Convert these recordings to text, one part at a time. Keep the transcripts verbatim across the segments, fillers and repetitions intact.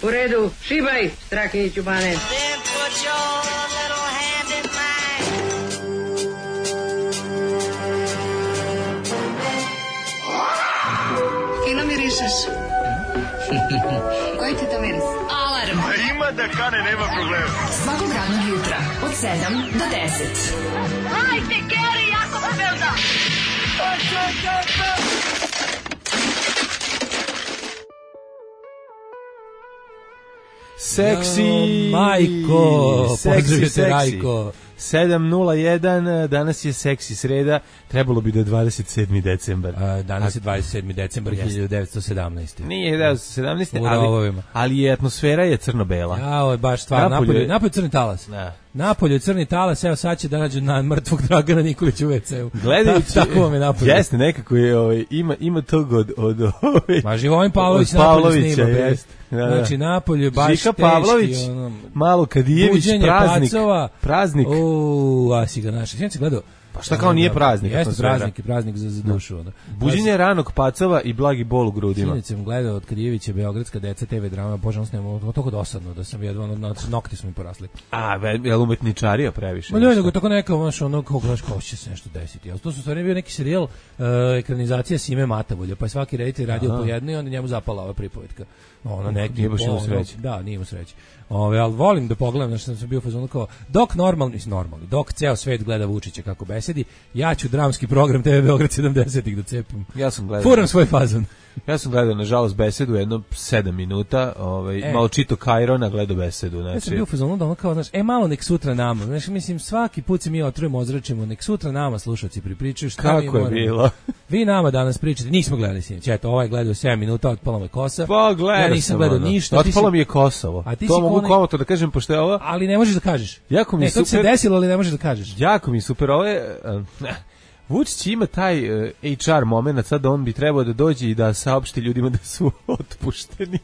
U redu, šibaj, Strahinjiću Bane. Fino mirišeš. Koji ti to miris? Alarm. A ima da kane, nema problema. Svakog radnog jutra, od sedam do deset. Hajde, Geri, jako se velda. Seksi, ja, majko, seksi, seksi. Rajko. sedam nula jedan, danas je seksi sreda, trebalo bi da je dvadeset sedmi decembar. A, danas je dvadeset sedmi decembar hiljadu devetsto sedamnaeste. Nije hiljadu devetsto sedamnaeste, U ali, rovovima. ali je atmosfera je crno-bela. Ja, ovo je baš stvar, napolje, napolje, napolje crni talas. Da. Napolje crni talas, evo sad će da nađu na mrtvog Dragana Nikolića u ve ceu. Gledajući, tako vam je napolje. Jeste, nekako je, ovaj, ima, ima tog od... od ovaj, Ma Živojin Pavlović napolje snima, jest. Da, da. Znači, napolje baš Žika teški. Pavlović, ono, malo Kadijević, praznik. Pacova. Praznik. Uuu, a si ga našli. Sjećam se gledao. Pa šta kao nije praznik? Jeste praznik i praznik za, za dušu. Ono. Buđenje ranog pacova i blagi bol u grudima. Sinoć sam gledao od Kadijevića Beogradska deca te ve drama, bože, on snema, to toliko dosadno da sam jedva, ono, nokti su mi porasli. A, je li umetničarija previše? Ma ne, nego tako neka, znaš, ono, kao gledaš, kao će se nešto desiti. Ali to su stvarno bio neki serijal, uh, ekranizacija Sime Matavolja, pa je svaki reditelj radio po jedno i onda njemu zapala ova pripovetka. No, ono, neki, nije baš imao sreće. Da, nije imao sreće. Ove, ali volim da pogledam, znači sam, sam bio u fazonu kao, dok normalni, normalni, dok ceo svet gleda Vučića kako besedi, ja ću dramski program te ve Beograd sedamdesetih da cepim. Ja sam gledao. Furam svoj fazon. Ja sam gledao, nažalost, besedu jedno sedam minuta, ovaj, e. malo čito Kajrona, gledao besedu. Znači. Ja sam bio u fazonu da ono kao, znaš, e malo nek sutra nama, znaš, mislim, svaki put se mi otrujemo, ozračimo, nek sutra nama slušalci pripričaju šta kako mi moramo. Kako je bilo? Vi nama danas pričate, nismo gledali sinoć, eto, ovaj gledao sedam minuta, otpala mu je kosa. Pa gledao ja nisam gledao ono. ništa. Otpala mi je Kosovo. A ti to mogu ne... komotno da kažem, pošto je ovo... Ali ne možeš da kažeš. Jako mi ne, super... to se desilo, ali ne možeš da kažeš. Jako mi super, ovo je... Uh, Vučić ima taj uh, H R moment, sad on bi trebao da dođe i da saopšti ljudima da su otpušteni.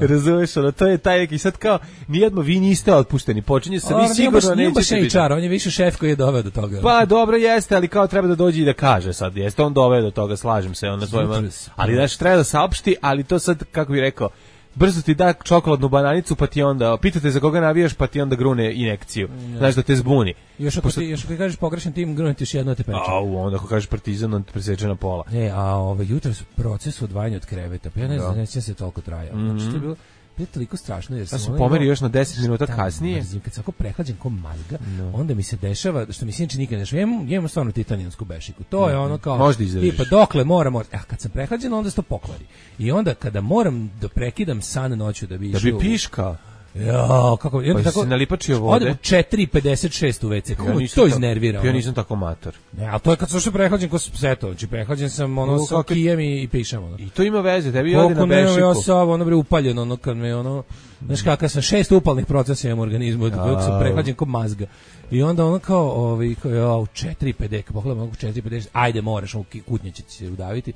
Razumeš, ono, to je taj neki sad kao, nijedno vi niste otpušteni, počinje se, vi sigurno nećete biti. H R, on je više šef koji je doveo do toga. Pa dobro jeste, ali kao treba da dođe i da kaže sad, jeste on doveo do toga, slažem se, on na svojima, ali znaš, treba da saopšti, ali to sad, kako bih rekao, brzo ti da čokoladnu bananicu, pa ti onda, pitate za koga navijaš, pa ti onda grune injekciju, ja. Znaš da te zbuni. Još ako, Pošto... ti, još ako kažeš pogrešan tim, grune ti još jedno te peče. Au, onda ako kažeš Partizan, on te preseče na pola. Ne, a ovaj, jutro su proces odvajanja od kreveta, pa ja ne znam, neće se toliko trajao. Mm -hmm. Znači, to je bilo, bilo toliko strašno. Jer ja sam pomeri još na deset minuta kasnije. Mrzim, kad sam ako prehlađen ko mazga, no. onda mi se dešava, što mi se inače nikad ne dešava, imam, imam stvarno titanijansku bešiku. To no. je ono kao, možda izdržiš. Tipa, dokle moram, moram. A kad sam prehlađen, onda se to pokvari. I onda kada moram da prekidam san noću da bi da bi piška. Ja, kako pa tako, se nalipačio vode. Odem u četiri pedeset šest u ve ce. Kako ja to iznervira? Ja nisam tako mator. Ne, a to je kad sam što prehlađen ko seto, znači prehlađen sam ono sa kijem i, i pišem ono. I to ima veze, tebi ode na bešiku. Koliko ne, ja sam ono bre upaljeno, ono kad me ono, znaš kakav sam šest upalnih procesa imam u organizmu, dok sam prehlađen ko mazga. I onda ono kao, ovaj, kao, ja, u četiri pedeset, pogledam ono u četiri pedeset, ajde moraš, kutnje će se udaviti.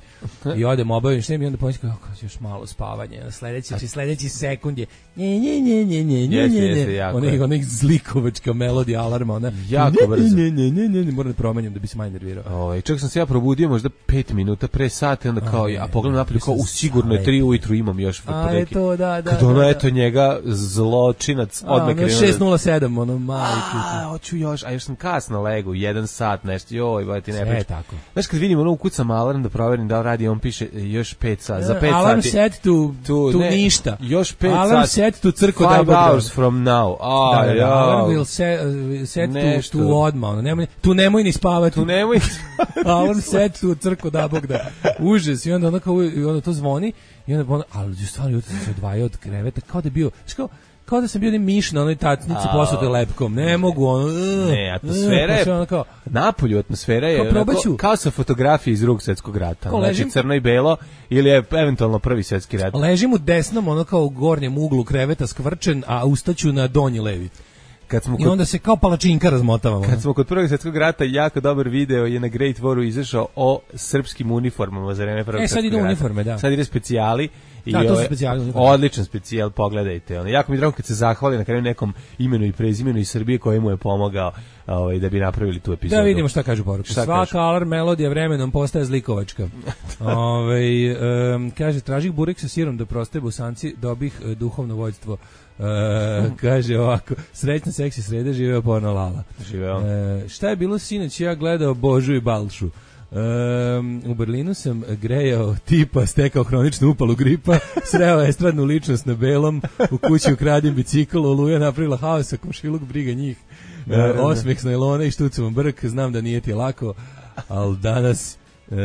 I odem obavim s njim i onda pomislim kako još malo spavanje. Sledeći, sledeći sekund je nje, nje, nje, nje, nje, nje, nje, nje. Ona onih zlikovačka melodija alarma, ona jako brzo. Ne, ne, ne, ne, ne, moram da promenim da bi se manje nervirao. Ovaj, čak sam se ja probudio možda pet minuta pre sata, onda kao, a pogledam napolje kao u sigurno je tri ujutru imam još fotodeki. A, da, da, kad ono, eto, njega zločinac odmah krenuo. šest nula sedam, ono, mali kutu. Ću još, a još sam kasno legu, jedan sat, nešto, joj, ba ti ne pričam. tako. Znaš, kad vidim ono, ukucam alarm da proverim da radi, on piše još pet sati, za pet alarm sati. Alarm set to, to, to ne, ništa. Još pet alarm sati. Alarm set to crko da Five hours from now. A, da, da, ja. Alarm will set, uh, set to, to odmah, ono, nemoj, tu nemoj ni spavati. Tu nemoj ni spavati. Alarm set to crko da bog da. Užas, i onda ono kao, i onda to zvoni, i onda ono, ali stvarno jutro se odvajao od kreveta, kao da je bio, kao, kao da sam bio ne miš na onoj tacnici posute lepkom. Ne mogu ono. Uh, ne, atmosfera je. Ono kao, napolju atmosfera je kao, onako, kao sa fotografije iz Drugog svjetskog rata. Znači ležim, crno i belo ili je eventualno Prvi svjetski rat. Ležim u desnom, ono kao u gornjem uglu kreveta skvrčen, a ustaću na donji levi. kad smo I kod, onda se kao palačinka razmotavamo. kad smo kod Prvog svjetskog rata, jako dobar video je na Great Waru izašao o srpskim uniformama za vreme Prvog E, sad svjetskog idu rata. uniforme, da. Sad ide specijali. I Da, to su ove- specijali uniforme. odličan specijal, pogledajte. Ono. Jako mi je drago kad se zahvali na kraju nekom imenu i prezimenu iz Srbije koji mu je pomogao ovaj, da bi napravili tu epizodu. Da vidimo šta kažu poruke. Šta Svaka kažu? alarm melodija vremenom postaje zlikovačka. Ove, um, kaže, tražih burek sa sirom da prostaje busanci, dobih uh, duhovno vođstvo. Uh, kaže ovako, srećna seksi sreda, živeo porno Lala. Živeo. Uh, šta je bilo sinoć, ja gledao Božu i Balšu. Um, u Berlinu sam grejao tipa, stekao hroničnu upalu gripa, sreo estradnu ličnost na belom, u kući ukradim bicikl, Oluja napravila haosa, komšiluk briga njih, Da, da, uh, da. osmeh s najlona i štucovom brk, znam da nije ti lako, ali danas e,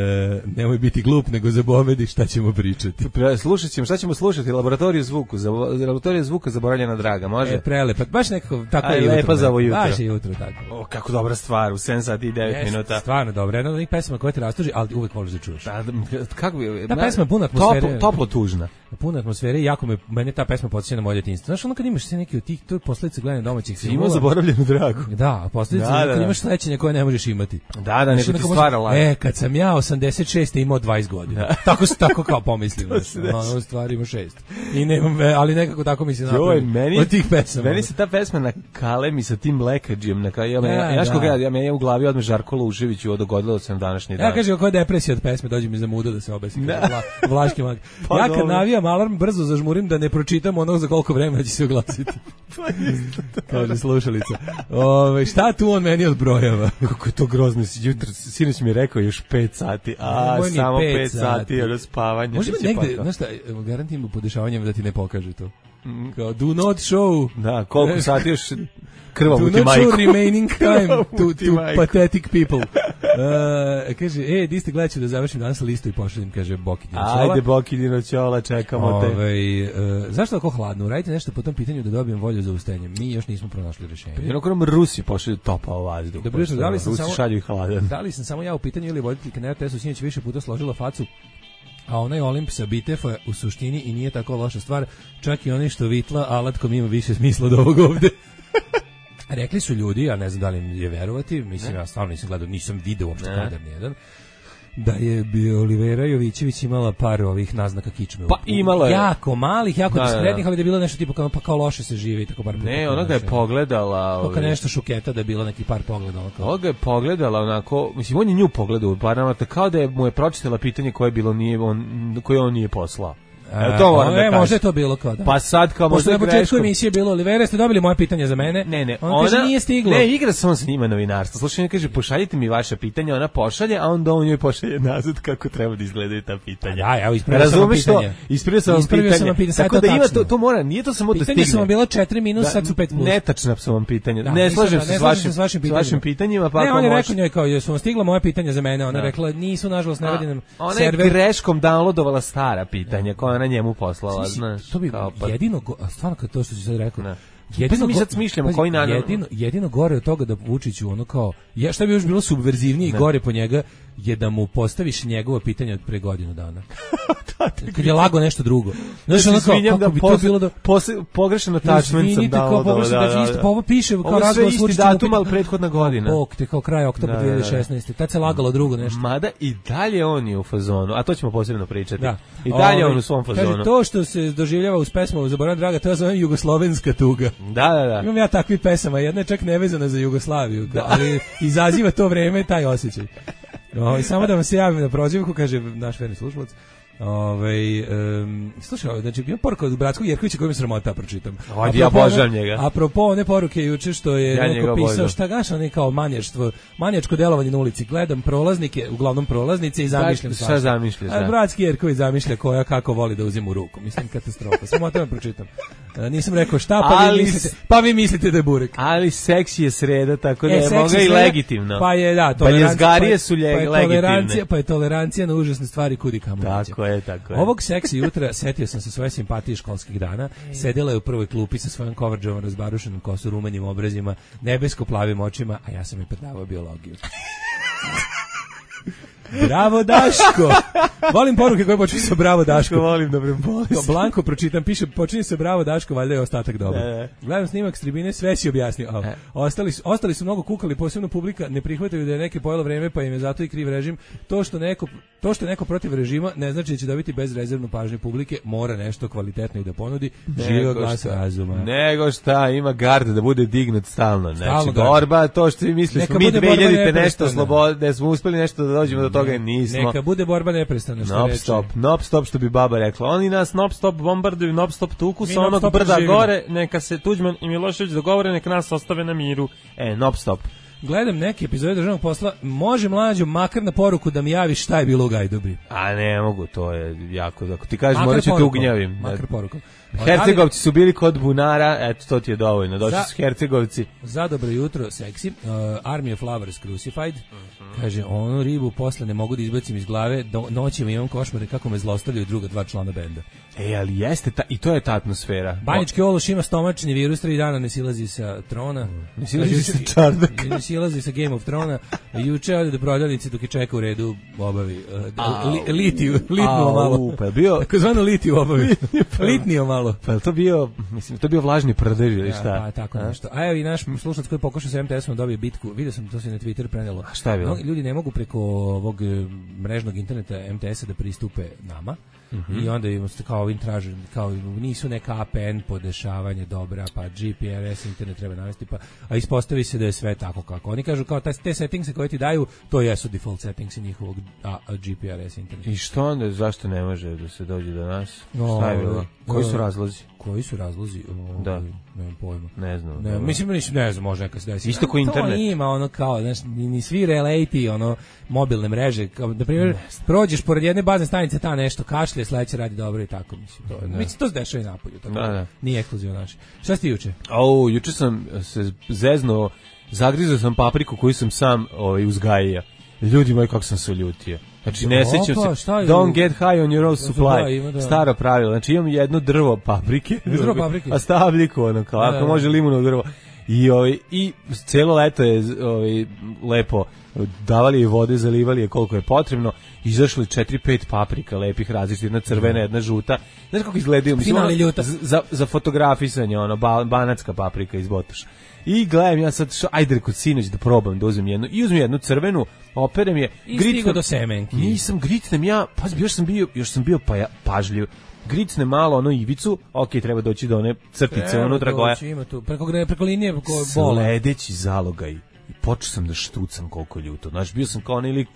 nemoj biti glup, nego zabomedi šta ćemo pričati. Pre- Slušat ćemo, šta ćemo slušati? Laboratoriju zvuku, za, laboratoriju zvuka zaboravljena draga, može? E, prelepa, baš nekako, tako Aj, je jutro. lepa za ovo jutro. Baš je jutro, tako. O, kako dobra stvar, u sedam sati i devet Jeste, minuta. stvarno dobro, jedna od onih pesama koja te rastuži, ali uvek voliš da čuješ. Da, da, kako bi... Ta pesma je puna atmosfere. Toplo, toplo tužna. Puna atmosfere i jako me, mene ta pesma podsjeća na moje djetinjstvo. Znaš, ono kad imaš sve neki od tih, to je posljedica gledanja domaćih Imao filmova. zaboravljenu dragu. Da, a posljedica Da, je da, kad da. imaš slećenje koje ne možeš imati. Da, da, Znaš, neko ti onako stvara može- laž. E, kad sam ja osamdeset šeste imao dvadeset godina. Tako tako kao pomislim. znaš, ono, u stvari ima šest. I nemam, ve- ali nekako tako mi se Joj, napravi. meni, Od tih pesama. meni se ta pesma na kalemi sa tim lekađijem, na kraju, ja, ja, Da, ja, da. koga, ja, ja, ja u glavi odme Žarko Lušević i dogodilo se na današnji dan. Ja kažem kako je depresija od pesme, dođe mi za muda da se obesi. Da. Vla, vlaški mag. Pa ja kad dobro. navijam alarm, brzo zažmurim da ne pročitam ono za koliko vremena će se oglasiti. Kaže slušalica. Ove, šta tu on meni odbrojava? Kako je to grozno, jutro, sinoć mi je rekao još pet sati, a Nemoj ni samo pet pet sati, sati. je do spavanja. Može to biti će negde, pakao. znaš šta, garantim u podešavanjem da ti ne pokaže to. Kao, do not show. Da, koliko sati još Do krvavu ti not majku. show remaining time to, Krvavu ti to majku. pathetic people. Uh, kaže, e, di ste gledat ću da završim danas listu i pošaljem, kaže Boki Dinoćola. Ajde, Boki Dinoćola, čekamo te. Ove, uh, zašto tako hladno? Uradite nešto po tom pitanju da dobijem volju za ustajanje. Mi još nismo pronašli rješenje. Jednog nam Rusi pošalju topao vazduh. Dobro jutro, da li sam Rusi samo- šalju i hladan. Da li sam samo ja u pitanju ili voditeljka na er te esu sinoć više puta složila facu, a onaj Olimp sa Bitefa u suštini i nije tako loša stvar, čak i onaj što vitla alatkom ima više smisla od ovog ovde. Rekli su ljudi, a ne znam da li im je verovati, mislim, ja stvarno nisam gledao, nisam video uopšte Ne. kadar nijedan, da je bi Olivera Jovićević imala par ovih naznaka kičme. Pa U- imalo je. Jako malih, jako Da, da, da. diskretnih, ali da je bilo nešto tipa kao, pa kao loše se živi, tako bar. Ne, ona ga je pogledala. Kao ovaj, nešto šuketa da je bilo neki par pogleda. ono kao- Ona ga je pogledala onako, mislim, on je nju pogledao, par namata, kao da je mu je pročitala pitanje koje je bilo nije, on, koje on nije poslao. Evo, to moram da e, kažem. možda je to bilo kao da. Pa sad kao Pošto možda na početku greškom. emisije bilo Olivera, ste dobili moje pitanje za mene? Ne, ne, ona, kaže nije stiglo. Ne, igra se on sa njima novinarstvo. Slušaj, on kaže pošaljite mi vaše pitanja, ona pošalje, a onda on njoj pošalje nazad kako treba da izgledaju ta pitanja. Pa da, evo, ispravio sam vam Razumeš to? pitanje. Ispravio sam vam Ispravio pitanje. sam vam pitanje, sad je Tako to da ima tačno. to, to mora, nije to samo da Pitanje stigne. su vam bila četiri minus, Da, sad su pet plus. Netačna su vam pitanja. Da, ne nisam- slažem da, se ne s slažem vašim, se s vašim s pitanjima. vašim pitanjima, pa ne, ako on je može- rekao njoj kao, jesu vam stigla moja pitanja za mene? Ona Da. rekla, nisu, nažalost, ne A, radi nam ona je server. greškom downloadovala stara pitanja koja ona njemu poslala, Mislim, znaš. to bi kao pa- jedino, go- a stvarno kad to što si sad rekao, Ne. jedino Pa mi go- sad smišljamo pazi, koji naravno- jedino, jedino gore od toga da Vučiću ono kao, je, šta bi još bilo subverzivnije i gore po njega, je da mu postaviš njegovo pitanje od pre godinu dana. Kad je lago nešto drugo. Znaš, ono kao, Izvinjam kako da bi to posle- bilo da... posle- pogrešan attachment sam Izvinite, kao downloadovao, pogrešno, da, da, da, isto, da. pa ovo piše kao Ovo je sve razgovor s isti Vučićem. datum, ali prethodna godina. Bog te kao kraj oktobra Da, da, da. dve hiljade šesnaeste. Tad se lagalo drugo nešto. Mada i dalje on je u fazonu, a to ćemo posebno pričati. Da. I dalje Ovaj, on u svom fazonu. Kaže, to što se doživljava uz pesmu Zaboravim draga, to ja zovem jugoslovenska tuga. Da, da, da. Imam ja takvih pesama, jedna je čak nevezana za Jugoslaviju, kao, ali izaziva to vreme taj osjećaj. Ovaj, samo da vam se javim na prozivku, kaže naš verni slušalac. Ovaj um, slušaj, znači imam poruku od Bratskog Jerkovića koju mi sramota pročitam. Ajde, ja Apropo obožavam one- njega. Apropo one poruke juče što je Ja njega neko pisao obožavam. šta gaša ne kao manjaštvo, manjačko delovanje na ulici. Gledam prolaznike, uglavnom prolaznice i zamišljam šta svašta. zamišljaš, A da. Bratski Jerković zamišlja koja kako voli da uzima u ruku. Mislim katastrofa. Samo o tome pročitam. E, nisam rekao šta, pa Ali vi mislite, pa vi mislite da je burek. Ali seks je sreda, tako da E, je seksi moga i sve, legitimno. Pa je, da, Baljezgarije su pa je- lje- pa je legitimne. tolerancija, pa je tolerancija na užasne stvari kudi kamo veća. Tako je, tako je. Ovog seksi jutra setio sam se svoje simpatije školskih dana. Sedela je u prvoj klupi sa svojom coverđovom razbarušenom kosu, rumenim obrazima, nebesko-plavim očima, a ja sam joj predavao biologiju. Bravo Daško. Volim poruke koje počinju sa Bravo Daško. Volim dobre bolesti. Blanko pročitam, piše počinje se Bravo Daško, valjda je ostatak dobro. E, e. Gledam snimak s tribine, sve si objasnio. A, E. ostali, su, ostali su mnogo kukali, posebno publika ne prihvataju da je neke pojelo vreme, pa im je zato i kriv režim. To što neko to što je neko protiv režima ne znači da će dobiti bezrezervnu pažnju publike, mora nešto kvalitetno i da ponudi. Živo glas razuma. Nego šta, ima gard da bude dignut stalno. Znači, Stalno borba, to što vi mislili, Neka smo mi bude borba dve hiljadite nešto neprestana. slobodne, da smo uspeli nešto da dođemo do toga, nismo. Neka bude borba neprestana, što Nop reče. stop, nop stop što bi baba rekla. Oni nas nop stop bombarduju, nop stop tuku Mi sa non onog stop brda živimo. gore, neka se Tuđman i Milošević dogovore, neka nas ostave na miru. E, nop stop. Gledam neke epizode državnog posla, može mlađu makar na poruku da mi javiš šta je bilo u Gajdubi. A ne mogu, to je jako, ako ti kažeš, Makar morat ću te porukom, ugnjavim. Makar porukom. Hercegovci su bili kod bunara, eto, to ti je dovoljno. Došli Za- su Hercegovci. Za dobro jutro, seksi. Uh, Army of Lovers Crucified. Mhm. Kaže, onu ribu posle ne mogu da izbacim iz glave, do, noćima imam košmare kako me zlostavljaju druga dva člana benda. E, ali jeste, ta, i to je ta atmosfera. Banjički Ološ ima stomačni virus, tri dana ne silazi sa trona. Ne silazi Kaže, sa juče- čardaka. Ne silazi sa Game of Trona. Juče ode do prodavnice dok je čeka u redu obavi. Uh, da- li, litiju, litnuo Au, malo. pa je bio- Tako zvano litiju obavi. Litnio malo. Pa je to bio, mislim, to je bio vlažni prdež ili šta? Ja, pa tako A? nešto. A evo i naš slušalac koji pokušao sa em te esom da dobije bitku. Vidio sam, to se na Twitter prenelo. A šta je bilo? Mnogi ljudi ne mogu preko ovog e, mrežnog interneta em te esa da pristupe nama. I onda im se kao ovim traže, kao nisu neka a pe en podešavanje dobra, pa G P R S internet treba navesti, pa a ispostavi se da je sve tako kako oni kažu, kao taj, te settingse koje ti daju, to jesu default settingsi njihovog a, a G P R S interneta. I što onda, zašto ne može da se dođe do nas? No, Šta je bilo? Koji su no. razlozi? Koji su razlozi? O, Da. Nemam pojma. Ne znam. Ne, dobro. mislim, mislim, ne znam, može neka se desi. Isto ko internet. To ima ono kao, znaš, ni, ni svi relati, ono, mobilne mreže, kao, na primjer, prođeš pored jedne bazne stanice, ta nešto kašlje, sledeće radi dobro i tako, mislim, to, mislim, to se dešava i napolju, tako, Da, da. nije ekskluzivno naši. Šta si ti juče? Au, juče sam se zeznuo, zagrizao sam papriku koju sam sam ovaj, uzgajio. Ljudi moji, kako sam se ljutio. Znači, ne Opa, sećam šta je se, don't u- get high on your own supply, Da, ima da. staro pravilo. Znači, imam jedno drvo paprike, Drvo paprike. a stavljiku, ono, kao, Da, ako da. može limuno drvo. I, ovaj, i celo leto je ovaj, lepo davali je vode, zalivali je koliko je potrebno, izašli četiri pet paprika lepih različitih, jedna crvena, jedna žuta. Znaš kako izgledaju? Mislim, Finali ono, ljuta. za, za fotografisanje, ono, ba, banatska paprika iz Botoša. I gledam ja sad, šo, ajde kod sinoć da probam da uzmem jednu, i uzmem jednu crvenu, operem je, I gritnem- stigo do semenki. Nisam, gritnem ja, pa još sam bio, još sam bio pa ja, pažljiv. Gricne malo ono ivicu, ok, treba doći do one crtice Evo, unutra koja. doći, ima tu, preko, gre- preko linije, preko bola. Sledeći zalogaj. I počeo sam da štucam koliko je ljuto. Znaš, bio sam kao onaj lik.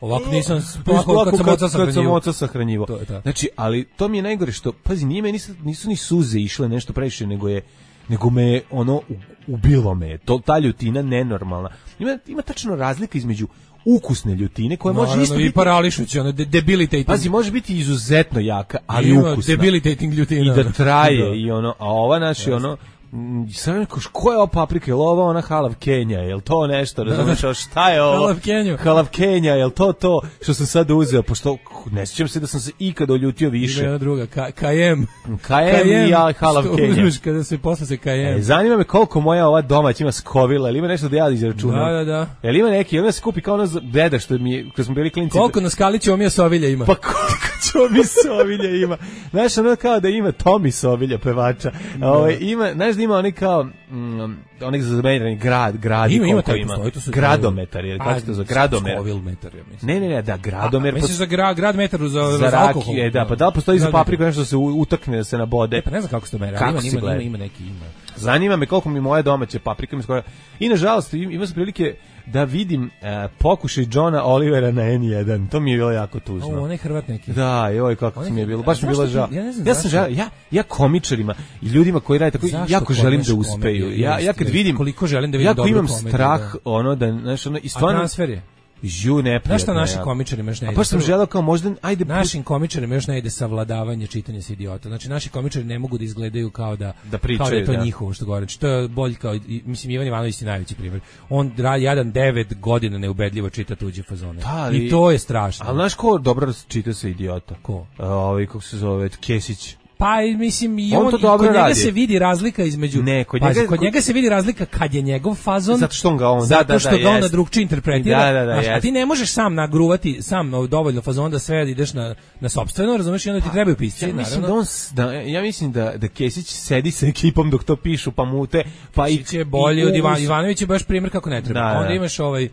Ovako nisam Ovako ovako kad sam oca kad sam sahranjivo. oca sahranjivo. To je to. Znači, ali to mi je najgore što, pazi, nije me, nisu, nisu ni suze išle nešto previše, nego je nego me je ono u- ubilo me je. To, ta ljutina nenormalna. Ima, ima tačno razlika između ukusne ljutine koja može Naravno, isto i biti. parališući, ono, de- debilitating. Pazi, može biti izuzetno jaka, ali Ima ukusna. debilitating ljutina. I da traje Da. i ono, a ova naša ono mm, sad neko, ko je ova paprika, je li ova ona halav Kenja, je li to nešto, razumiješ, a šta je ovo? Halav Kenju. Halav Kenja, je li to to što sam sad uzeo, pošto ne sjećam se da sam se ikada oljutio Ima više. jedna druga, ka, kajem. Kajem i ja halav što Kenja. uzmeš kada se posle se kajem. E, zanima me koliko moja ova domać ima skovila, ili ima nešto da ja izračunam? Da, da, da. Jel ima neki, jel ima se kupi kao ono za- deda što mi je, kad smo bili klinci. Koliko na skali će omija sovilja ima? Pa koliko Tomi Sovilja ima. Znaš, ono kao da ima Tomi Sovilja, pevača. Ovaj, ima, znaš da ima oni kao, mm, onih zamerani grad, grad Ima, ima koliko taj ima. postoji, to su- Gradometar, jer kako se to zove, gradomer. Scoville metar, ja mislim. Ne, ne, ne, da, gradomer. A, misliš za gra, grad metaru za, za za alkohol? rakije, da, pa da li postoji za Grad metar. papriku nešto da se u- utakne, da se nabode. E, pa ne znam kako se to meri, Kako ali se ima, ima, gleda? ima, ima neki, ima. Zanima me koliko mi moja domaća paprika mi skoro. I nažalost im- imao sam prilike da vidim e, pokušaj Johna Olivera na en jedan. To mi je bilo jako tužno. O, onaj Hrvat neki. Da, joj kako Onaj- mi je bilo, baš mi je zašto bilo ti- žao. ja ne znam Ja sam zašto. žao, ja ja komičarima i ljudima koji rade tako Zašto jako želim da kod naš uspeju. komedije? Ja ja kad Jeste, vidim koliko želim da vidim jako dobru imam komediju, strah da. ono da znaš ono i A stvarno transfer je? ju neprijatno. Znaš šta naši jako. komičari još ne A ide? baš sam Prvo- želeo kao možda ajde Našim komičarima još ne ide savladavanje čitanja sa idiota. Znači naši komičari ne mogu da izgledaju kao da Da pričaju, kao da je to da. njihovo što govore. Znači, to je bolj kao i- mislim Ivan Ivanović je najveći primjer. On dra- jadan devet godina neubedljivo čita tuđe fazone. Da, ali- I to je strašno. Ali znaš ko dobro čita se idiota? Ko? A, ovaj kako se zove Kesić. Pa mislim i on, on, to i dobro kod njega radi. se vidi razlika između ne, kod pazi, njega, kod njega se vidi razlika kad je njegov fazon zato što on ga on zato da, da, što da, ga on jest. na drugčije interpretira. Da, da, da, znaš, a jest. ti ne možeš sam nagruvati sam dovoljno fazon da sve ideš na na sopstveno, razumeš, i onda ti trebaju pisci, ja mislim naravno. da on s- da, ja mislim da da Kesić sedi sa ekipom dok to pišu pa mute pa i će bolje i- od Ivan uz- Ivanović je baš primjer kako ne treba. Da, da. Onda imaš ovaj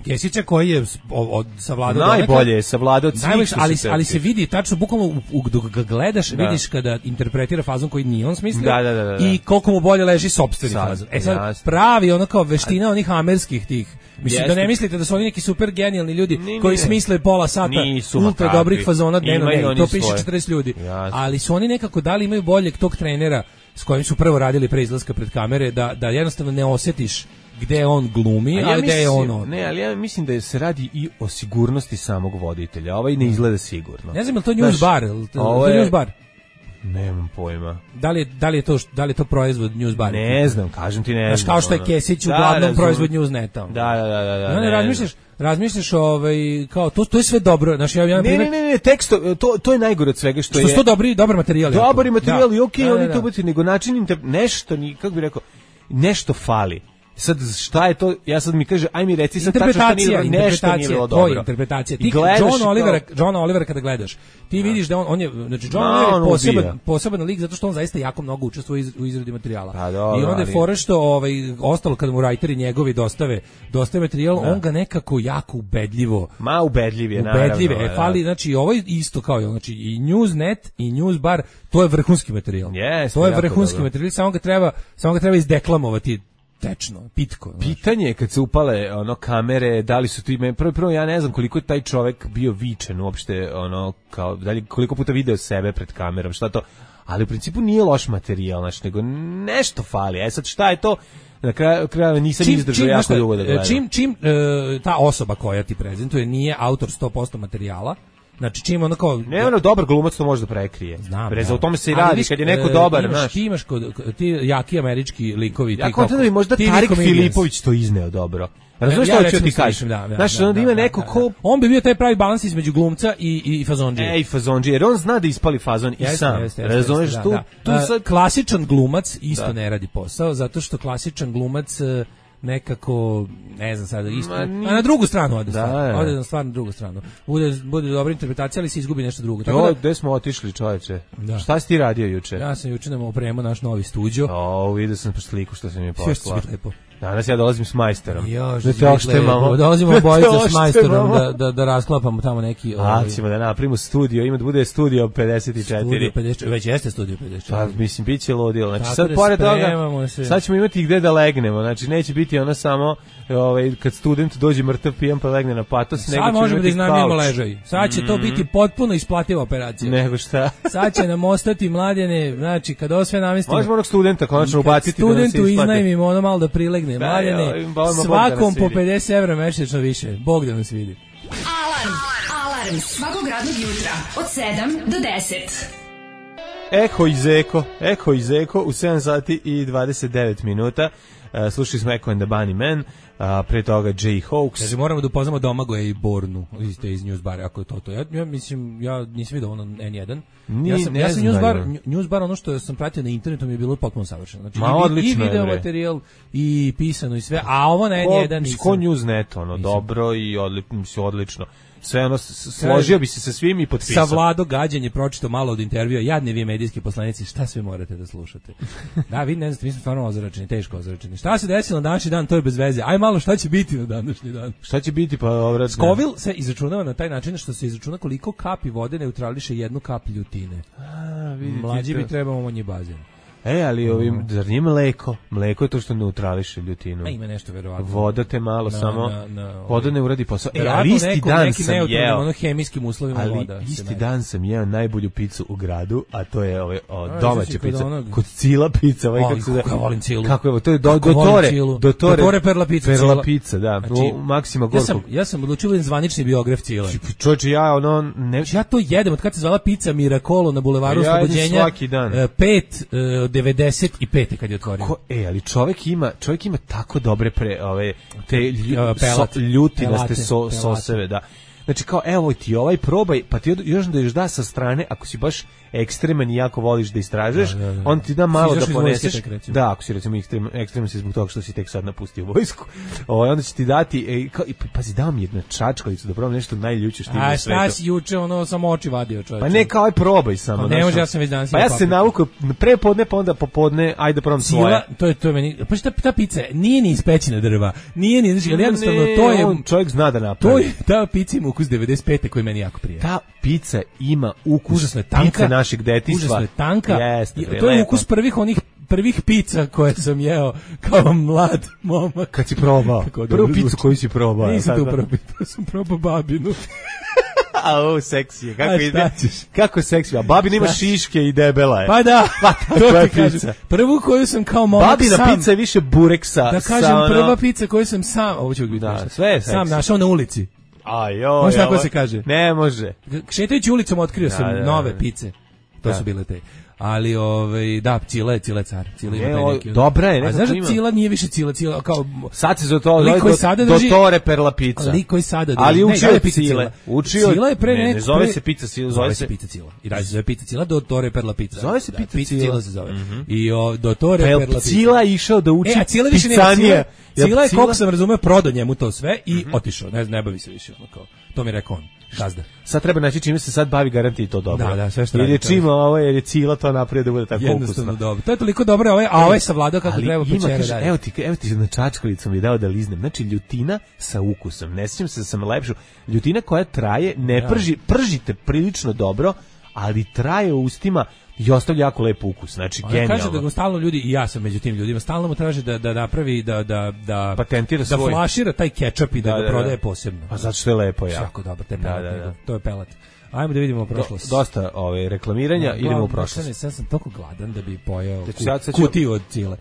Kesića koji je s- o- od savladao najbolje je savladao od svih Najbolje, što ali su ali se tepsi. vidi tačno bukvalno u, u, dok ga gledaš, Da. vidiš kada interpretira fazon koji nije on smislio Da, da, da, da, da. i koliko mu bolje leži sopstveni Sad, fazon. E sad jasno. pravi ono kao veština onih amerskih tih. Mislim Jeste. da ne mislite da su oni neki super genijalni ljudi Ni, ni, koji ne. smisle pola sata Nisu, ma ultra kakvi. dobrih fazona dnevno, Imaju ne, oni to piše svoje. četrdeset ljudi. Jasno. Ali su oni nekako dali imaju boljeg tog trenera s kojim su prvo radili pre izlaska pred kamere da da jednostavno ne osjetiš gde on glumi, A a ja gde je mislim- on on. Ne, ali ja mislim da se radi i o sigurnosti samog voditelja. Ovaj ne izgleda sigurno. Ne znam je li to news Znaš, bar, je li to, ovo to je je- news bar. Nemam pojma. Da li, je- da li je to da li je to proizvod news bar? Ne znam, kažem ti ne Znaš, znam. kao što je ono. Kesić Da, uglavnom razumem. proizvod Newsneta. Da, da, da, da, da. I onda ne razmišljaš, razmišljaš ovaj, kao, to, to je sve dobro. Znaš, ja, ja, Ne, ne, ne, ne, tekst, to, to je najgore od svega što, što je... su to dobri, dobar materijal. jako. Dobar je materijal Da. i okej, Da, da, oni da. to ubaci, nego način inter... nešto, ni, kako bi rekao, nešto fali. Sad, šta je to, ja sad mi kaže, aj mi reci sad tačno šta nije Interpretacija, dobro, nešto nije interpretacija, bilo to je dobro. interpretacija. I Ti gledaš John kao- Olivera, John Olivera kada gledaš, ti vidiš da on, on je, znači John Ma, Oliver on je poseban, ubija. poseban lik zato što on zaista jako mnogo učestvuje u iz- u izradi materijala. Pa dobro, I onda je ali- fora što ovaj, ostalo kada mu writeri njegovi dostave, dostave materijal, on ga nekako jako ubedljivo Ma, ubedljiv je, naravno. ubedljive. E, da. fali, znači, ovo je isto kao i ono, znači, i Newsnet i Newsbar, to je vrhunski materijal. Jeste, to je jako vrhunski dobro. materijal, samo ga treba, samo ga treba izdeklamovati tečno, pitko. znaš. Pitanje je kad se upale ono kamere, da li su ti me prvo prvo ja ne znam koliko je taj čovjek bio vičan uopšte, ono kao da li koliko puta video sebe pred kamerom, šta to, ali u principu nije loš materijal, znači nego nešto fali. E sad šta je to? Na kraju krajeva nisam izdržao znaš jako šta, dugo da gledam. Čim, čim e, ta osoba koja ti prezentuje nije autor sto posto materijala, znači čim ono kao... Ne, ono dobar glumac to može da prekrije. Znam, Brez, da. o tome se i Ali radi, viš, kad je neko e, dobar, imaš, znaš. ti imaš kod, kod- ti jaki američki likovi, ti Ja kao- kontam da bi možda T V Tarik comedians. Filipović to izneo dobro. Razumeš Ja šta hoću recimo ti sličim, kažem? da, da, Znaš, da, onda da, ima da, neko da, ko... da. On bi bio taj pravi balans između glumca i, i fazondžije. Ej, fazondži, jer on zna da ispali fazon i Jeste, sam. jeste, jeste, Razumeš, jeste, tu, da, tu da. sad... A, klasičan glumac isto Da. ne radi posao, zato što klasičan glumac e, nekako, ne znam sada, isto, Ma, a nije- na drugu stranu ode Da, stvar, da. ode na stvar na drugu stranu. Bude, bude dobra interpretacija, ali se izgubi nešto drugo. Tako Jo, da, gde smo otišli, čoveče? Da. Šta si ti radio juče? ja sam juče nam opremao naš novi studio. O, vidio sam sliku što sam mi Sve što će poslao. biti lepo. Danas ja dolazim s majsterom. Jo, Da što te će biti oštemamo. lepo. Dolazimo Da te obojica s oštemamo. majstorom da, da, da rasklapamo tamo neki... A, ovaj, ćemo da napravimo studio, ima da bude studio pedeset četiri. studio pedeset četiri, već jeste studio pedeset četiri. Pa, mislim, bit će ludilo. Znači, Tako sad, da pored toga, spremamo se. sad ćemo imati gde da legnemo. Znači, neće biti ono samo, ovaj, kad student dođe mrtav pijan pa legne na patos, nego Sad ćemo možemo da imati iznajmimo kauč. ležaj. Sad će to biti potpuno isplativa operacija. Nego šta? Sad će nam ostati mladene, znači kad ovo sve namestimo. Možemo onog studenta konačno kad ubaciti da nam se studentu isplati. iznajmimo ono malo da prilegne. Da, Mladene, ja, im volimo Bog da nas svakom po vidi. pedeset evra mesečno više. Bog da nas vidi. Alarm. Alarm svakog radnog jutra od sedam do deset. Eho iz Eko, Eho iz Eko u sedam sati i dvadeset devet minuta. Uh, slušali smo Echo and the Bunny Man, uh, pre toga Jay Hawks. Kaže, moramo da upoznamo Domagoja i Bornu iz, te iz Newsbara, ako je to to. Ja, ja mislim, ja nisam vidio ono en jedan. Ni- ja sam, ne ja sam znaju. Newsbar, Newsbar, ono što sam pratio na internetu mi je bilo potpuno savršeno. Znači, Ma, i, vi- i odlično je, video bre. materijal, i pisano i sve, a ovo na en jedan nisam. Ko Newsnet, ono, dobro i odli, mislim, odlično. Sve ono, s- složio bi se sa svim i potpisao. Sa Vlado Gađan je pročitao malo od intervjua, jadni vi medijski poslanici, šta sve morate da slušate. Da, vi ne znate, mi smo stvarno ozračeni, teško ozračeni. Šta se desilo na današnji dan, to je bez veze. Aj malo šta će biti na današnji dan. Šta će biti pa obratno? Scoville se izračunava na taj način što se izračuna koliko kapi vode neutrališe jednu kap ljutine. A, vidite Mlađi to. bi trebao manji bazen. E, ali ovim, zar nije mleko? Mleko je to što neutrališe ljutinu. A ima nešto verovatno. Voda te malo Na- samo, na- na- voda ne uradi posao. E, Verovatno ali isti neko- dan neki sam neutralnim, jeo. ono hemijskim uslovima Ali voda. se isti nađe. dan sam jeo najbolju picu u gradu, a to je ove o, A, domaća znači, kod pica. onog- Kod Cila pica, ovaj Oj, kako se zove. kako ja volim Cilu. Kako je, to je do, Kako volim dotore, Cilu. dotore, Dotore Perla pica, Perla Cila. pica, da. Znači, u Maksima Ja Gorkog. sam, ja sam odlučio da budem zvanični biograf Cile. Čovječe, ja ono, ne, Znači, ja to jedem, od kad se zvala pizza Miracolo na bulevaru Ja jedem Oslobođenja, svaki dan. e, pet, e, devedeset pet kad je otvorio. Ko, e, ali čovjek ima, čovjek ima tako dobre pre, ove, te lju, Pelat. so, ljutinaste Pelate, so, pelate. soseve, da. znači kao evo ti ovaj probaj, pa ti još da još da sa strane, ako si baš ekstreman i jako voliš da istražuješ, da, da, da. On ti da malo da poneseš. Da, ako si recimo ekstrem, ekstreman si zbog toga što si tek sad napustio vojsku. Ovaj onda će ti dati e, kao, i pazi, dao mi jedna čačkalicu da probam nešto najljuće što ima na svetu. A šta si juče ono samo oči vadio, čoveče? Pa ne, kao aj probaj samo. Ne može, ja sam već danas. Pa ja se navukao pre podne, pa onda popodne, ajde probam svoje. To je to je meni. Pa šta ta pica nije ni iz pećine drva. Nije ni, znači, ali jednostavno ne, to je on čovjek zna da napravi. To je ta pica ima ukus devedeset pete koji meni jako prija. Ta pica ima ukus užasno je tanka, pice našeg detinjstva. Užasno je tanka. Jeste, bre, to je lepo. ukus prvih onih prvih pica koje sam jeo kao mlad momak. Kad si probao? Prvu picu koju si probao? Nisam tu prvu picu, sam probao babinu. A o, seksi je, kako ide? Kako je seksi? A babina ima šiške i debela je. Pa da, pa, to ti kažem. Prvu koju sam kao momak babina sam. Babina pica je više bureksa. Da kažem, ono... prva pica koju sam sam, ovo ću biti da, sve je seksi. Sam našao na ulici. Ajoj, može tako se kaže? Ne može. Šetajući ulicom otkrio da, sam da, nove da. pice. To da. su bile te. Ali ovaj da, Cila je Cila car. Cila ima ne, neki. Dobra je, a znaš da Cila nije više Cila, Cila kao sad se za to do, dotore per la pizza. Ali koji sada drži. Ali učio je Cile. Učio Cila je pre ne, ne, ne zove se pizza Cila, zove se pizza Cila. I dalje se zove pizza Cila, dotore per la pizza. Zove se da, pizza, pizza Cila se zove. Mm-hmm. I o dotore per la pizza. Cila je išao da uči e, Cila više pizzanije. Cila je koliko sam razumeo prodao njemu to sve i mm-hmm. otišao. Ne, ne bavi se više ono kao. To mi je rekao on. Gazda. Sad treba naći čime se sad bavi, garanti to dobro. Da, da, sve što jer je čima ovo, jer je Cila to napravio da bude tako ukusno. Jednostavno dobro. To je toliko dobro, a ovaj, a ovaj savladao kako ali treba ima, pečera dalje. Evo ti, evo ti na čačkalicom mi dao da liznem. Znači, ljutina sa ukusom. Ne sjećam se da sam lepšu. Ljutina koja traje, ne ja. prži, pržite prilično dobro, ali traje u ustima i ostavlja jako lep ukus, znači ona genijalno. Kaže da go stalno ljudi, i ja sam među tim ljudima, stalno mu traže da da napravi da da da patentira svoj, da flašira taj kečap i da, da ga prodaje da. posebno. Pa zato što je lepo, ja. Jako dobro, te pelat, da, da, da. To je pelat. Ajmo da vidimo prošlost. Do, dosta ove reklamiranja, no, idemo u prošlost. Ja sam toliko gladan da bi pojeo kut, ja kutiju od Cile.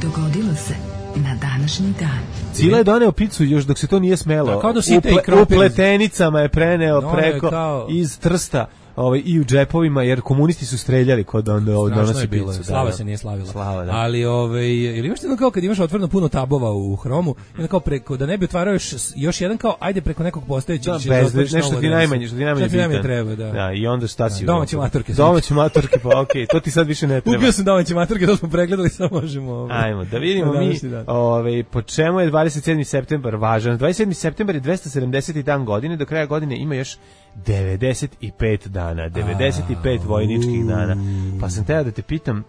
Dogodilo se na današnji dan. Cila je doneo picu još dok se to nije smelo. Da, kao da Uple, u pletenicama je preneo no, preko kao... iz Trsta. Ovaj, i u džepovima, jer komunisti su streljali kod on donosi picu. Slava da, se nije slavila. Slava, da. Ali ovaj ili imaš jedno kao kad imaš otvoreno puno tabova u Hromu, onda kao preko da ne bi otvarao još, još jedan kao ajde preko nekog postojećeg da, bez, nešto ti najmanje, što ti najmanje bitan. Treba, da. Da, i onda šta si? Da, domaće maturke. Domaće maturke, pa okej, okay, to ti sad više ne treba. Ubio sam domaće maturke, to smo pregledali, sad možemo. Ovaj. Ajmo, da vidimo mi, ovaj po čemu je dvadeset sedmi septembar važan. dvadeset sedmi septembar je dvesta sedamdeseti dan godine, do kraja godine ima još devedeset pet dana, devedeset pet vojničkih dana. Pa sam teo da te pitam,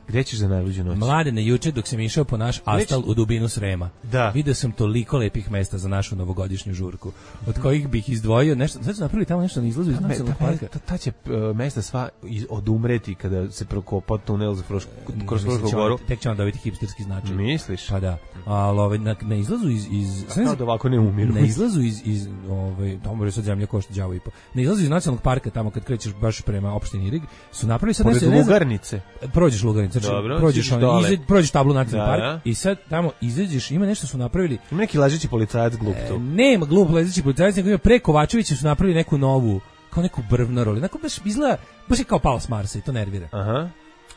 gde ćeš za najluđu noć? Mladene, juče dok sam išao po naš astal u dubinu Srema, da. Video sam toliko lepih mesta za našu novogodišnju žurku, od kojih bih izdvojio nešto, sad su napravili tamo nešto na izlazu iz nacionalnog parka. Ta, ta će uh, mesta sva iz, odumreti kada se prokopa tunel za Froš, kroz Frušku goru. Tek će vam dobiti hipsterski značaj. Misliš? Pa da. Ali ovaj, na, na izlazu iz... iz kao da ovako ne umiru. Na izlazu iz... iz ovaj, tamo je sad zemlja košta đavo i po. Na izlazu iz nacionalnog parka, tamo kad krećeš baš prema opštini Irig, su napravili sad... Pored Lugarnice. Prođeš Lugarnice, znači dobro, prođeš, on, izađ, prođeš tablu nacionalnog da, parka da. i sad tamo izađeš, ima nešto su napravili... Ima neki lažeći policajac glup tu. E, nema glup lažeći policajac, nego ima pre Kovačevića su napravili neku novu, kao neku brvnaru, onako baš izgleda, baš je kao pao s Marsa i to nervira. Aha.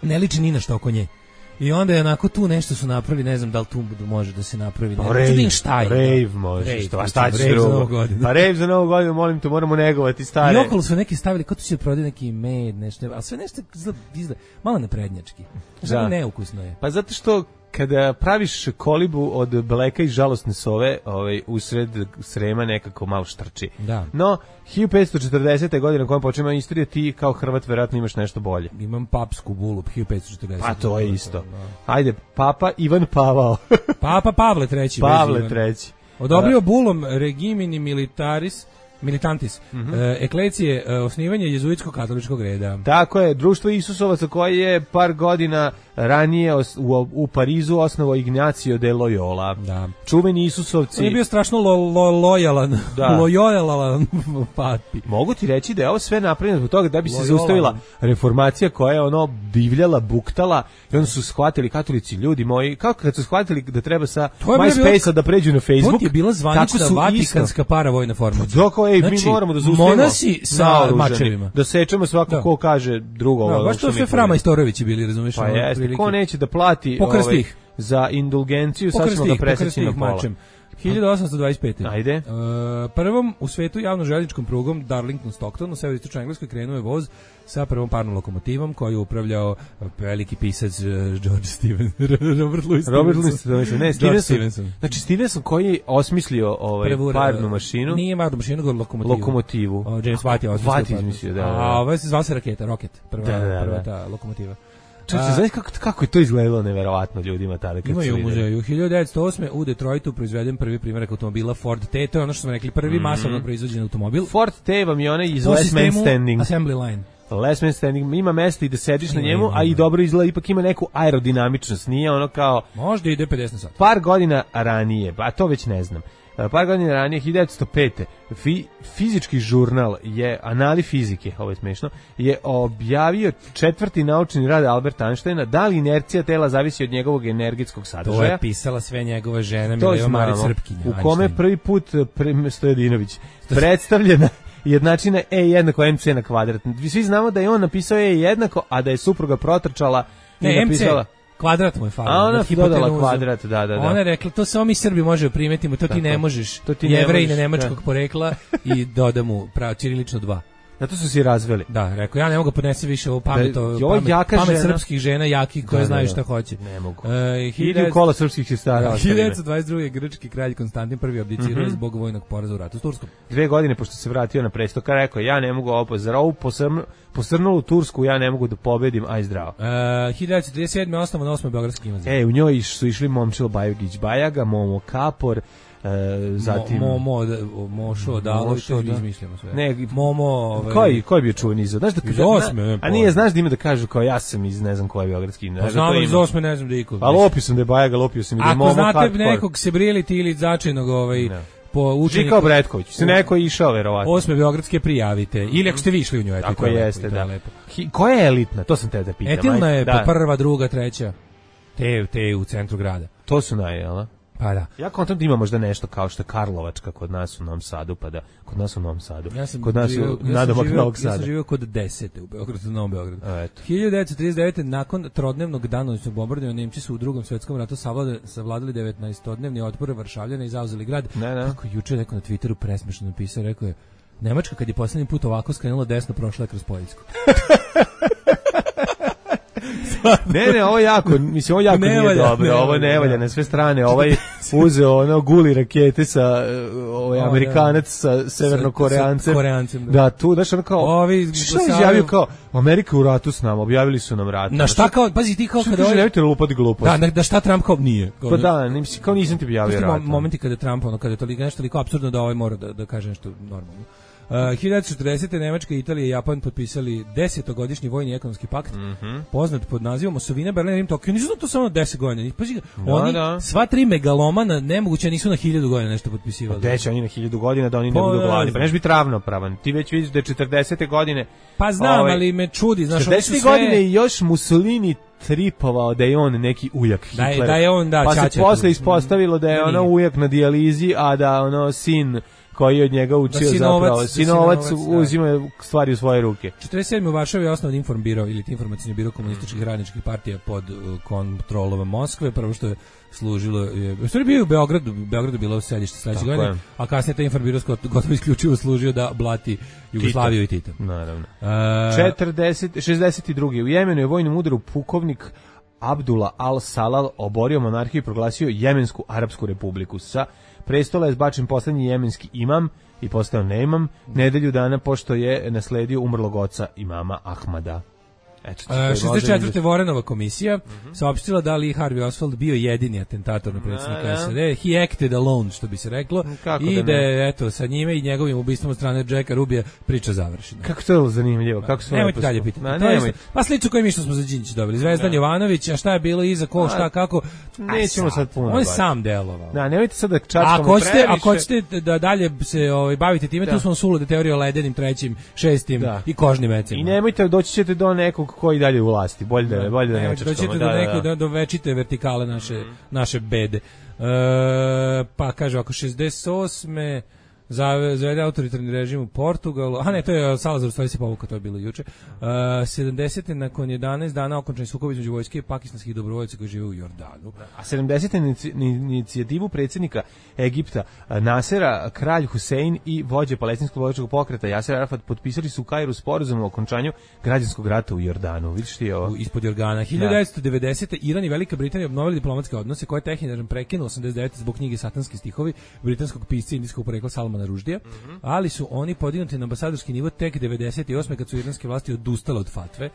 Ne liči ni na što oko nje. I onda je onako tu nešto su napravili, ne znam da li tu može da se napravi. Ne, rave, rave može, rave, što, a šta ćeš drugo? Pa rave za novu godinu, molim te, moramo negovati stare. I okolo su neki stavili, kao tu će prodati neki med, nešto, ali sve nešto izgleda, malo naprednjački. Znači, neukusno je. Pa zato što kada praviš kolibu od bleka i žalosne sove, ovaj usred Srema nekako malo štrči. Da. No, hiljadu petsto četrdesete godine kojom počinje istorija, ti kao Hrvat verovatno imaš nešto bolje. Imam papsku bulu hiljadu petsto četrdesete. Pa to je isto. Da. Ajde, Papa Ivan Pavao. Papa Pavle treći. Pavle treći. Odobrio bulom Regimini Militaris Militantis, mm-hmm. e, eklecije, e, osnivanje jezuitskog katoličkog reda. Tako je, društvo Isusovaca koje je par godina ranije os, u, u Parizu osnovao Ignacio de Loyola. Da. Čuveni Isusovci. On je bio strašno lo, lo, lojalan, da. lojalan papi. Mogu ti reći da je ovo sve napravljeno zbog toga da bi se Loyola. Zaustavila reformacija koja je ono divljala, buktala i onda su shvatili katolici, ljudi moji, kako kad su shvatili da treba sa MySpace-a da pređu na Facebook. To je bila zvanična vatikanska paravojna formacija. Dok ej, znači, mi moramo da zaustavimo monasi sa naoružani, mačevima. Da sečemo svako Da. ko kaže drugo. Da, ovo baš što to mi sve tvrdimo. Frama Istorovići bili, razumiješ? Pa jeste, ko neće da plati Pokrsti ovaj, ih. za indulgenciju, sad ćemo ga preseći na pola. mačem. hiljadu osamsto dvadeset pete. Ajde. Uh, prvom u svetu javno željezničkom prugom Darlington Stockton u severoistočnoj Engleskoj krenuo je voz sa prvom parnom lokomotivom koju je upravljao veliki pisac uh, George Stevens, Robert Louis Robert Stevenson. Louis Stevenson, ne, George Stevenson. Stevenson. Znači Stevenson koji je osmislio ovaj Prvu, parnu mašinu, Nije parnu mašinu, nego lokomotivu. lokomotivu. O, James Watt je osmislio. Watt parnu. izmislio, da, da. A ovo se zvala se raketa, Rocket, prva, Da, da, da. prva ta lokomotiva. Čovječe, znaš kako, kako je to izgledalo neverovatno ljudima tada kad Imaju su u videli? muzeju. hiljadu devetsto osme u Detroitu proizveden prvi primjerak automobila Ford T. To je ono što smo rekli, prvi Mhm. masovno proizvođen automobil. Ford T vam je onaj iz Po Last Man sistemu Standing. Assembly line. Last Man Standing ima mesta i da sediš na Ima, njemu, ima, a i ima. dobro izgleda, ipak ima neku aerodinamičnost, nije ono kao Možda ide pedeset na sat. par godina ranije, a to već ne znam. Par godina ranije, hiljadu devetsto pete. Fi, fizički žurnal je, Anali fizike, ovo je smešno, je objavio četvrti naučni rad Alberta Einsteina, da li inercija tela zavisi od njegovog energetskog To sadržaja. je pisala sve njegove žene, To Mileva Marić znamo. Srpkinja. U kome prvi put pre, Stojadinović predstavljena jednačina E jednako M C na kvadrat. Svi znamo da je on napisao E jednako, a da je supruga protrčala i Ne, M C, napisala... kvadrat mu je falio. A ona nad dodala hipotenuzom. kvadrat, da, da, da. Ona je rekla, to samo mi Srbi možemo primetimo, to ti Tako. ne možeš. To ti ne Jevrejine možeš, nemačkog da. porekla i doda mu prav, ćirilično dva. Zato su se razveli. Da, rekao, ja ne mogu podnesi više ovo pamet, Da, ovo i ovo pamet, jaka pamet žena. srpskih žena, jaki, koje Da, da, znaju da. šta hoće. Ne mogu. E, Idi u kola srpskih sestara. hiljadu devetsto dvadeset druge. grčki kralj Konstantin prvi abdicirao Mhm. zbog vojnog poraza u ratu s Turskom. Dve godine pošto se vratio na presto, kada rekao, ja ne mogu ovo, za ovu posrnu, posrnulu Tursku, ja ne mogu da pobedim, aj zdravo. E, hiljadu devetsto trideset sedme. osnovan osmi Beogradski gimnazij. E, u njoj su išli Momčilo Bajogić Bajaga, Momo Kapor, e, zatim... Mo, mo, da, Mošo, Dalović, Mošo, to da. izmišljamo sve. Ne, Momo, ovaj, Koji, koji je bio čuveni iz... Znaš da, Iz da- osme, ne, a nije, znaš da ima da kažu kao ja sam iz ne znam koje Beogradski. Pa Znaš da znamo to iz ima. osme, ne znam da iko. Pa lopio sam da je Bajaga, lopio sam i da je Momo Ako znate Hardcore. nekog Sebrijeliti ili začajnog ovaj, Da. po učeniku... Žika Obretković, se neko je išao verovatno. Osme Beogradske prijavite. Ili ako ste vi išli u nju, eto, Ako to je lepo, jeste, i to je da. lepo. Hi- koja je elitna? To sam te da pitam. Etilna ajde. je Da. pa prva, druga, treća. Te, te u centru grada. To su naj, jel? da? Pa da. Ja kontam da ima možda nešto kao što je Karlovačka kod nas u Novom Sadu, pa da, kod nas u Novom Sadu. Ja sam kod nas živio, u ja sam nadomak živio- Novog Ja Sada. sam živio kod desete u Beogradu, u Novom Beogradu. A, eto. hiljadu devetsto trideset devete. nakon trodnevnog danonoćnog bombardovanja Nemci su u Drugom svetskom ratu savladali, savladali devetnaestodnevni otpor Varšavljana i zauzeli grad. Ne, ne. Kako juče neko na Twitteru presmešno napisao, rekao je Nemačka kad je poslednji put ovako skrenula desno, prošla je kroz Poljsku. Ne, ne, ovo jako, mislim, ovo jako Ne nije valja, dobro, ne ovo valja, ne valja da. na sve strane, ovaj uzeo ono guli rakete sa, uh, ovaj O, Amerikanac sa severnokoreancem. Sa Koreancem, da. Da, tu, znaš, ono kao, Ovi što je glasavaju- izjavio kao, Amerika u ratu s nama, objavili su nam rat. Na šta kao, pazi ti kao Što kada kaže, ovaj- nemojte lupati glupost. Da, na- da šta Trump kao nije. Pa da, ne, mislim, kao nisam ti objavio Pusti rat. mo- momenti kada Trump, ono, kada je toliko nešto toliko apsurdno da ovaj mora da, da kaže nešto normalno. Uh, hiljadu devetsto četrdesete. Nemačka, Italija i Japan potpisali desetogodišnji vojni i ekonomski pakt, Mhm. poznat pod nazivom Osovina, Berlin, Rim, Tokio. Nisu to samo deset godina. Pazi, Da, oni, da. sva tri megalomana, nemoguće, nisu na hiljadu godina nešto potpisivali. Gde će oni na hiljadu godina da oni ne Pa, budu ne gladni? Pa znam. neš biti ravnopravan. Ti već vidiš da je četrdesete godine... Pa znam, ovaj, ali me čudi, znaš, oni su četrdesete sve... godine i još Mussolini tripovao da je on neki ujak Da je- Hitlera. da je on, da, pa se ćaća posle tu. ispostavilo da je Da ono nije. ujak na dijalizi, a da ono sin koji je od njega učio sinovac- zapravo, da sinovac, sinovac, da. uzima stvari u svoje ruke. četrdeset sedme. u Varšavi je osnovan Informbiro ili informacijni biro komunističkih radničkih partija pod uh, kontrolom Moskve. Prvo što je služilo je, u stvari bio je u Beogradu, u Beogradu bilo sedište sledeće Tako godine, je. a kasnije taj Informbiro skot- gotovo isključivo služio da blati Jugoslaviju i Tita. Naravno. Uh, četrdeset, šezdeset druge. U Jemenu je vojnom udaru pukovnik Abdullah al-Salal oborio monarhiju i proglasio Jemensku Arapsku republiku. Sa prestola je zbačen poslednji jemenski imam i postao neimam nedelju dana pošto je nasledio umrlog oca imama Ahmada. Eto, to je Uh, šezdeset četvrte. možda- Vorenova komisija saopštila da Lee Harvey Oswald bio jedini atentator na predsjednika Da, da. S A D. He acted alone, što bi se reklo. Kako I da da ne? je, eto, sa njime i njegovim ubistvom od strane Jacka Rubija priča završena. Kako to je zanimljivo, kako su Nemojte lepo dalje smo- pitati. Ma, To je nemoj. isto- Pa slično koji mi što smo za Đinđić dobili. Zvezdan Jovanović, a šta je bilo iza, ko, šta, kako. Nećemo Aj, sad puno On je baviti. sam delovao. Da, nemojte sad da A čačkamo ako hoćete, previše. ako hoćete da dalje se ovaj bavite time, Da. tu smo sulude teorije o ledenim, trećim, šestim Da. i kožnim mecima. I nemojte, doći ćete do nekog koji dalje u vlasti. Bolje da, bolje da ne Nemojte, čačkamo. doćete do neke, do, do večite vertikale naše, naše bede. E, pa kaže, ako šezdeset osme. Zavede autoritarni režim u Portugalu. A ne, to je Salazar, u stvari se povukao, to je bilo juče. Uh, sedamdesete nakon jedanaest dana okončani sukob između vojske i pakistanskih dobrovoljaca koji žive u Jordanu. A sedamdesete inicijativu predsjednika Egipta Nasera, kralj Husein i vođe palestinskog slobodačkog pokreta Jaser Arafat potpisali su u Kairu sporazum o okončanju građanskog rata u Jordanu. Vidiš ti ovo? Ispod Jordana. hiljadu devetsto devedesete. Iran i Velika Britanija obnovili diplomatske odnose koje je Teheran prekinuo osamdeset devete zbog knjige Satanski stihovi britanskog pisca indijskog porekla Salmana Ruždija, mm-hmm. ali su oni podignuti na ambasadorski nivo tek devedeset osme kad su iranske vlasti odustale od fatve.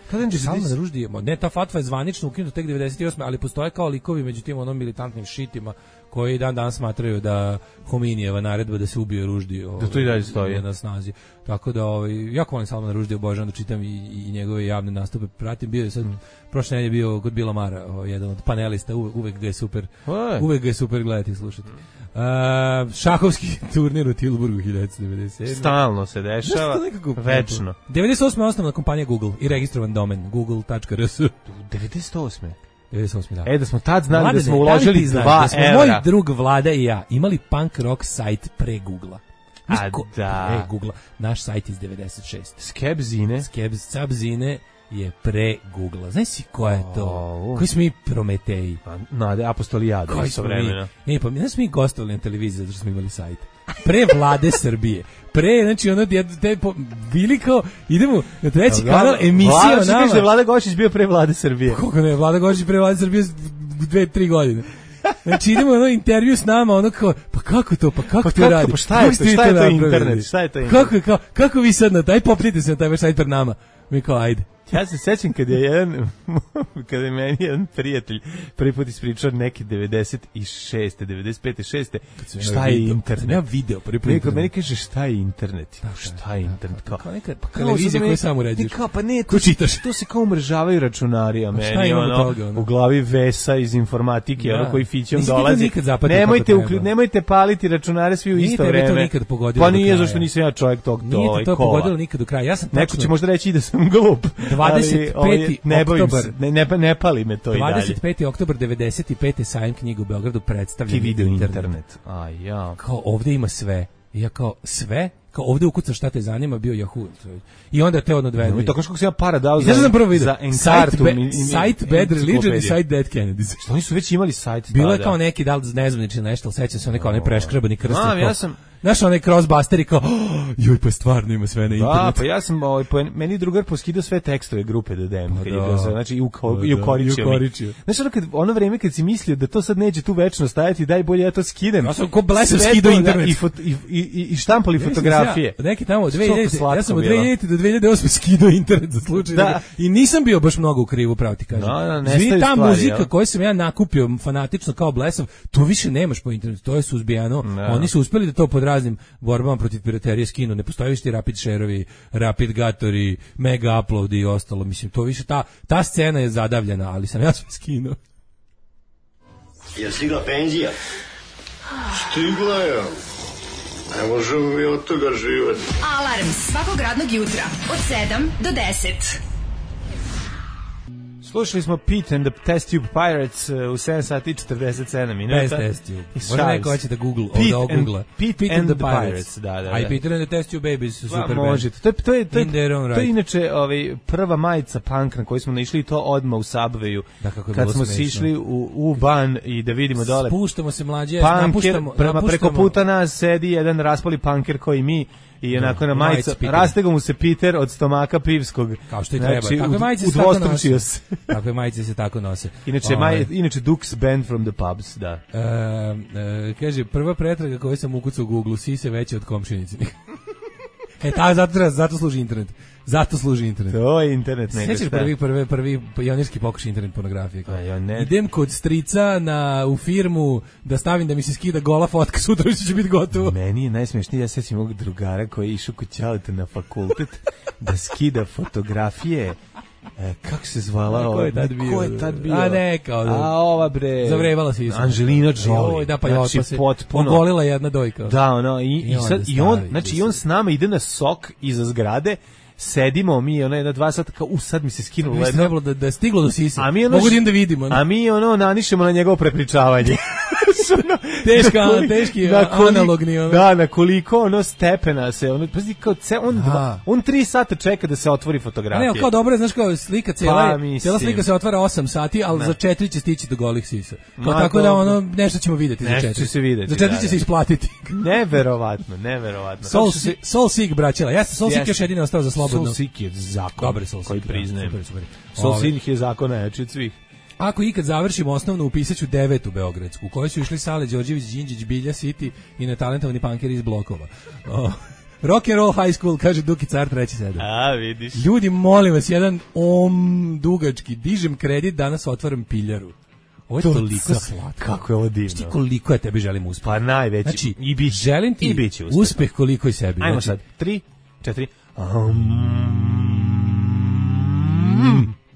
Salman Ruždija, ne, ta fatva je zvanično ukinuta tek devedeset osme ali postoje kao likovi među tim onom militantnim šitima koji dan danas smatraju da Hominijeva naredba da se ubije Ruždi ovaj, da to i dalje stoji na snazi. Tako da ovaj, jako volim Salmana Ruždija, obožavam da čitam i, i njegove javne nastupe. Pratim, bio je sad, mm. prošle nedelje bio kod Bila Mara, ovaj, jedan od panelista, uvek, uvek ga je super, Oj. uvek ga je super gledati i slušati. Uh, šahovski turnir u Tilburgu hiljadu devetsto devedeset sedme. Stalno se dešava, večno. devedeset osme je osnovna kompanija Google i registrovan domen google tačka r s. devedeset osme devedeset osme da. E, da smo tad znali Vlade, da smo uložili dva da smo evra. Moj drug Vlada i ja imali punk rock sajt pre Google-a. A da. Pre Google-a. Naš sajt iz devedeset šeste. Skebzine. Skebzine je pre Google-a. Znaš si ko je to? Oh, koji smo mi Prometeji? Nade, apostolijade. Koji smo mi? E, pa mi, znaš mi gostovali na televiziji zato što smo imali sajt. Pre Vlade Srbije. Pre, znači ono, te, po, bili kao, idemo na treći Vlada, kanal, emisija Vlada, nama. Vlada, Vlada Gošić bio pre Vlade Srbije. Kako ne, Vlada Gošić pre Vlade Srbije dve, tri godine. Znači idemo ono intervju s nama, ono kao, pa kako to, pa kako pa to radi? Pa šta je to, šta je to internet, šta je to internet? Kako, kako, kako vi sad na taj, popnite se na taj sajt pred nama. Mi kao, ajde. Ja se sećam kad je jedan, kada je meni jedan prijatelj prvi put ispričao neki devedeset šeste, devedeset pete, šeste šta je video, internet. Ja video prvi put. Neko meni kaže šta je internet. Da, šta je internet? Kao, kao neka pa televizija koju samo uređuješ. Kao, pa ne, to, čitaš. To se kao umrežavaju računari, a meni ono, toga, ono, u glavi Vesa iz informatike, ono koji fićom dolazi. Nemojte, uklju, nemojte paliti računare svi u isto vreme. Nije to nikad pogodilo. Pa nije, zašto nisam ja čovjek tog to. Nije to pogodilo nikad do kraja. Ja sam neko će možda reći da sam glup. dvadeset peti oktobar ne, ne, ne pali me to i dalje. dvadeset peti oktobar devedeset pete sajam knjiga u Beogradu predstavlja video internet. internet. A ja. Kao ovdje ima sve. I ja kao sve, kao ovdje ukucaš šta te zanima, bio Yahoo. I onda te odvedli. No, i tako što sam ja para dao za, za, za Encartu. Site Bad Religion i site Dead Kennedys. Što oni su već imali sajt. Bilo je kao neki, da li nezvanični nešto, ali sećam se, oni kao ne preškrabani krst. A, ja sam... Znaš, onaj crossbuster i kao, oh, joj, pa stvarno ima sve na internetu. Da, pa ja sam, ovaj, po, meni drugar poskidao sve tekstove grupe D D M, pa kad da. je bio, znači, i, uko, i ukoričio. Znaš, ono, kad, ono vreme kad si mislio da to sad neće tu večno stajati, daj bolje ja to skidem. Ja sam ko blesav skidao internet. I, fot, i, i, i štampali fotografije. Ja, neki tamo, dve hiljadite, ja sam od dve hiljadite do dve hiljade osme skidao internet za slučaj. Da. I nisam bio baš mnogo u krivu, pravo ti kažem. No, no, Zvi, ta stvari, muzika ja. koju sam ja nakupio fanatično kao blesav, to više nemaš po internetu, to je suzbijano. No. Oni su uspeli da to pod raznim borbama protiv piraterije skinu, ne postoji više ti Rapid Share-ovi, Rapid Gatori, Mega Upload i ostalo, mislim, to više, ta, ta scena je zadavljena, ali sam ja sve skinuo. Je stigla penzija? Stigla je. Ne možemo mi od toga živati. Alarm svakog radnog jutra od sedam do deset. Slušali smo Pete and the Test Tube Pirates uh, u sedam sati i četrdeset sedam minuta. Bez Test Tube. Možda neko hoće da Google, Pete, da Google. Pete, Pete and, and the, the Pirates. Pirates. Da, da, da. A i Peter and the Test Tube Babies su super band. Možete. To je, to je, to je, In their own right. To je inače ovaj, prva majica punk na koju smo naišli to odmah u Subwayu. Da, kako je kad smo smešno. sišli u, u ban i da vidimo dole. Spuštamo se mlađe, punker, napuštamo. Prema napuštamo. preko puta nas sedi jedan raspali punker koji mi. I onako na majica, rastegao mu se Peter od stomaka pivskog. Kao što i treba. Znači, Takve majice se tako nose. Takve majice se tako nose. Inače, maj, inače Dukes Band from the Pubs, da. E, e, kaže, prva pretraga koju sam ukucao u Google, sise veće od komšinici. E, ta, zato, zato služi internet. Zato služi internet. To je internet. Sjećaš prvi, prvi, prvi pionirski pokušaj internet pornografije. A, ja ne. Idem kod strica na, u firmu da stavim da mi se skida gola fotka, sutra će biti gotovo. Meni je najsmešnije, ja sećam mog drugara koji je išao kod ćaleta na fakultet da skida fotografije. E, kako se zvala ova? Ko je tad bio? Ko je tad bio? A ne, kao da. A ova bre. Zavrevala se isto. Angelina Jolie. Oj, da, pa znači, jo, pa se potpuno. ogolila jedna dojka. Da, ono, i, i, I, sad, i on, znači, i on s nama ide na sok iza zgrade, sedimo mi ona jedna dva sata kao u sad mi se skinulo ledno. Da, da je stiglo do sisa. A mi ono, mogu da im da vidimo. Ne? A mi ono nanišemo na njegovo prepričavanje. Teška, na koliko- teški na koliko- analogni, ono. Da, na koliko ono stepena se, ono, pazi, kao ce, on, Aha. dva, on tri sata čeka da se otvori A fotografija. ne, kao dobro, je, znaš kao slika cijela, Pa, je- mislim. cijela slika se otvara osam sati, ali Ne. za četiri će stići do golih sisa. Kao Ma, tako da dobro. ono, nešto ćemo vidjeti za Nešto četiri. će se vidjeti, Za četiri da, će da. se isplatiti. Neverovatno, neverovatno. Soul, Kako su se- Si- Soul Seek, braćela. Jeste, Soul Seek Jeste. još jedino ostao za slobodno. Soul Seek je zakon Dobar je Soul koji Seek, da, priznajem. super, super. Soul Ove. Seek je zakon najjači od svih. Ako ikad završimo osnovnu, upisaću devetu beogradsku, u kojoj su išli Sale Đorđević, Đinđić, Bilja City i netalentovani punkeri iz blokova. O, rock and roll high school, kaže Duki Car, treći sedam. A, vidiš. Ljudi, molim vas, jedan om dugački, dižem kredit, danas otvaram piljaru. Ovo je To toliko sa- slatko. kako je ovo divno. Znaš ti koliko ja tebi želim uspeh? Pa najveći. Znači, I bit će. želim ti I bit će uspeh. uspeh koliko i sebi. Ajmo Znači, sad. Tri, četiri. Um,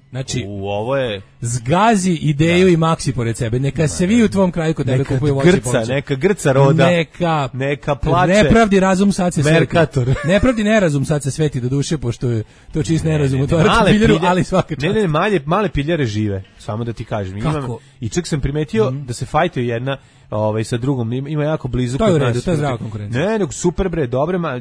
Znači, u, ovo je... zgazi ideju i maksi pored sebe. Neka se vi u tvom kraju kod tebe Neka kupuju voće i grca, povrće. neka grca roda. Neka, Neka plače. Nepravdi razum sad se sveti. Merkator. Nepravdi nerazum sad se sveti do duše, pošto je to čist nerazum. Ne, ne, Otvarati male piljaru, pilje- ali svaka čast. Ne, ne, male, male piljare žive, samo da ti kažem. Imam, Kako? I čak sam primetio da se fajtaju jedna ovaj, sa drugom, ima, ima jako blizu. To je kod u redu, nas. to je zdrava konkurencija. Ne, nego super bre, dobre, ma,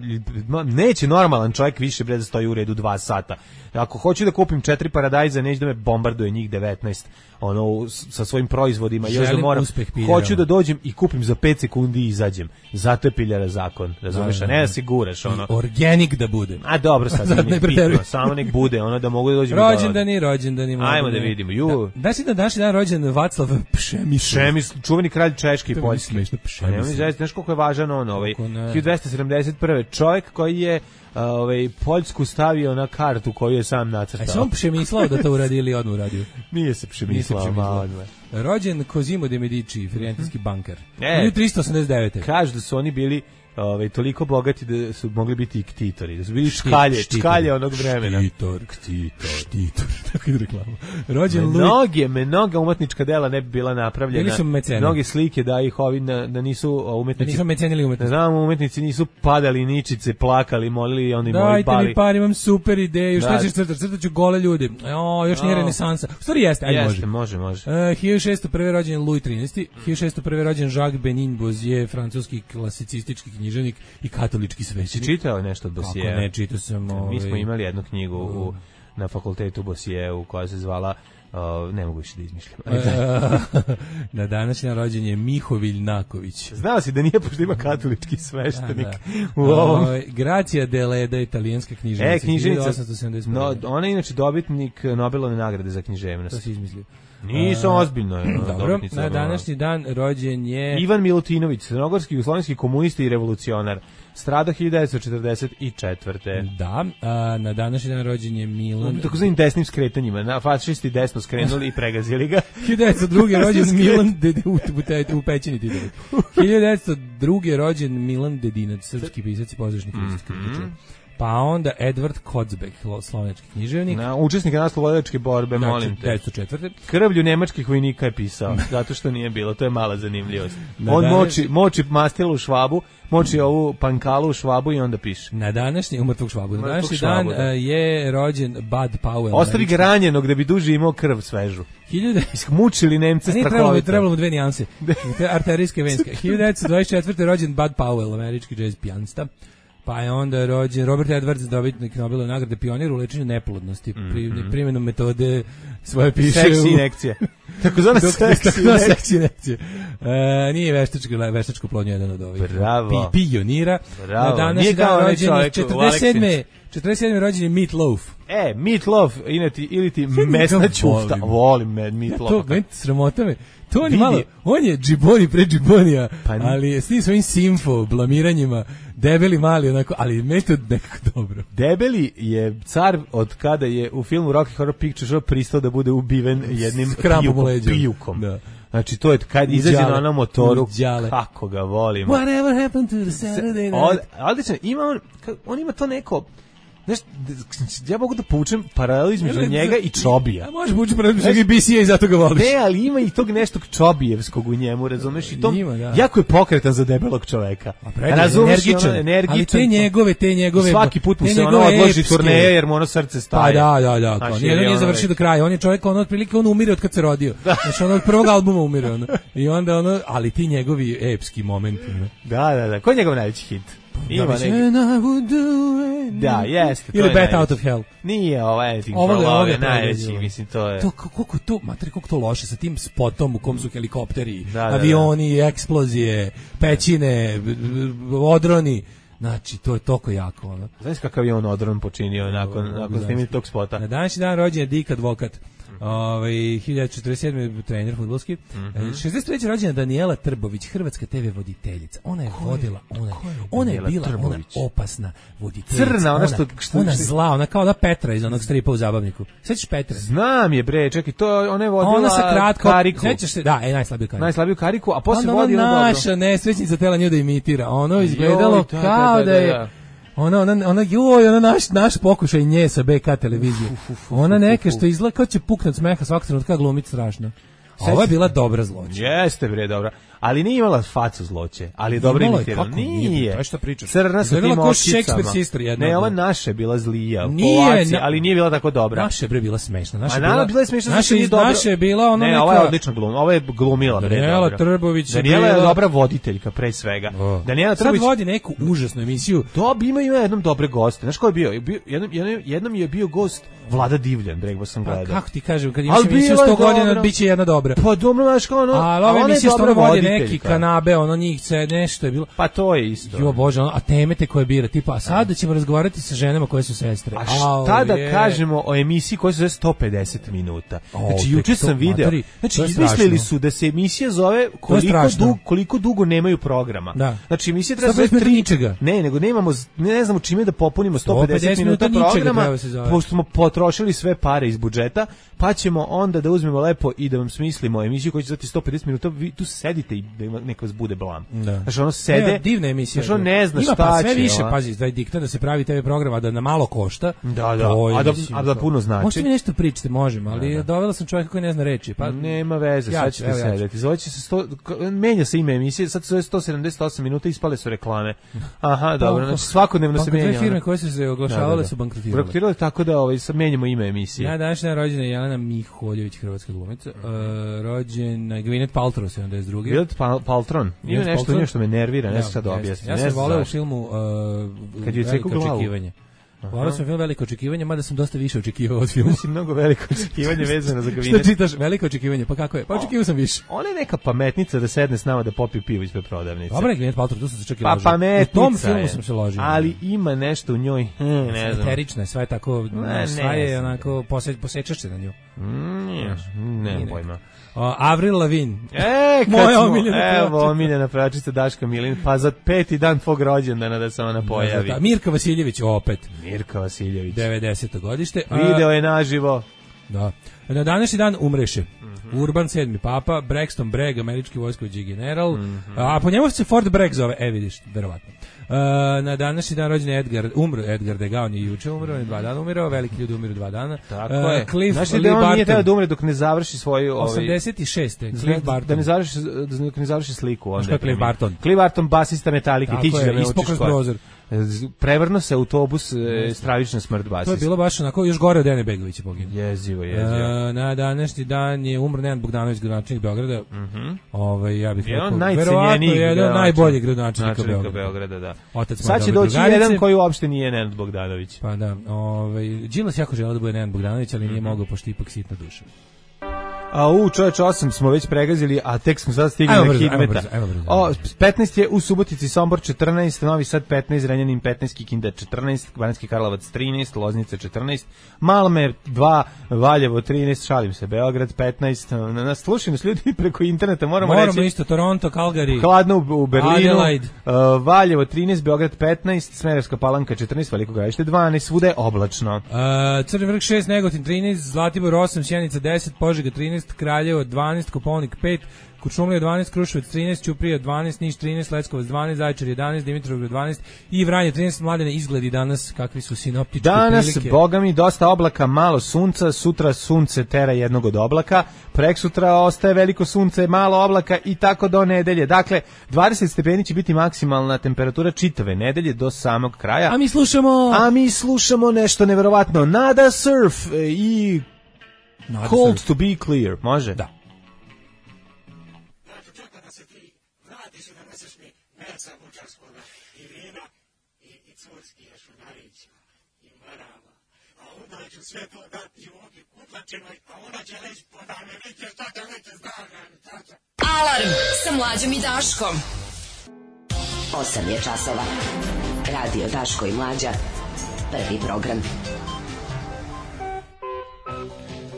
ma, neće normalan čovjek više bre da stoji u redu dva sata. Ako hoću da kupim četiri paradajza, neće da me bombarduje njih devetnaest, ono, u- s- sa svojim proizvodima, još da Želim moram, uspeh piljarama. hoću da dođem i kupim za pet sekundi i izađem. Zato je piljara zakon, razumeš, Da, a da, ne da da. se guraš, ono. Organic da bude. A dobro, sad Sad nije ne bitno, preteruj. samo nek bude, ono da mogu da dođem. Rođendani, rođendani. Ajmo da mladene. vidimo, ju. Da, da si na današnji dan rođen Vaclav Pšemisl. Šemis, čuveni kralj Češke i To je meni Poljske. smešno, Pa ne, Pšemisl. zaista, znaš koliko je važan on, ovaj, Kako ne. hiljadu dvesta sedamdeset prve čovjek koji je a, ovaj, Poljsku stavio na kartu koju je sam A nacrtao. sam Pšemislao da to uradi ili odmah uradio? Nije se přemislao, Nije se malo. přemislao. Rođen Cosimo de Medici, firentinski banker. E. hiljadu tristo osamdeset devete. Kažu da su oni bili ovaj, toliko bogati da su mogli biti i ktitori, da su bili škalje, Štitor. škalje onog vremena. Štitor, štitor, štitor. Tako ide reklama. Rođen Louis. Mnoge, mnoga umetnička dela ne bi bila napravljena. Bili su meceni. Mnoge slike da ih ovi da, da nisu Da umetnici. nismo mecenili Ne umetnost. znam, umetnici nisu padali ničice, plakali, molili i oni moji Dajte bali. mi par, imam super ideju. Šta Da. ćeš crtati? Crtat ću gole ljude. O, još nije O. renesansa. U stvari jeste, ajde Jeste, može. može, može. Uh, hiljadu šeststo prve rođen Louis trinaesti, hiljadu šeststo prve rođen Jacques Benin Bozier, francuski klasicistički književnik i katolički Si svećenik. čitao nešto od Kako Bosijea? ne, čitao sam. Mi smo ovaj, imali jednu knjigu u, na fakultetu Bosijeu koja se zvala uh, ne mogu više da izmišljam. Ajde. E, na današnji rođen je Mihovilj Naković. Znao si da nije, pošto ima katolički sveštenik Da, u ovom. Ovaj, Gracia Deleda, italijanska književnica. E, književnica, hiljadu osamsto sedamdeset prve. no, ona je inače dobitnik Nobelove nagrade za književnost. To si izmislio. Nisam A, ozbiljno. je, ono, Dobro, dobitnica na Nobelove. današnji dan rođen je... Ivan Milutinović, crnogorski jugoslovenski komunista i revolucionar. Strada hiljadu devetsto četrdeset četvrte. Da, a, na današnji dan rođen je Milan... Tako znanim desnim skretanjima. Na fašisti desno skrenuli i pregazili ga. hiljadu devetsto druge rođen Milan Dedi, u, u, te- u pećini Titovi. hiljadu devetsto druge rođen Milan Dedinac, srpski pisac i pozdrašnik kritičar. Pa onda Edward Kocbek, slovenski književnik. Na, učesnika naslobodilačke borbe, molim te. devetsto četvrte. Krvlju nemačkih vojnika je pisao, zato što nije bilo, to je mala zanimljivost. Na On danas- moči, moči mastilu u švabu, moči ovu pankalu u švabu i onda piše. Na današnji, umrtvog švabu, na Mrtvog današnji švabu, dan da. e, je rođen Bud Powell. Ostavi ga američki- ranjenog da bi duže imao krv svežu. hiljadu Mučili Nemce A nije trebalo mu, strahovito. trebalo mu dve nijanse. Te arterijske venske. hiljadu devetsto dvadeset četvrte rođen Bud Powell, američki jazz pijanista. Pa je onda rođen Robert Edwards, dobitnik Nobelove nagrade, pionir u lečenju neplodnosti. Pri, primjenom metode svoje piše Seksi u... inekcija. Tako zwana Dok- seksi tako zwana inekcija. seksi inekcija. E, nije veštačko, veštačko plodnje jedan od ovih. Bravo. Pi, pionira. Bravo. Na današnji Nije kao dan onaj rođen je čovjek u četrdeset sedme. Aleksinu. četrdeset sedme rođen je Meat Loaf. E, meatloaf, inati, ili ti njega mesna ćufta. volim. Volim me Ja, to, meatloaf. meni sramota me. To on je Vidi. malo, on je džiboni pre džibonija, Pa ni- ali s tim svojim simfo, blamiranjima, debeli mali, onako, ali meni to nekako dobro. Debeli je car od kada je u filmu Rocky Horror Picture Show pristao da bude ubiven jednim S krampom u pijukom. leđima. pijukom. Da. Znači, to je kad izađe Đale. na onom motoru, Đale. kako ga volimo. Whatever happened to the Saturday Od, night? odlično, ima on, ka- on ima to neko, Znaš, ja mogu da poučem paralelu između Ne, ne, njega i Čobija. A može bući paralelu između njega i B C A i zato ga voliš. Ne, ali ima i tog neštok Čobijevskog u njemu, razumeš? I to Ima, da. jako je pokretan za debelog čoveka. Razumeš, Ono, energičan. Ali te njegove, te njegove... I svaki put mu te se ono odloži turneje jer mu ono srce staje. Pa da, da, da. Kao, Znači, nije, je nije ono završio do kraja. On je čovjek, ono, otprilike, on umire od kad se rodio. Znači, ono, od prvog albuma umire, ono. I onda, ono, ali ti njegovi epski momenti, ono. Da, da, da. Ko je njegov najveći hit? Ima neki. Da, jeste. Ili Bet Out of Hell. Nije ovo Anything Ovo for je- ovo Love, je je najveći, predivno. mislim, to je... To koliko to, materi koliko to loše sa tim spotom u kom su helikopteri, Da, da, avioni, eksplozije, pećine, b- b- odroni. Znači, to je toliko jako, ono. Znaš kakav je on odron počinio nakon, nakon snimanja tog spota? Na današnji dan rođen je Dick Advokat. Ovaj hiljadu četrdeset sedme trener fudbalski. Mm-hmm. šezdeset treće rođena Danijela Trbović, hrvatska te ve voditeljica. Ona je vodila, ona je, ona je Danijela bila ona Trbović? opasna voditeljica. Crna, ona što- što- ona što- zla, ona kao da Petra iz onog stripa u Zabavniku. Sećaš Petre? Znam je, bre, čekaj, to ona je vodila Ona sa kratko, Kariku. sećaš se, da, e, najslabiju kariku. Najslabiju Kariku, a posle Onda vodi ona ono dobro. naša nesrećnica tela nju da imitira. Ono izgledalo Joj, da, kao da, da, da, je... da. Ona, ona, ona, joj, ona naš, naš pokušaj nje sa B K televizije. Ona neka što izgleda kao će puknut smeha svakog trenutka glumit strašno. A ovo je bila dobra zloća. Jeste, bre, dobra. Ali nije imala facu zloće, ali je dobro Imala je, imitirala. kako nije, Nije. to je šta pričaš. Crna sa Izgledala tim kao očicama. Shakespeare sister jedna Ne, od ova njih. naša je bila zlija. Nije, Po akciji, na- ali nije bila tako dobra. Naša je bre bila smešna. Naša A je naravno, bila je smešna, zato naša, što nije iz- dobro. naša je bila ona Ne, neka... ova je odlično glum, ova je glumila, bre, Danijela dobro. Trbović je Danijela je bila- dobra voditeljka, pre svega. O. Danijela Sad Trbović... vodi neku užasnu emisiju. Dob, ima, ima jednom dobre goste. Znaš ko je bio? bio jednom, jednom, jednom je bio gost Vlada Divljan, bre, sam Pa, gledao. kako ti kažem, kad imaš Ali emisiju bila je sto godina, dobra. bit će jedna dobra. Pa dobro, znaš kao ono... Ali a ove ona je emisije dobra stvarno vodi neki voditeljka. kanabe, ono njih se nešto je bilo. Pa to je isto. Jo bože, ono, a teme te koje bira, tipa, a sada ćemo razgovarati sa ženama koje su sestre. A šta Au, da je. kažemo o emisiji koja se zove sto pedeset minuta? O, Znači, tek juče to, sam video, matori, znači, to je izmislili strašno. su da se emisija zove koliko, strašno. dug, koliko dugo nemaju programa. Da. Znači, emisija treba sto pedeset se minuta tri... ničega. Ne, nego nemamo, ne, ne znamo čime da popunimo sto pedeset, sto pedeset minuta minuta ničega programa, treba se zove. pošto smo potrošili sve pare iz budžeta, pa ćemo onda da uzmemo lepo i da vam smislimo emisiju koja će zvati sto pedeset minuta, vi tu sedite i da ima, neka vas bude blam. Da. Znači, ono sede... Ne, divna emisija. Znači, ono ne zna Ima šta pa sve će, više, ono. pazi, taj diktat da se pravi te ve programa da na malo košta. Da, da, to je, a da- mislim, a da to- puno znači. Možete mi nešto pričati, možemo, ali dovela sam čovjeka koji ne zna reči. Pa, Nema veze, Ja sad ću, ćete evo ja ću. sedeti. Zvoće se sto, k- menja se ime emisije, sad se zove sto sedamdeset osam minuta, ispale su reklame. Aha, dobro, znači svakodnevno se Pa, dve menja. firme ono. koje su se oglašavale Da, da, da. su bankrotirale. Bankrotirale tako da ovaj, sad menjamo ime emisije. Ja današnja rođena je Jelena Miholjević, hrvatska glumica. Uh, rođena je Gwyneth Paltrow, sedamdeset druge. Gwyneth Pal Paltron. Ima Gwyneth nešto, Paltrow? ima što me nervira, ne Ja, znam šta da jeste. objasnim. Ja ne sam znam voleo u zašto. filmu uh, Kad je ceku Veliko glavu. očekivanje. Voleo sam film Veliko očekivanje, mada sam dosta više očekivao od filma. Mislim, mnogo veliko očekivanje vezano za Šta Gwyneth. čitaš? Veliko očekivanje, pa kako je? Pa očekivao sam više. Ona je neka pametnica da sedne s nama da popije pivo ispred prodavnice. Dobro je Gwyneth Paltrow, tu sam se čak i Pa ložio. pametnica U tom filmu je. sam se ložio. Ali ima nešto u njoj, hm, ne znam. Eterična je, sve je tako, Ne, sve ne je znam. onako, pose, posečaš se na nju. Mm, nije, ne, Nije pojma. O, Avril Lavigne. E, kad Moja smo, omiljena pevačica. evo, omiljena pevačica Daška Milin, pa za peti dan tvog rođendana da se ona pojavi. Da, Mirka Vasiljević, opet, Mirka Vasiljević. devedeseto godište. A, Video je naživo. Da. Na današnji dan umreše Mhm. Urban sedmi papa, Braxton Bragg, američki vojskovođi general, Mhm. a po njemu se Fort Bragg zove, e vidiš, verovatno. Uh, na današnji dan rođen je Edgar, umro Edgar Degas, on je juče umro, on je dva dana umirao, veliki ljudi umiru dva dana. Tako Uh, je. Cliff Znaš li Lee da on nije Barton, trebao da umre dok ne završi svoju... Ovaj, osamdeset šeste da- Cliff da Barton. ne završi, da ne završi sliku. Onda ko je Cliff preminuo. Barton? Cliff Barton, basista Metallica, Tako ti ćeš je, da me ispao učiš kroz koje. prozor. Prevrno se autobus, e, stravična smrt To je basista. bilo baš onako, još gore od Dene Begovića poginuo. Jezivo, jezivo. Uh, na današnji dan je umro Nenad Bogdanović, gradonačelnik Beograda. Mhm. Ovaj, ja bih Jedan rekao, od verovatno najcenjenijih jedan od najboljih gradonačelnika gradonačelnika Beograda. Beograda, da. Otac moje Sad će dobre doći drugarice. jedan koji uopšte nije Nenad Bogdanović. Pa da, ovaj Đilas jako želeo da bude Nenad Bogdanović, ali nije mogao pošto ipak sitna duša. A u čoveč osam smo već pregazili, a tek smo sad stigli Ajmo na brzo, ajmo Hidmeta. brzo, ajmo brzo. O, petnaest je u Subotici, Sombor četrnaest, Novi Sad petnaest, Renjanin petnaest, Kikinda četrnaest, Banjski Karlovac trinaest, Loznica četrnaest, Malmer dva, Valjevo trinaest, šalim se, Beograd petnaest. Na nas slušaju nas ljudi preko interneta, moramo, Moramo reći. isto Toronto, Calgary. Hladno u, u Berlinu, Adelaide. uh, Valjevo trinaest, Beograd petnaest, Smederevska Palanka četrnaest, Veliko Gradište dvanaest, svuda je oblačno. Uh, Crni vrh šest, Negotin trinaest, Zlatibor osam, Sjenica deset, Požega trinaest, Kraljevo dvanaest, Koponik pet, Kuršumlija dvanaest, Kruševac trinaest, Ćuprija dvanaest, Niš trinaest, Leskovac dvanaest, Zaječar jedanaest, Dimitrovgrad dvanaest i Vranje trinaest. Mladene, izgledi danas kakvi su sinoptičke danas, prilike. Danas, boga mi, dosta oblaka, malo sunca, sutra sunce tera jednog od oblaka, preksutra ostaje veliko sunce, malo oblaka i tako do nedelje. Dakle, dvadeset stepeni će biti maksimalna temperatura čitave nedelje do samog kraja. A mi slušamo... A mi slušamo nešto neverovatno. Nada Surf i Nada Cold surf. To be clear. Može? Da. Sve to dati ovdje kutlačenoj, a ona će reći, pa da me neće, šta će neće, zna. Alarm sa Mlađom i Daškom. osam je časova. Radio Daško i Mlađa. Prvi program.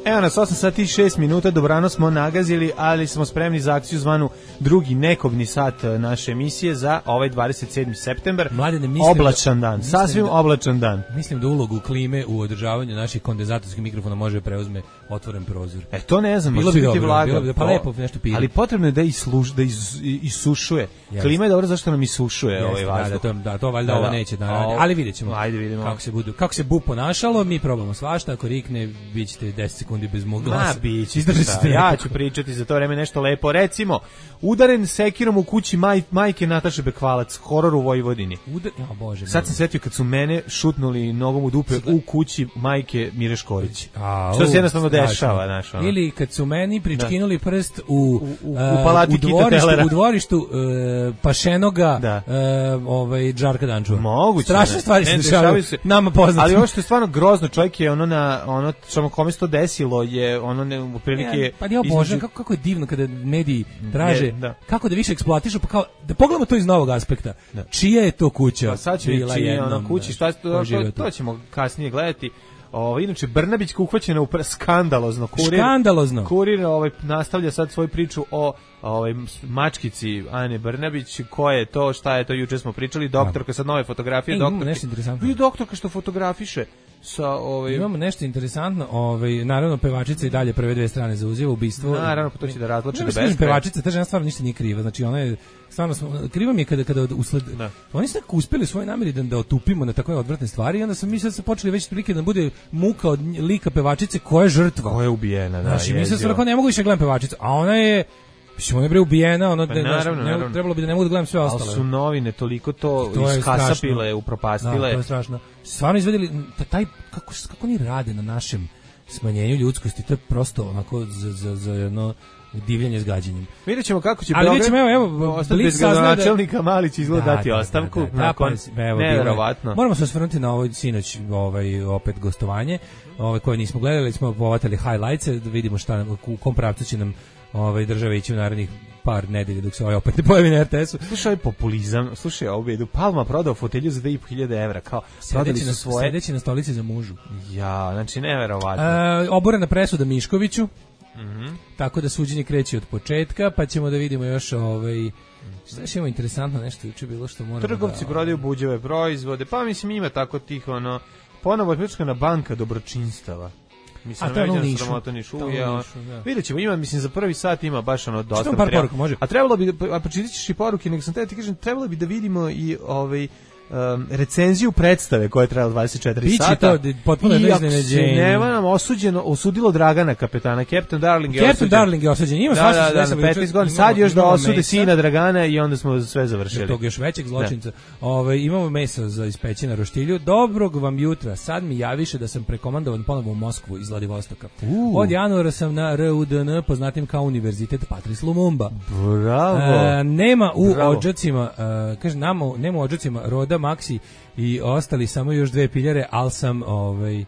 Evo nas, osam sati i šest minuta, dobrano smo nagazili, ali smo spremni za akciju zvanu drugi nekobni sat naše emisije za ovaj dvadeset sedmi septembar. Mladene, mislim oblačan dan, da, sasvim da, oblačan dan. Mislim da ulogu klime u održavanju naših kondenzatorskih mikrofona može preuzme otvoren prozor. E, to ne znam, bilo može bi biti dobro, vlaga. Bilo bi, pa lepo nešto pije. Ali potrebno je da, isluš, da is, isušuje. Yes. Klima je dobro zašto nam isušuje yes, ovaj vazduh. Da, da, to, da, to valjda da, ovo neće da radi. Ali vidjet ćemo. Ajde, vidimo. Kako se, budu, kako se bu ponašalo, mi probamo svašta. Ako rikne, vi ćete deset sekundi bez mog glasa. Ma, bići. Ja ću pričati za to vreme nešto lepo. Recimo, udaren sekirom u kući maj, majke Nataše Bekvalac, horor u Vojvodini. Udar... Ja, Bože, sad sam setio kad su mene šutnuli nogom u dupe u kući majke Mire Škorić. A, što se jednostavno dešava. Naš, ono. Ili kad su meni pričkinuli da. prst u, u, u, u, palati u dvorištu, u dvorištu uh, Pašenoga da. uh, ovaj, Džarka Dančova. Moguće. Strašne stvari se dešavaju se. Nama poznati. Ali ovo što je stvarno grozno, čovjek je ono na ono što kome se to desilo je ono ne prilike ja, pa ja obožavam kako kako je divno kada mediji traže je, da. kako da više eksploatišu, pa kao da pogledamo to iz novog aspekta. Da. Čija je to kuća? Pa sad će bila jedna kuća, šta to, to, to ćemo kasnije gledati. Ovo inače Brnabićka uhvaćena u skandalozno kurir. Skandalozno. Kurir ovaj nastavlja sad svoju priču o ovaj mačkici Ane Brnabić, ko je to, šta je to, juče smo pričali, doktorka sad nove fotografije, e, doktorka. Nešto interesantno. Vi doktorka što fotografiše sa ovaj imamo nešto interesantno, ovaj naravno pevačica i dalje prve dve strane zauzima ubistvo. Naravno, pa to će da razloče da bez. Pevačica, ta žena stvarno ništa nije kriva. Znači ona je stvarno kriva mi je kada kada usled da. Oni su tako uspeli u svojoj nameri da da otupimo na takve odvratne stvari i onda sam mi sad se počeli već prilike da bude muka od lika pevačice koja je žrtva, koja je ubijena, da. Znači mi se stvarno ne mogu više gledam pevačicu, a ona je Mislim, ona je bre ubijena, ono pa, da naravno, ne, naravno. Trebalo bi da ne mogu da gledam sve ostale. Ali su novine toliko to, to iskasapile, upropastile. Da, to je strašno. Stvarno izvedeli, taj, kako, kako oni rade na našem smanjenju ljudskosti, to je prosto onako za, za, za jedno divljanje s gađenjem. Vidjet ćemo kako će ali Beograd ćemo, evo, evo, ostati bez gradonačelnika, Malić izgleda dati da, ostavku. Da, da, da, nakon, da, evo, nevjerovatno. Moramo se osvrnuti na ovoj sinoć ovaj, opet gostovanje, ovaj, koje nismo gledali, smo povatali highlights, da vidimo šta, u kom pravcu će nam ovaj države ići u narednih par nedelja dok se ovaj opet ne pojavi na er te esu. Slušaj ovaj populizam, slušaj ovu bedu. Palma prodao fotelju za dve i po hiljade evra, kao prodali su svoje. Sedeći na stolici za mužu. Ja, znači neverovatno. E, oborena presuda Miškoviću. Mhm. Tako da suđenje kreće od početka, pa ćemo da vidimo još ovaj šta je imamo interesantno nešto juče bilo što moramo. Trgovci da, prodaju buđave proizvode, pa mislim ima tako tih ono ponovo je pljačkana banka dobročinstava. Mislim, a to je ono nišu. nišu ja. Vidjet ćemo, ima, mislim, za prvi sat ima baš ono dosta par poruka, može. A trebalo bi, a pročitat ćeš i poruke, nego sam te ti kažem, trebalo bi da vidimo i ovaj Um, recenziju predstave koja je trajala dvadeset četiri Biće sata. To potpuno iznenađenje. Nema nam osuđeno, osudilo Dragana kapetana, Captain Darling je Captain osuđen. Darling je osuđen. Ima da, svašta da, da, na petnaest godina. Sad još da osude mesa. Sina Dragana i onda smo sve završili. Tog još većeg zločinca. Ove, imamo meso za ispeći na roštilju. Dobrog vam jutra. Sad mi javiše da sam prekomandovan ponovo u Moskvu iz Vladivostoka. Uh. Od januara sam na R U D N, poznatim kao Univerzitet Patrice Lumumba. Bravo. E, nema u Bravo. Odžacima, e, kaže, nama, nema u odžacima Roda, Maxi i ostali samo još dve piljare, al sam ovaj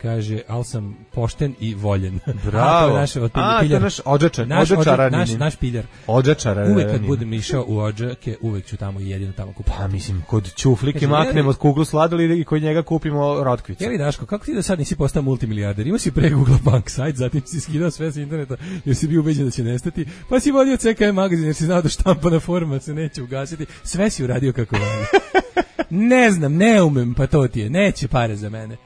kaže, al sam pošten i voljen. Bravo. A, to je naš, A, to je naš odžačar, naš, odžačar, naš, naš piljar. Odžačar. Uvek kad budem išao u Odžake, uvek ću tamo i jedino tamo kupiti. Pa mislim, kod Ćuflike maknemo od kuglu sladoleda i kod njega kupimo rotkvicu. Jeli Daško, kako ti da sad nisi postao multimilijarder? Imao si pre Google Bank sajt, zatim si skidao sve sa interneta jer si bio ubeđen da će nestati, pa si vodio C K M magazin jer si znao da štampana forma se neće ugasiti. Sve si uradio kako valja. Ne znam, ne umem, pa to ti je. Neće pare za mene.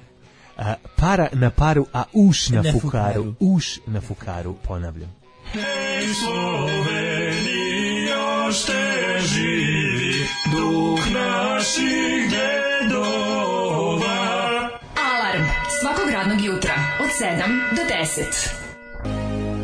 A, para na paru, a uš na, na fukaru. fukaru. Uš na fukaru, ponavljam. Hey, ošte živi duh naših dedova. Alarm svakog radnog jutra od sedam do deset.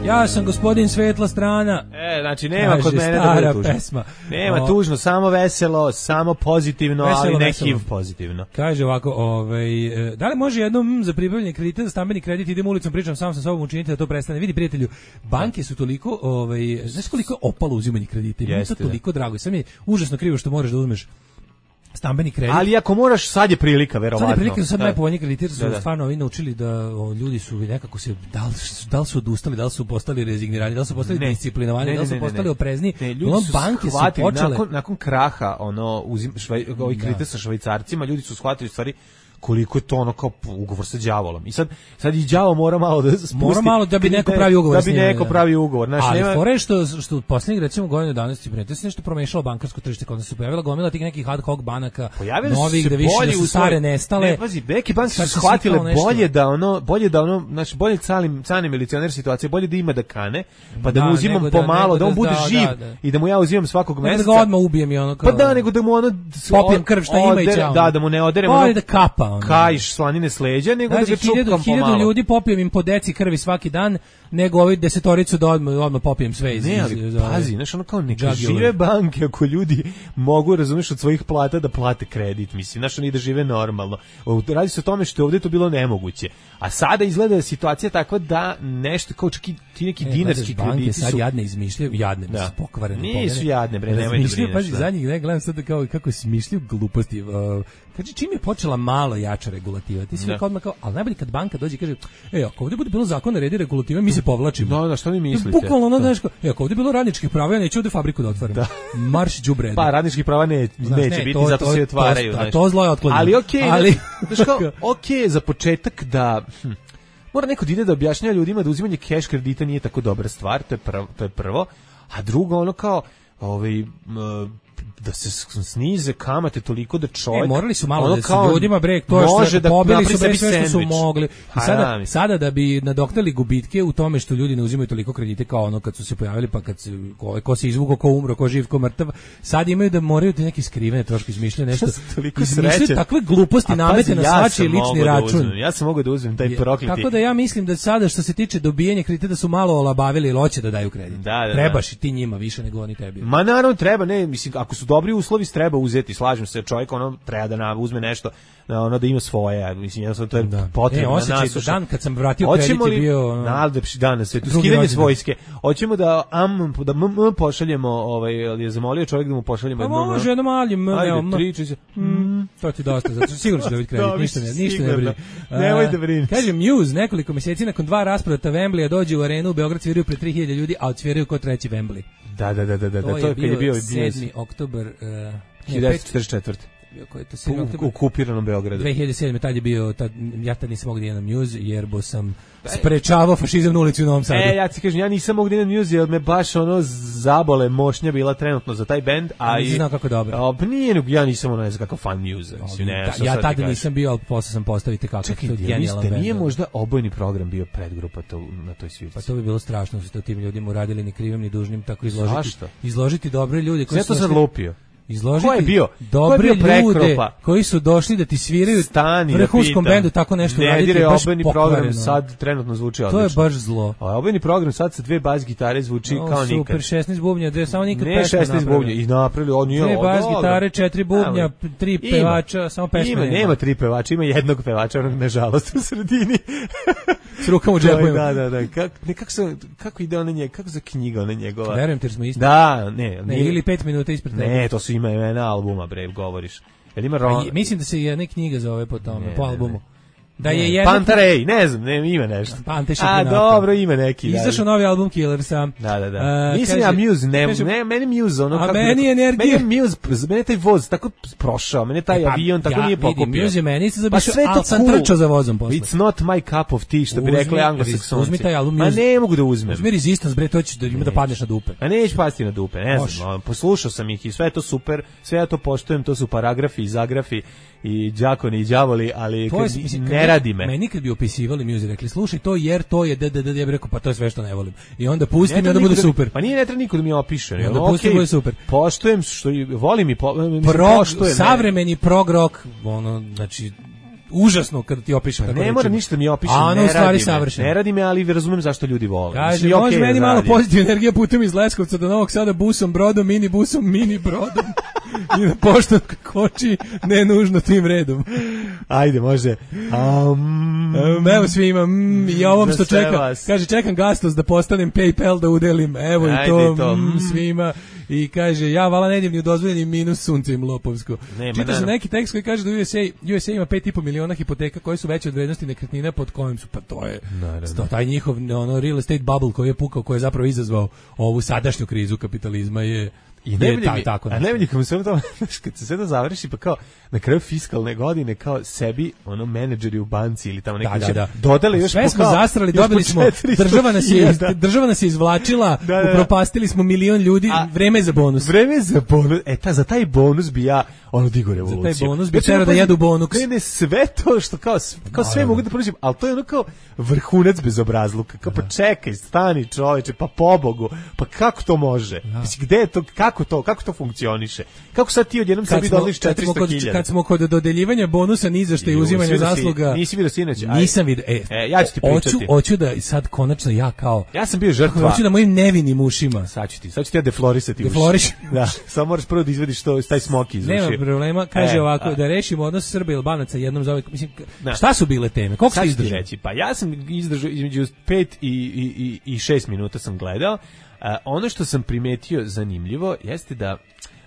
Ja sam gospodin Svetla strana. E, znači nema kaže kod mene da bude tužno. Pesma. Nema o, tužno, samo veselo, samo pozitivno, veselo, ali neki veselo. Pozitivno. Kaže ovako, ovaj, da li može jednom za pribavljanje kredita za stambeni kredit, idem ulicom, pričam sam sa sobom, učinite da to prestane. Vidi prijatelju, banke su toliko, ovaj, znaš koliko je opalo uzimanje kredita, mi je to toliko drago. Sam je užasno krivo što moraš da uzmeš stambeni kredit. Ali ako moraš, sad je prilika, verovatno. Sad je prilika, sad najpovoljniji krediti su da, da. Stvarno ovi naučili da o, ljudi su nekako se, da li, da li su odustali, da li su postali rezignirani, da li su postali ne, disciplinovani, ne, da li su ne, postali ne, oprezni. Ne, ljudi su banke shvatili, su počele... nakon, nakon kraha, ono, uzim, švaj, ovih kredita da. sa švajcarcima, ljudi su shvatili stvari koliko je to ono kao ugovor sa đavolom. I sad sad i đavo mora malo da spusti. Mora malo da bi neko pravi ugovor. Da bi neko pravi ugovor. Znači, ali nema... fore što što poslednjih recimo godinu danas ti prijete se nešto promešalo bankarsko tržište, kada se pojavila gomila tih nekih ad hoc banaka, novih da više da su stare nestale. Ne, pazi, neke banke su shvatile bolje da ono, bolje da ono, znači bolje calim canim milicioner situacije, bolje da ima da kane, pa da, da mu uzimam pomalo, da on bude da, živ da, da. I da mu ja uzimam svakog meseca. Da ga odmah ubijem i ono kao. Pa da, nego da mu ono popijem krv šta ima i ćao. Da, da mu ne oderem ono. Da kapa ono. Kajš slanine s leđa, nego znači, da ga čupkam pomalo. Hiljadu ljudi popijem im po deci krvi svaki dan, nego ovi desetoricu da odmah, odmah popijem sve iz... Ne, ali iz, pazi, znaš, ono kao neka žive banke, ako ljudi mogu, razumiješ, od svojih plata da plate kredit, mislim, znaš, oni da žive normalno. Radi se o tome što je ovdje to bilo nemoguće. A sada izgleda situacija takva da nešto, kao čak i ti neki e, dinarski banke krediti sad su... jadne izmišljaju, jadne, da. Su pokvarene. Nisu pomene. Jadne, bre, nemoj da brineš. Pazi, zadnjih ne gledam sad kao, kako smišljaju gluposti. Uh, Kaže, čim je počela malo jača regulativa, ti si rekao odmah kao, ali najbolje kad banka dođe i kaže, e, ako ovdje bude bilo zakon redi regulative, mi se povlačimo. No, da, što vi mislite? Bukvalno ono, znaš, e, ako ovdje bilo radničkih prava, ja neću ovdje fabriku da otvaram. Da. Marš đubreda. Pa, radničkih prava ne, znaš, neće ne, biti, to, zato to, se otvaraju. To, to, to zlo je otklonjeno. Ali okej, okay, ali... znaš kao, okej okay, za početak da... Hm, mora neko da ide da objašnjava ljudima da uzimanje keš kredita nije tako dobra stvar, to je prvo, to je prvo. A drugo, ono kao, ovaj... Uh, da se snize kamate toliko da čovjek... E, morali su malo ono da se ljudima, bre, to što da pobili su bre sve što su mogli. I sada, sada da bi nadoknali gubitke u tome što ljudi ne uzimaju toliko kredite kao ono kad su se pojavili, pa kad se, ko, ko se izvukao, ko umro, ko živ, ko mrtav, sad imaju da moraju da neki skrivene troške izmišljaju nešto. Izmišljaju takve gluposti, namete na svačiji lični račun. Da ja sam mogao da uzmem taj prokleti. Tako da ja mislim da sada što se tiče dobijanja kredita da su malo olabavili i hoće da daju kredit. Da, da, trebaš i ti njima više nego oni tebi. Ma naravno treba, ne, mislim, ako su dobri uslovi treba uzeti, slažem se, čovjek ono treba da na, uzme nešto, ono da ima svoje, mislim, jednostavno to je da. Potrebno. E, osjećaj da dan kad sam vratio kredit je bio... Najlepši dan na svetu, skidanje s vojske. Hoćemo da am, da m, m pošaljemo, ovaj, je zamolio čovjek da mu pošaljemo jedno... Pa može, jedno maljem, ajde, triči se. Mm, to ti dosta, zato što sigurno ću dobiti kredit, ništa ne, ništa ne brini. Nemoj da brini. Kaže, Muse, nekoliko mjeseci nakon dva rasprata Wembleya dođe u arenu, u Beograd sviraju pred tri hiljade ljudi, a odsviraju ko treći Wembley. Da, da, da, da, da, to, to je kad je bio sedmi oktobar hiljadu devetsto četrdeset četvrte Ko je to u okupiranom Beogradu. dve hiljade sedme tad je bio, tad, ja tad nisam mogao da idem na Muse, jer bo sam sprečavao fašizam na ulici u Novom Sadu. E, ja ti kažem, ja nisam mogao da idem na Muse, jer me baš ono zabole mošnja bila trenutno za taj bend. A nisi znao kako dobro. A, pa nije, ja nisam ono, ne znam kako fan Muse. Mislim, ne, da, ja tada nisam bio, ali posle sam postaviti kako čekaj, to je genijalan bend. Nije možda obojni program bio predgrupa to, na toj svirci? Pa to bi bilo strašno, što tim ljudima uradili ni krivim ni dužnim, tako izložiti. Zašto? Izložiti dobre ljude koji su... Zato sam lupio. Izložiti ko je bio? dobre ko je bio ljude koji su došli da ti sviraju Stani, vrhunskom bendu tako nešto ne raditi dire, baš obojni program sad trenutno zvuči odlično. To je baš zlo. A obojni program sad sa dve bas gitare zvuči no, kao super, nikad. Super, šesnaest bubnja, dve samo nikad ne pesme šesnaest bubnja i napravili, on nije dve bas gitare, četiri bubnja, tri pevača, samo pesme. Ima, nema tri pevača, ima jednog pevača, onog nažalost u sredini. S rukom u džepovima. Da, da, da. Kako ne kako se kako ide ona njega, kako za knjiga ona njegova. Verujem ti jer smo isti. Da, ne, ne ili pet minuta ispred tebe. Ne, to su ima imena albuma, bre, govoriš. Jel ima ro... mislim da se jedna knjiga zove po tome, ne, po albumu. Ne, ne. Da je jedna Pantarej, ne znam, ne, ima nešto. Pante A dobro, ima neki. Izašao novi album Killersa. Da, da, da. Uh, Mislim ja Muse, ne, kaže, ne, meni Muse, ono kako. A meni energija. Meni Muse, meni taj voz tako prošao, meni taj e, pa, avion tako ja, nije pokupio. Vidim, Muse meni se zabišao, pa ali sam cool. Trčao za vozom posle. It's not my cup of tea, što bi rekli anglosaksonci. Uzmi taj album Muse. A ne mogu da uzmem. Uzmi Resistance, bre, to će da ima da padneš na dupe. A neću pasti na dupe, ne znam. Poslušao sam ih i sve je to super, sve ja to poštujem, to su paragrafi i zagrafi i đakoni i đavoli, ali to je, mislim, kad ne radi me. Meni kad bi opisivali Muse, rekli, slušaj to jer to je d d d, ja bih rekao, pa to je sve što ne volim. I onda pusti mi, onda bude super. Pa nije ne treba niko da mi opiše. Onda pusti bude super. Poštujem što volim i poštujem. Savremeni prog rock, ono, znači užasno kad ti opišem. Pa ne mora ništa mi opiše, ne radi stvari me. savršeno. Ne radi me, ali razumem zašto ljudi vole. Kaže, okay, može meni malo pozitivna energija putem iz Leskovca do Novog Sada busom, brodom, mini busom, mini brodom. I na poštu koči, ne nužno tim redom. Ajde, može. Um, um, evo svima, mm, i ovom što čeka. Vas. Kaže, čekam Gastos da postanem PayPal da udelim. Evo Ajde, i to, to. Mm, svima. I kaže, ja vala ne idem ni u dozvoljeni minus sunce im lopovsko. Čita se neki tekst koji kaže da U S A, U S A ima pet i po miliona hipoteka koje su veće od vrednosti nekretnina pod kojim su, pa to je sto, taj njihov ono, real estate bubble koji je pukao, koji je zapravo izazvao ovu sadašnju krizu kapitalizma je I ne vidi mi, tako a ne vidi kako sve to, kad se sve to završi, pa kao na kraju fiskalne godine, kao sebi, ono, menadžeri u banci ili tamo neki da, da, da. dodali još sve smo zastrali, dobili smo, država nas je, država nas je izvlačila, da, da, upropastili smo milion ljudi, a, vreme za bonus. Vreme za bonus, e, ta, za taj bonus bi ja, ono, digo revoluciju. Za taj bonus bi tero da jedu bonus. Ne, ne, sve to što kao, kao sve mogu da poručim, ali to je ono kao vrhunac bezobrazluka, kao pa čekaj, stani čoveče, pa pobogu, pa kako to može? Mislim, gde je to, kako to, kako to funkcioniše? Kako sad ti odjednom sebi dodališ četiristo hiljada? Kad smo kod dodeljivanja bonusa ni za šta i uzimanja zasluga. Nisi vidio sinoć? Nisam vidio. E, e, ja ću ti pričati. Hoću, hoću da sad konačno ja kao ja sam bio žrtva. Hoću da mojim nevinim ušima. Sad ću ti, sad ću ti ja deflorisati uši. Defloriš. Da, samo moraš prvo da izvediš to, taj smoki iz uši. Nema problema, kaže e, ovako, a, da rešimo odnos Srba i Albanaca jednom za ovaj, mislim, da. Šta su bile teme? Koliko ste izdržali? Reći, pa ja sam izdržao između pet i, i, i, i šest minuta sam gledao. A, ono što sam primetio zanimljivo jeste da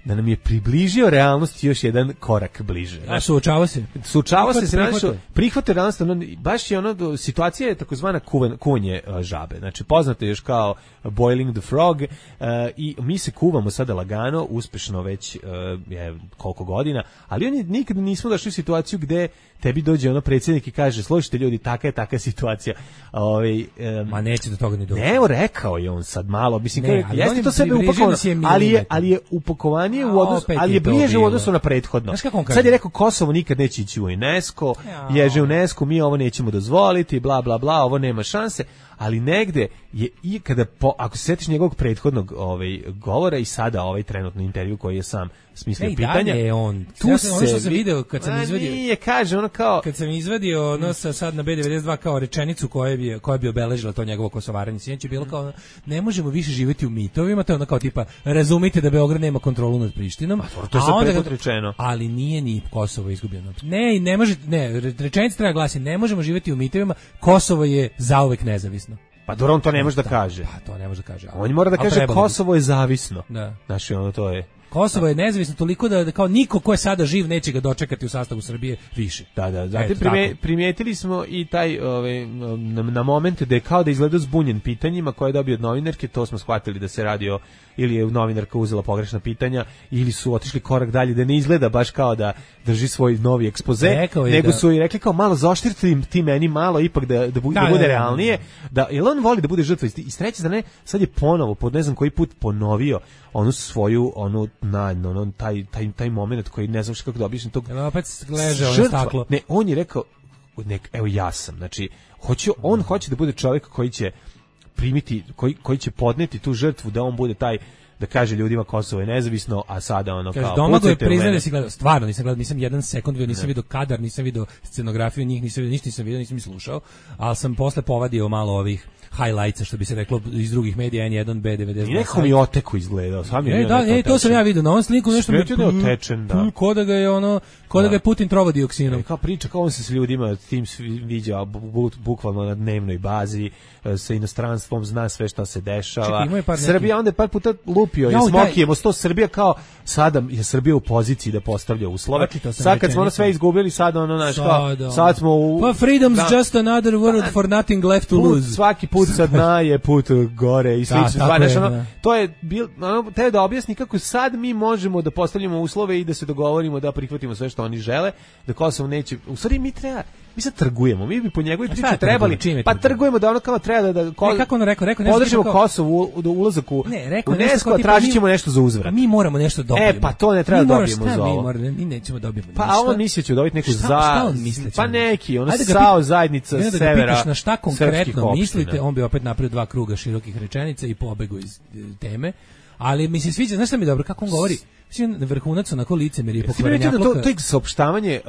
da nam je približio realnost još jedan korak bliže. A suočava se? Suočava se, se našo, prihvate realnost, ono, baš je ono, situacija je takozvana kuvanje žabe. Znači, poznato je još kao boiling the frog uh, i mi se kuvamo sada lagano, uspešno već uh, je, koliko godina, ali oni nikad nismo došli u situaciju gde tebi dođe ono predsjednik i kaže, slušajte ljudi, taka je taka situacija. Ovaj um, Ma neće do toga ni doći. Evo, rekao je on sad malo, mislim, ne, kao, jeste to sebe upakovano, ali je, ali je upakovanje u odnosu, ali je bliže u odnosu na prethodno. Sad je rekao, Kosovo nikad neće ići u UNESCO, ježe u UNESCO, mi ovo nećemo dozvoliti, bla, bla, bla, ovo nema šanse, ali negde je i kada, po, ako se sjetiš njegovog prethodnog ovaj, govora i sada ovaj trenutni intervju koji je sam smislio pitanja, je on. Tu ja sam, ono što sam video kad sam izvadio, nije, kaže ono kao kad sam izvadio ono sa sad na B devedeset dva kao rečenicu koja bi koja bi obeležila to njegovo kosovaranje, sinoć je bilo kao ne možemo više živjeti u mitovima, to je ono kao tipa razumite da Beograd nema kontrolu nad Prištinom, a to je sad prethodno rečeno, ali nije ni Kosovo izgubljeno. Ne, ne može, ne, rečenica treba glasi ne možemo živjeti u mitovima, Kosovo je zauvek nezavisno. Pa dobro, on to ne može da, da kaže. Pa to ne može da kaže. On mora da kaže Kosovo je zavisno. Da. Znači, ono to je. Kosovo je nezavisno toliko da, da kao niko ko je sada živ neće ga dočekati u sastavu Srbije više. Da, da, zatim prime, primijetili smo i taj ovaj, na, na momente da je kao da izgleda zbunjen pitanjima koje je dobio od novinarke, to smo shvatili da se radi o, ili je novinarka uzela pogrešna pitanja, ili su otišli korak dalje, da ne izgleda baš kao da drži svoj novi ekspoze, nego da, su i rekli kao malo zaoštriti ti meni malo, ipak da, da, bu, da, da bude da, realnije, da, jer on voli da bude žrtva, i s treće strane, sad je ponovo, pod ne znam koji put ponovio onu svoju, onu, na, ono, taj, taj, taj moment koji ne znam što kako da objasnim tog ja, opet leže ono staklo. Ne, on je rekao, nek, evo ja sam, znači, hoće, on hoće da bude čovjek koji će primiti, koji, koji će podneti tu žrtvu, da on bude taj, da kaže ljudima Kosovo je nezavisno, a sada ono kaže, kao Domagoj priznaje da si gledao, stvarno nisam gledao, nisam jedan sekund vidio, nisam vidio kadar, nisam vidio scenografiju, njih nisam vidio, ništa nisam vidio, nisam ni slušao, ali sam posle povadio malo ovih highlightsa, što bi se reklo iz drugih medija, N jedan, B devedeset dva. I neko mi oteku izgledao, sam je. E, da, e, to sam ja vidio, na ovom sliku nešto mi je otečen, da. Ko da ga je ono, ko da ga je Putin trovao dioksinom. E, kao priča, kao on se s ljudima, tim viđa bukvalno na dnevnoj bazi, sa inostranstvom, zna sve šta se dešava. Čekaj, Srbija neki... onda je par puta lupio, je smokijemo sto Srbija kao sada je Srbija u poziciji da postavlja uslove. Sad kad smo ono sve izgubili, sad ono naš kao, sad smo u... Pa freedom's da, just another word da, for nothing left to put, lose. Svaki put sad na je put gore i slično. Da, znaš, ono, to je bil, ono, te da objasni kako sad mi možemo da postavljamo uslove i da se dogovorimo da prihvatimo sve što oni žele, da Kosovo neće... U stvari mi treba... Mi sad trgujemo, mi bi po njegovoj priči trebali, pa trgujemo da ono kao treba da, da ko, ne, kako ono rekao, rekao podržimo kao... Kosovo u ulazak u ne, rekao UNESCO, tipa, tražit mi- ćemo nešto za uzvrat. Mi moramo nešto dobiti. E, pa to ne treba Mi da moramo- dobijemo šta za mi ovo. moramo- Mi nećemo dobiti Pa ništa. on misli da će dobiti neku Šta- za... šta on misli da će Pa dobiti? neki, ono Ajde da ga sao pita- zajednica I onda da ga severa pitaš na šta srpskih konkretno opština. mislite, on bi opet napravio dva kruga širokih rečenica i pobegao iz e, teme. Ali mi se sviđa, znaš šta mi je dobro, kako on govori? Mislim, vrhunac onako licemerje i Jesi primetio da to, pokvarenjaka. to je saopštavanje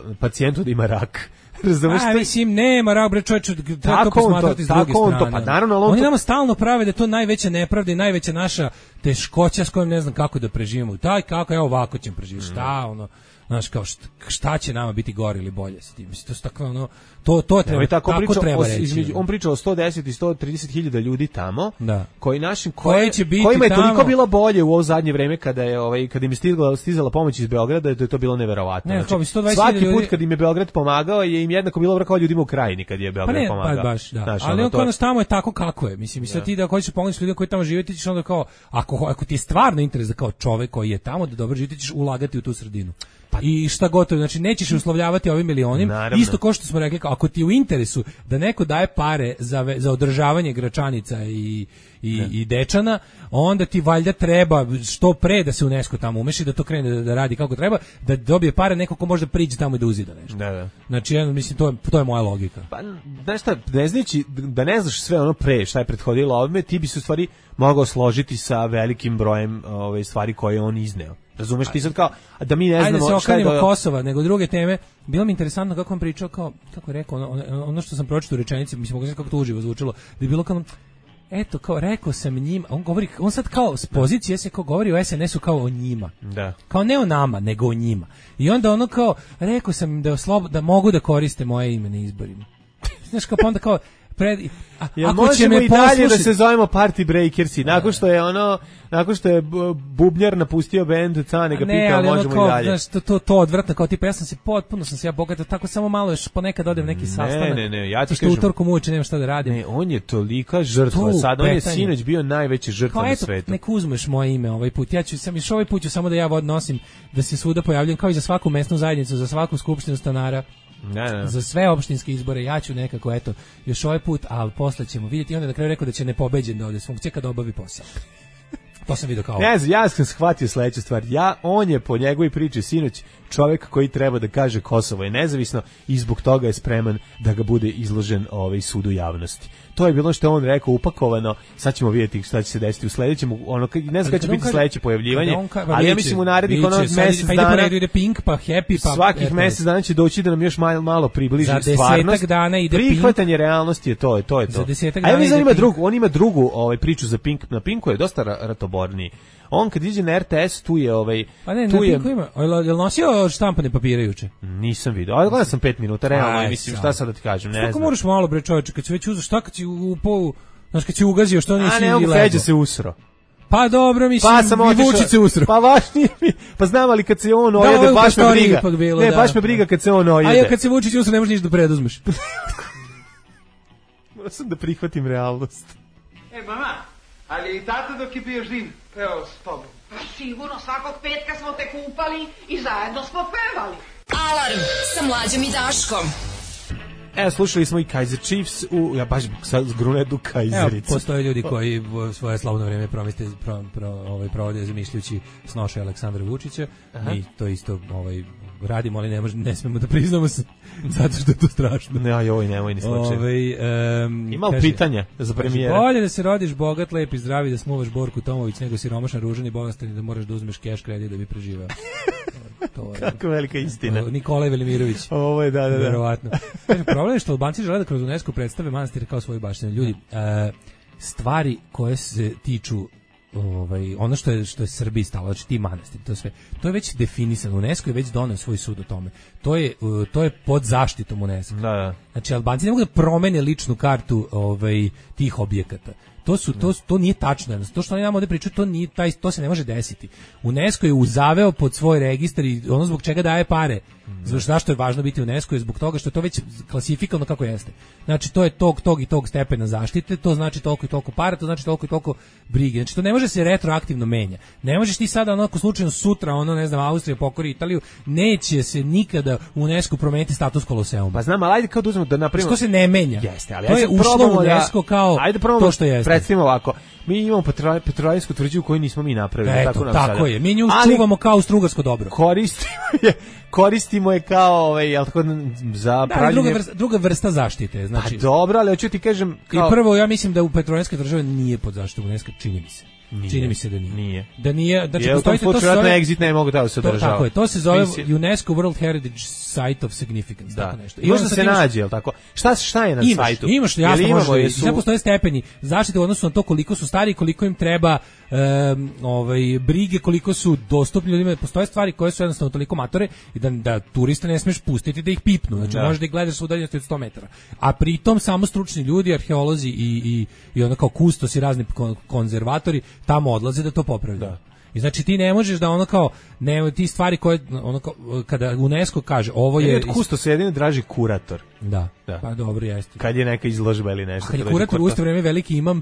uh, pacijentu da ima rak. Razumeš? A, to je- mislim, nema rak, bre, čovječe, treba to Tako on to- posmatrati s druge tako on to, strane. pa naravno, ali on Oni to- nama stalno prave da je to najveća nepravda i najveća naša teškoća s kojom ne znam kako da preživimo. Taj kako, evo ovako ćemo preživjeti, šta, ono, znaš, kao šta, šta će nama biti gore ili bolje sa tim. Mislim, to su tako, ono, to, to treba, Evo i tako, tako priča treba o, reći. između, on priča o sto deset i sto trideset hiljada ljudi tamo, Da. koji našim Koje koje, će biti kojima je tamo. toliko bilo bolje u ovo zadnje vreme kada je ovaj kada im je stigla stizala pomoć iz Beograda, da je to bilo neverovatno. Ne, kao bi sto dvadeset svaki hiljada put ljudi- kad im je Beograd pomagao je im jednako bilo dobro kao ljudima u Krajini kad je Pa Beograd ne, pomagao. pa baš, da. Znaš, Ali ono, on to- kao nas tamo je tako kako je. Mislim, sad ti da hoćeš pomoći ljudima koji tamo žive, ti ćeš onda kao, ako, ako ti je stvarno interes da kao čovek koji je tamo da dobro živi, ti ćeš ulagati u tu sredinu. I šta gotovo, znači nećeš uslovljavati ovim milionim, Naravno. isto kao što smo rekli, kao, ako ti je u interesu da neko daje pare za, ve- za održavanje Gračanica i, i, i Dečana, onda ti valjda treba što pre da se UNESCO tamo umeši, da to krene da, da radi kako treba, da dobije pare neko ko može da priđe tamo i da uzida nešto. Da, da. Znači, ja, mislim, to je, to je moja logika. Pa, znaš šta, ne znajući da ne znaš sve ono pre šta je prethodilo ovome, ti bi se u stvari mogao složiti sa velikim brojem ove stvari koje je on izneo. Razumeš ti sad kao, a da mi ne Ajde znamo se šta je okrenimo do... Kosova, nego druge teme. Bilo mi interesantno kako on pričao, kao, kako je rekao, ono, ono, ono što sam pročitao u rečenici, mislim, mogu kako to uživo zvučilo, da je bilo kao, eto, kao, rekao sam njima, on govori, on sad kao, s pozicije se kao govori o es en esu kao o njima. Da. Kao ne o nama, nego o njima. I onda ono kao, rekao sam im da, oslob, da mogu da koriste moje ime na izborima. Znaš, kao, pa onda kao, pred, a, Jel ako će možemo me i dalje da poslušati- se zovemo Party Breakersi, nakon što je ono, nakon što je bu- Bubnjar napustio bend, Cane ga ne, pitao, ali ono možemo kao, i dalje. znaš, to, to, to odvratno, kao tipa, ja sam se potpuno, sam se ja bogatao, tako samo malo još ponekad odem neki sastanak. ne, ne, ja ti zato što kažem- utorkom uveče nemam šta da radim. Ne, on je tolika žrtva, To sad on je petanje. sinoć bio najveća žrtva Kao na eto, svetu. nek uzmeš moje ime ovaj put. Ja ću sam još ovaj put ću samo da ja vod nosim, da se svuda pojavljam kao i za svaku mesnu zajednicu, za svaku skupštinu stanara. Ne, ne. Za sve opštinske izbore ja ću nekako eto još ovaj put, ali posle ćemo vidjeti. I onda na kraju rekao da će nepobeđen da ode s funkcije kad obavi posao. To sam vidio kao. Ne znam, ja sam shvatio sledeću stvar. Ja, on je po njegovoj priči sinoć čovjek koji treba da kaže Kosovo je nezavisno i zbog toga je spreman da ga bude izložen ovaj sudu javnosti. To je bilo što je on rekao upakovano. Sad ćemo vidjeti šta će se desiti u sledećem, ono ne znam kada će biti sledeće pojavljivanje, ali ja mislim u narednih ono mjesec pa ide po dana. redu, ide Pink, pa Happy, pa Svakih eto, mjesec dana će doći da nam još malo, malo približi Za desetak stvarnost. dana ide Pink. Prihvatanje realnosti je to, je to je to. Za desetak A ja dana mislim da ide ima Pink. drugu, on ima drugu ovaj priču za Pink, na Pinku je dosta ra- ratoborniji. On kad iđe na er te es tu je ovaj Pa ne, tu na je Pinku ima. Jel jel nosio štampane papire juče? nisam video. Ali gledao sam pet minuta, realno, Aj, mislim sad. šta sad da ti kažem, ne Kako znam. moraš malo bre čoveče, kad si već uzeo, šta kad si u polu, znaš kad si ugazio, što nisi A ne, on lego? Feđa se usro. Pa dobro, mislim, Pa sam i otišao. Vučić se usro. Pa važnije mi. Pa znam, ali kad se on ovo je ojede, u baš me prostoriji briga. ipak bilo, Ne, da. baš me briga kad se on A ojede. ja kad se Vučić usro, ne možeš ništa da preduzmeš. Moram sam da prihvatim realnost. E, mama, ali i tata dok je bio živ, peo s tobom. Pa sigurno, svakog petka smo te kupali i zajedno smo pevali. Alarm sa Mlađom i Daškom. E, slušali smo i Kaiser Chiefs u, ja baš sad zgrunedu Evo, Kaisericu. postoje ljudi koji v- svoje slavno vrijeme promiste, pro, pro, ovaj, provode zamišljujući snoše Aleksandra Vučića. Mi to isto ovaj, radimo, ali ne, može, ne smemo da priznamo se, zato što je to strašno. Ne, aj, oj, nemoj ni slučaj. Ovaj, um, Ima li pitanja za premijera? Bolje da se rodiš bogat, lep i zdravi, da smuvaš Borku Tomović, nego siromašan, ružan i bolestan i da moraš da uzmeš keš kredit da bi preživao. To je Kako velika istina. Nikolaj Velimirović. Ovo je, da, da, da. Verovatno. Kaže, problem je što Albanci žele da kroz UNESCO predstave manastir kao svoju baštinu. Ljudi, e, stvari koje se tiču ovaj ono što je što je Srbiji stalo, znači ti manastiri, to sve. To je već definisano. UNESCO je već doneo svoj sud o tome. To je uh, to je pod zaštitom UNESCO. Da, da. Znači Albanci ne mogu da promene ličnu kartu ovaj tih objekata. To su to to nije tačno. To što oni nam ovde pričaju, to nije taj to se ne može desiti. UNESCO je uzaveo pod svoj registar i ono zbog čega daje pare. Zbog zašto je važno biti UNESCO je zbog toga što je to već klasifikovano kako jeste. Znači to je tog tog i tog stepena zaštite, to znači toliko i toliko para, to znači toliko i toliko brige. Znači to ne može se retroaktivno menja. Ne možeš ti sada onako slučajno sutra ono ne znam Austrija pokori Italiju, neće se nikada UNESCO promeniti status Koloseuma. Pa znam, ali ajde kao da uzmemo da napravimo. To se ne menja. Jeste, ali to ajde je sad ušlo probamo u da- UNESCO kao ajde probamo to što jeste. predstavimo ovako. Mi imamo petrolarijsku tvrđavu koju nismo mi napravili. Eto, tako, nam tako sada. je. Mi nju Ali čuvamo kao strugarsko dobro. Koristimo je, koristimo je kao, ovaj, jel tako, za Da, pravljenje... druga vrsta, druga vrsta zaštite. Znači, Pa dobro, ali hoću ti kažem... Kao... I prvo, ja mislim da u petrolarijskoj državi nije pod zaštitom UNESCO, čini mi se. Nije. Čini mi se da nije. Nije. Da nije, znači je, postoji to se zove exit ne mogu da se to, održava. tako je, to se zove Mislim, UNESCO World Heritage Site of Significance, da. tako nešto. I možda sad se imaš- nađe, jel tako? Šta šta je na Imaš, sajtu? imaš, Jel jasno imamo, može. jesu- Sve postoje stepeni zaštite u odnosu na to koliko su stari, koliko im treba em, ovaj brige, koliko su dostupni ljudima. Postoje stvari koje su jednostavno toliko matore i da da turiste ne smeš pustiti da ih pipnu. Znači Da. možeš da ih gledaš sa udaljenosti od sto metara. A pritom samo stručni ljudi, arheolozi i i i onda kao kustosi, razni kon- konzervatori tamo odlaze da to popravljaju. I znači ti ne možeš da ono kao ne ti stvari koje ono kao, kada UNESCO kaže ovo je Od kusto se jedino draži kurator. da, Da. pa dobro jeste. Kad je neka izložba ili nešto. Kad je dođe kurator u isto vrijeme veliki imam.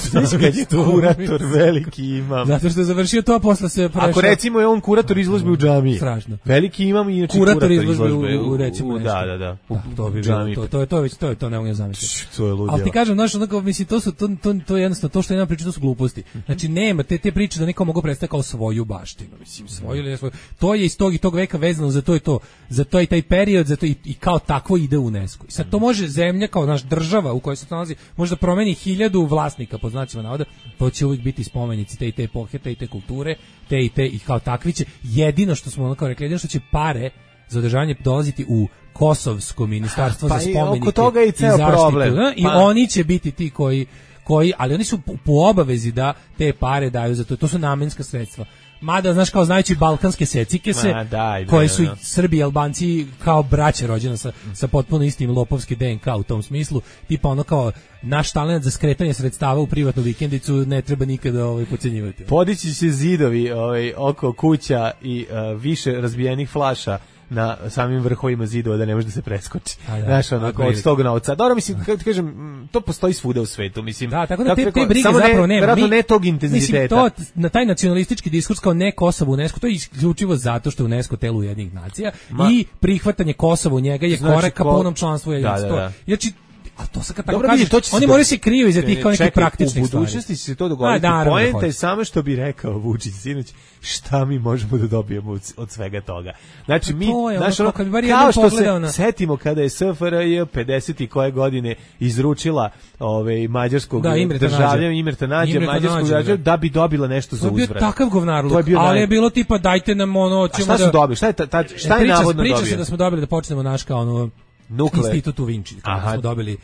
Znaš kad je kurator veliki imam. Zato što je završio to, a posle se prešao. Ako recimo je on kurator izložbe u džamiji. Strašno. Veliki imam i inače Kurator kurator, izložbe izložbe u- u recimo u, nešto. da, da, da. U Da, to bi bilo, džamiji. to, to je to već to je to ne mogu zamisliti. To je ludilo. Ali ti kažem, znaš, onako, mislim, to su, to, to, to je jednostavno, to što je jedna priča, to su gluposti. Znači, nema te, te priče da neko mogu predstaviti kao svoju baštinu, mislim, svoju ili ne svoju. To je iz tog i tog veka vezano za to i to, za to i taj period, za to i, i kao takvo ide u UNESCO. I sad to može zemlja, kao naš država u kojoj se to nalazi, može da promeni hiljadu vlasnika, pod znacima navoda, to će uvijek biti spomenici te i te epohe, te i te kulture, te i te, i kao takvi će, jedino što smo ono kao rekli, jedino što će pare za održavanje dolaziti u Kosovsko ministarstvo Pa za i spomenike oko toga je i ceo zaštitu, problem. da, i Pa. oni će biti ti koji koji, ali oni su po, po obavezi da te pare daju za to. To su namenska sredstva. Mada, znaš, kao znajući balkanske secike se, Ma, daj, bre, koje su da. Srbi i Albanci kao braća rođena sa, sa potpuno istim lopovski D N K u tom smislu, tipa ono kao naš talent za skretanje sredstava u privatnu vikendicu ne treba nikada ovaj, pocenjivati. Podići će zidovi ovaj, oko kuća i uh, više razbijenih flaša na samim vrhovima zidova da ne može da se preskoči. A, da. Znaš, onako, Otprilike. od tog novca. Dobro, mislim, kako ti kažem, m, to postoji svuda u svetu, mislim. Da, tako da kako te, rekao, te brige samo zapravo ne, nema. verovatno Mi- ne tog intenziteta. Mislim, to, na taj nacionalistički diskurs kao ne Kosovo UNESCO, to je isključivo zato što je UNESCO telo Ujedinjenih nacija Ma- i prihvatanje Kosova u njega je Znači, korak ka ko- punom članstvu Ujedinjenih Da, da, nacija. da. Znači, a to sad kad tako Dobro, kažeš, vidi, to će se oni do- moraju se kriju iza tih kao nekih Čekaj, praktičnih u stvari. budućnosti će se to A, dogoditi. naravno da Poenta hoće. je samo što bi rekao Vučić sinoć, šta mi možemo da dobijemo od, od svega toga. Znači, Pa mi, to je ono znaš, kao ono, kad bi bar kao jednom što se pogledao na- setimo kada je S F R J pedeset i koje godine izručila ovaj, mađarskog Da, Imreta državljanina, Nađa. Imreta Nađa, Imreta mađarskog Nađa, državljanina, da. da bi dobila nešto To za je bio uzvrat. takav govnarluk, To je bio ali naj- je bilo tipa dajte nam ono, A ćemo šta da... su dobili? Šta je, ta, ta, šta je priča, navodno priča dobio? se da smo dobili da počnemo naš kao ono Nukle- Institut u Vinči, kao da Aha. smo dobili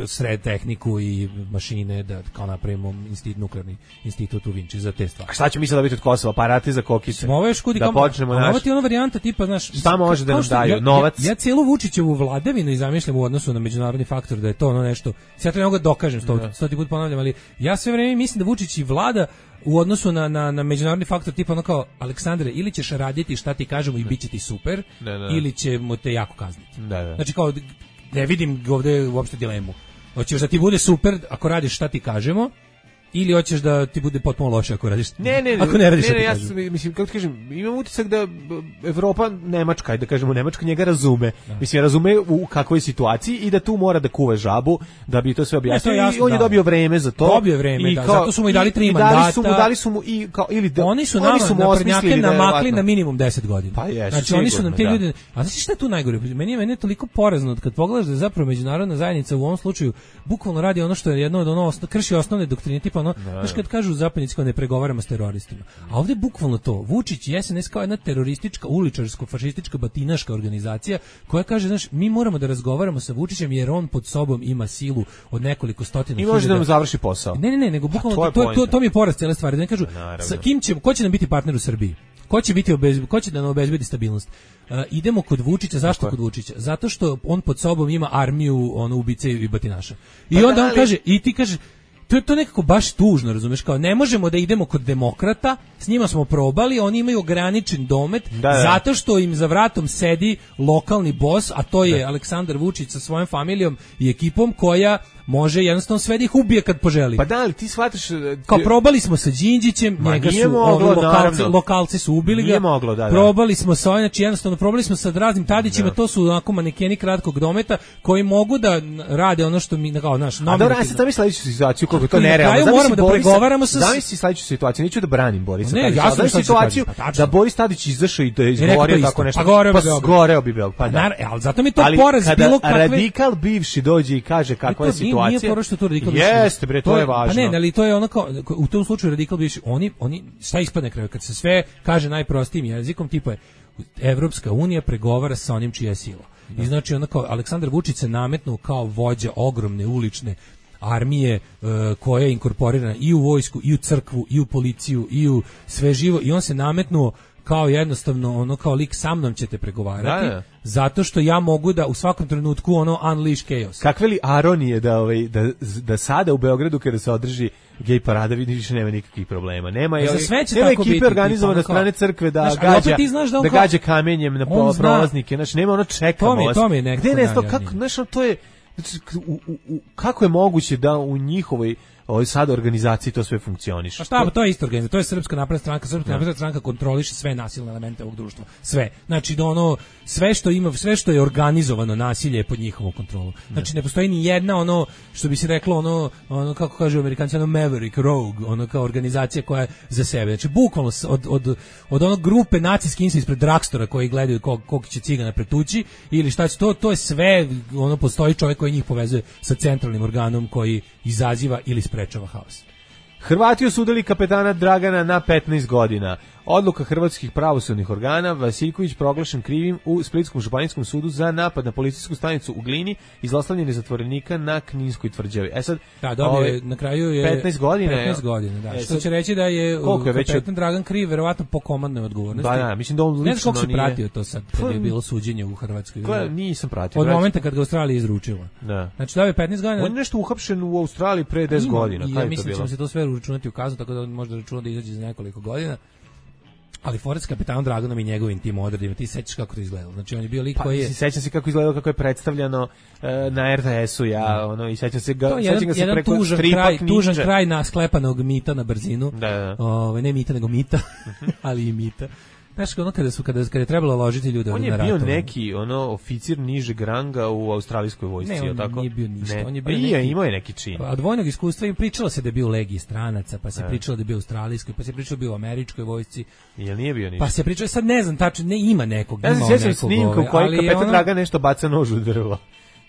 sred tehniku i mašine da kao napravimo institut, nuklearni institut u Vinči za te stvari. A šta ćemo mi sad dobiti od Kosova? Aparate za kokice? Smo ovo još kudi Da kao- počnemo a naš... ovo ti je ona varijanta tipa, znaš, Šta može da kao nam što- daju? ja- Novac? Ja, ja cijelu Vučićevu vladavinu i zamišljam u odnosu na međunarodni faktor da je to ono nešto. Sad to ne mogu da dokažem, sto, stoti put ponavljam, ali ja sve vreme mislim da Vučić i vlada u odnosu na, na, na međunarodni faktor tipa ono kao Aleksandre, ili ćeš raditi šta ti kažemo i bit će ti super, Da, da. ili ćemo te jako kazniti. Da, da. Znači kao ne vidim ovde uopšte dilemu. Hoćeš da ti bude super ako radiš šta ti kažemo, ili hoćeš da ti bude potpuno loše ako radiš. Ne, ne, ako ne radiš ne, šta ne, ti ja kažemo. sam, mislim, kako ti kažem, imam utisak da b, Evropa, Nemačka, da kažemo, Nemačka njega razume. Mislim, razume u kakvoj situaciji i da tu mora da kuva žabu, da bi to sve objasnio. Ne, to je jasno, I on je da. dobio vreme za to. Dobio je vreme, I da, zato su mu i dali tri i dali su mu, mandata. dali su mu i, kao, ili da, Oni su nama su mu naprednjake osmislili da je namakli verovatno- na minimum deset godina. Pa jesu, znači oni su nam sigurno, te da. ljude, a znači šta je tu najgore? Meni je meni je toliko porazno kad pogledaš da je zapravo međunarodna zajednica u ovom slučaju bukvalno radi ono što je jedno od ono osno, krši osnovne doktrine tipa ono, znaš kad kažu zapadnici kao ne pregovaramo s teroristima. A ovde bukvalno to. Vučić i S N S kao jedna teroristička, uličarsko, fašistička, batinaška organizacija koja kaže, znaš, mi moramo da razgovaramo sa Vučićem jer on pod sobom ima silu od nekoliko stotina I može da hiljada- nam završi posao. Ne, ne, ne, nego bukvalno to je to, to, to, poenta. to mi je poraz cele stvari. Da ne kažu naravno. sa kim ćemo, ko će nam biti partner u Srbiji? Ko će biti obezbe, ko će da nam obezbedi stabilnost? Uh, idemo kod Vučića, zašto Tako je. kod Vučića? Zato što on pod sobom ima armiju ono ubice i batinaša. I Pa onda da, on ali- kaže, i ti kaže, to je to nekako baš tužno, razumeš, kao ne možemo da idemo kod demokrata, s njima smo probali, oni imaju ograničen domet, Da, da. zato što im za vratom sedi lokalni bos, a to je Aleksandar Vučić sa svojom familijom i ekipom koja može jednostavno sve da ih ubije kad poželi. Pa da, ali ti shvataš... Kao probali smo sa Đinđićem, Ma, njega nije su moglo, ovi lokalci, naravno. lokalci su ubili Nije ga. moglo, da, da. Probali smo sa ovim, znači jednostavno probali smo sa raznim Tadićima, to su onako manekeni kratkog dometa koji mogu da rade ono što mi kao naš A dobro, ja sam tamo sledeću situaciju kako to I na nerealno. kraju moramo da pregovaramo sa- Zamisli sledeću situaciju, neću da branim Borisa. Ne, Tadića, jasno ali šta ću situaciju kažem, pa tačno. da Boris Tadić izašao i da je rekao izgovorio to tako isto. nešto. Pa goreo bi pa Beograd. goreo bi Beograd, pa da. Nar- ali zato mi to Ali poraz kada bilo kakve... radikal bivši dođe i kaže kakva je to nije- situacija. Nije poro što to radikal bivši. Jeste bre, to je važno. Pa ne, ali to je ono kao u tom slučaju radikal bivši, oni oni šta ispadne na kraju kad se sve kaže najprostijim jezikom, tipa je Evropska unija pregovara sa onim čija je sila. I znači ono kao Aleksandar Vučić se nametnuo kao vođa ogromne ulične armije e, koja je inkorporirana i u vojsku, i u crkvu, i u policiju, i u sve živo, i on se nametnuo kao jednostavno ono kao lik sa mnom ćete pregovarati, Da, da. zato što ja mogu da u svakom trenutku ono unleash chaos. Kakve li aronije da, ovaj, da, da sada u Beogradu kada se održi gej parada vidi više nema nikakvih problema. Nema, E, za ovaj, sve će nema tako ekipe biti, organizovane tipa, od strane ono kao- crkve da Znaš, ali opet gađa, ti znaš da on da kao- gađa kamenjem na on po- zna- prolaznike. Znači, nema ono čekamo To mi je- vas. to mi je nekako Gde ne to, najjadnije. kako, znaš, ono, to je, znači, u, u, u, kako je moguće da u njihovoj ovoj sad organizaciji to sve funkcioniše? Pa šta, pa to je isto organizacija, to je Srpska napredna stranka, Srpska napredna stranka kontroliše sve nasilne elemente ovog društva, sve. Znači da ono sve što ima, sve što je organizovano nasilje je pod njihovom kontrolom. Znači ne postoji ni jedna ono što bi se reklo ono ono kako kažu Amerikanci ono Maverick Rogue, ono kao organizacija koja je za sebe. Znači bukvalno s- od od od onog grupe naciskih insa ispred Dragstora koji gledaju kog kog će cigana pretući ili šta će to, to je sve, ono postoji čovjek koji njih povezuje sa centralnim organom koji izaziva ili sprečava haos. Hrvati osudili kapetana Dragana na petnaest godina. Odluka hrvatskih pravosudnih organa, Vasiljković proglašen krivim u Splitskom županijskom sudu za napad na policijsku stanicu u Glini i zlostavljanje zatvorenika na Kninskoj tvrđavi. E sad, Da, dobio ovaj, je, na kraju je petnaest godina. petnaest godina, da. E, Što sad, će reći da je koliko je već kapetan Dragan kriv, verovatno po komandnoj odgovornosti. Ba da, mislim da on Ne znam lično koliko si nije- pratio to sad, kad Pa, je bilo suđenje u Hrvatskoj. Gle, nisam pratio. Od brać. momenta kad ga Australija izručila. Da. Znači dobio je petnaest godina. On je nešto uhapšen u Australiji pre deset Ima, godina. i Kada ja je to mislim da bilo? ćemo se to sve uračunati u kaznu, tako da on može da računa da izađe za nekoliko godina. Ali Forest kapetanom Draganom i njegovim tim odredima, ti sećaš kako to izgledalo. Znači on je bio lik Pa, koji je... mislim, sećam se kako izgledalo, kako je predstavljano e, na er te esu, ja, ono, i sećam se ga, To je sećam jedan, ga se jedan preko tužan, stripa kraj, knjiže. tužan kraj na sklepanog mita na brzinu. Da, da. Ove, ne mita, nego mita, ali i mita. Znaš, ono kada, su, kada, kada je trebalo ložiti ljude On na je bio ratove. neki ono oficir nižeg ranga u australijskoj vojsci, Ne, je on li tako? nije bio ništa, Ne. on je Pa bio i je, neki- imao je neki čin. Od vojnog iskustva i pričalo se da je bio u legiji stranaca, pa se Da. pričalo da je bio u australijskoj, pa se pričalo da je bio u američkoj vojsci, Jel nije bio ništa? pa se pričalo, sad ne znam tačno, ne ima nekog, Ja se ima sjećam nekog, snimka u ovaj, kojoj ali je kapetan ono- Dragan nešto baca nož u drvo.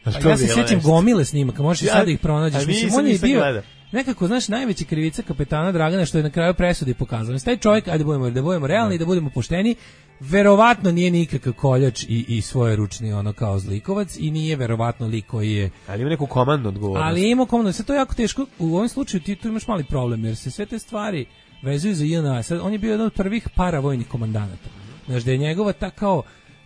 Znaš, Pa to ja je se bilo sjećam nešto. gomile snimaka, možeš i Ja- sad da ih pronađeš. a Mislim, nisam, on je nisam bio gledao. nekako, znaš, najveća krivica kapetana Dragana što je na kraju presudi pokazano. Taj čovjek, ajde da budemo, da budemo realni, da budemo pošteni, verovatno nije nikakav koljač i, i svoje ručni ono kao zlikovac i nije verovatno lik koji je... Ali ima neku komandnu odgovornost. Ali je imao komandno, sad to je jako teško, u ovom slučaju ti tu imaš mali problem, jer se sve te stvari vezuju za J N A. Sad, on je bio jedan od prvih paravojnih komandanata. Znaš, da je njegova ta kao,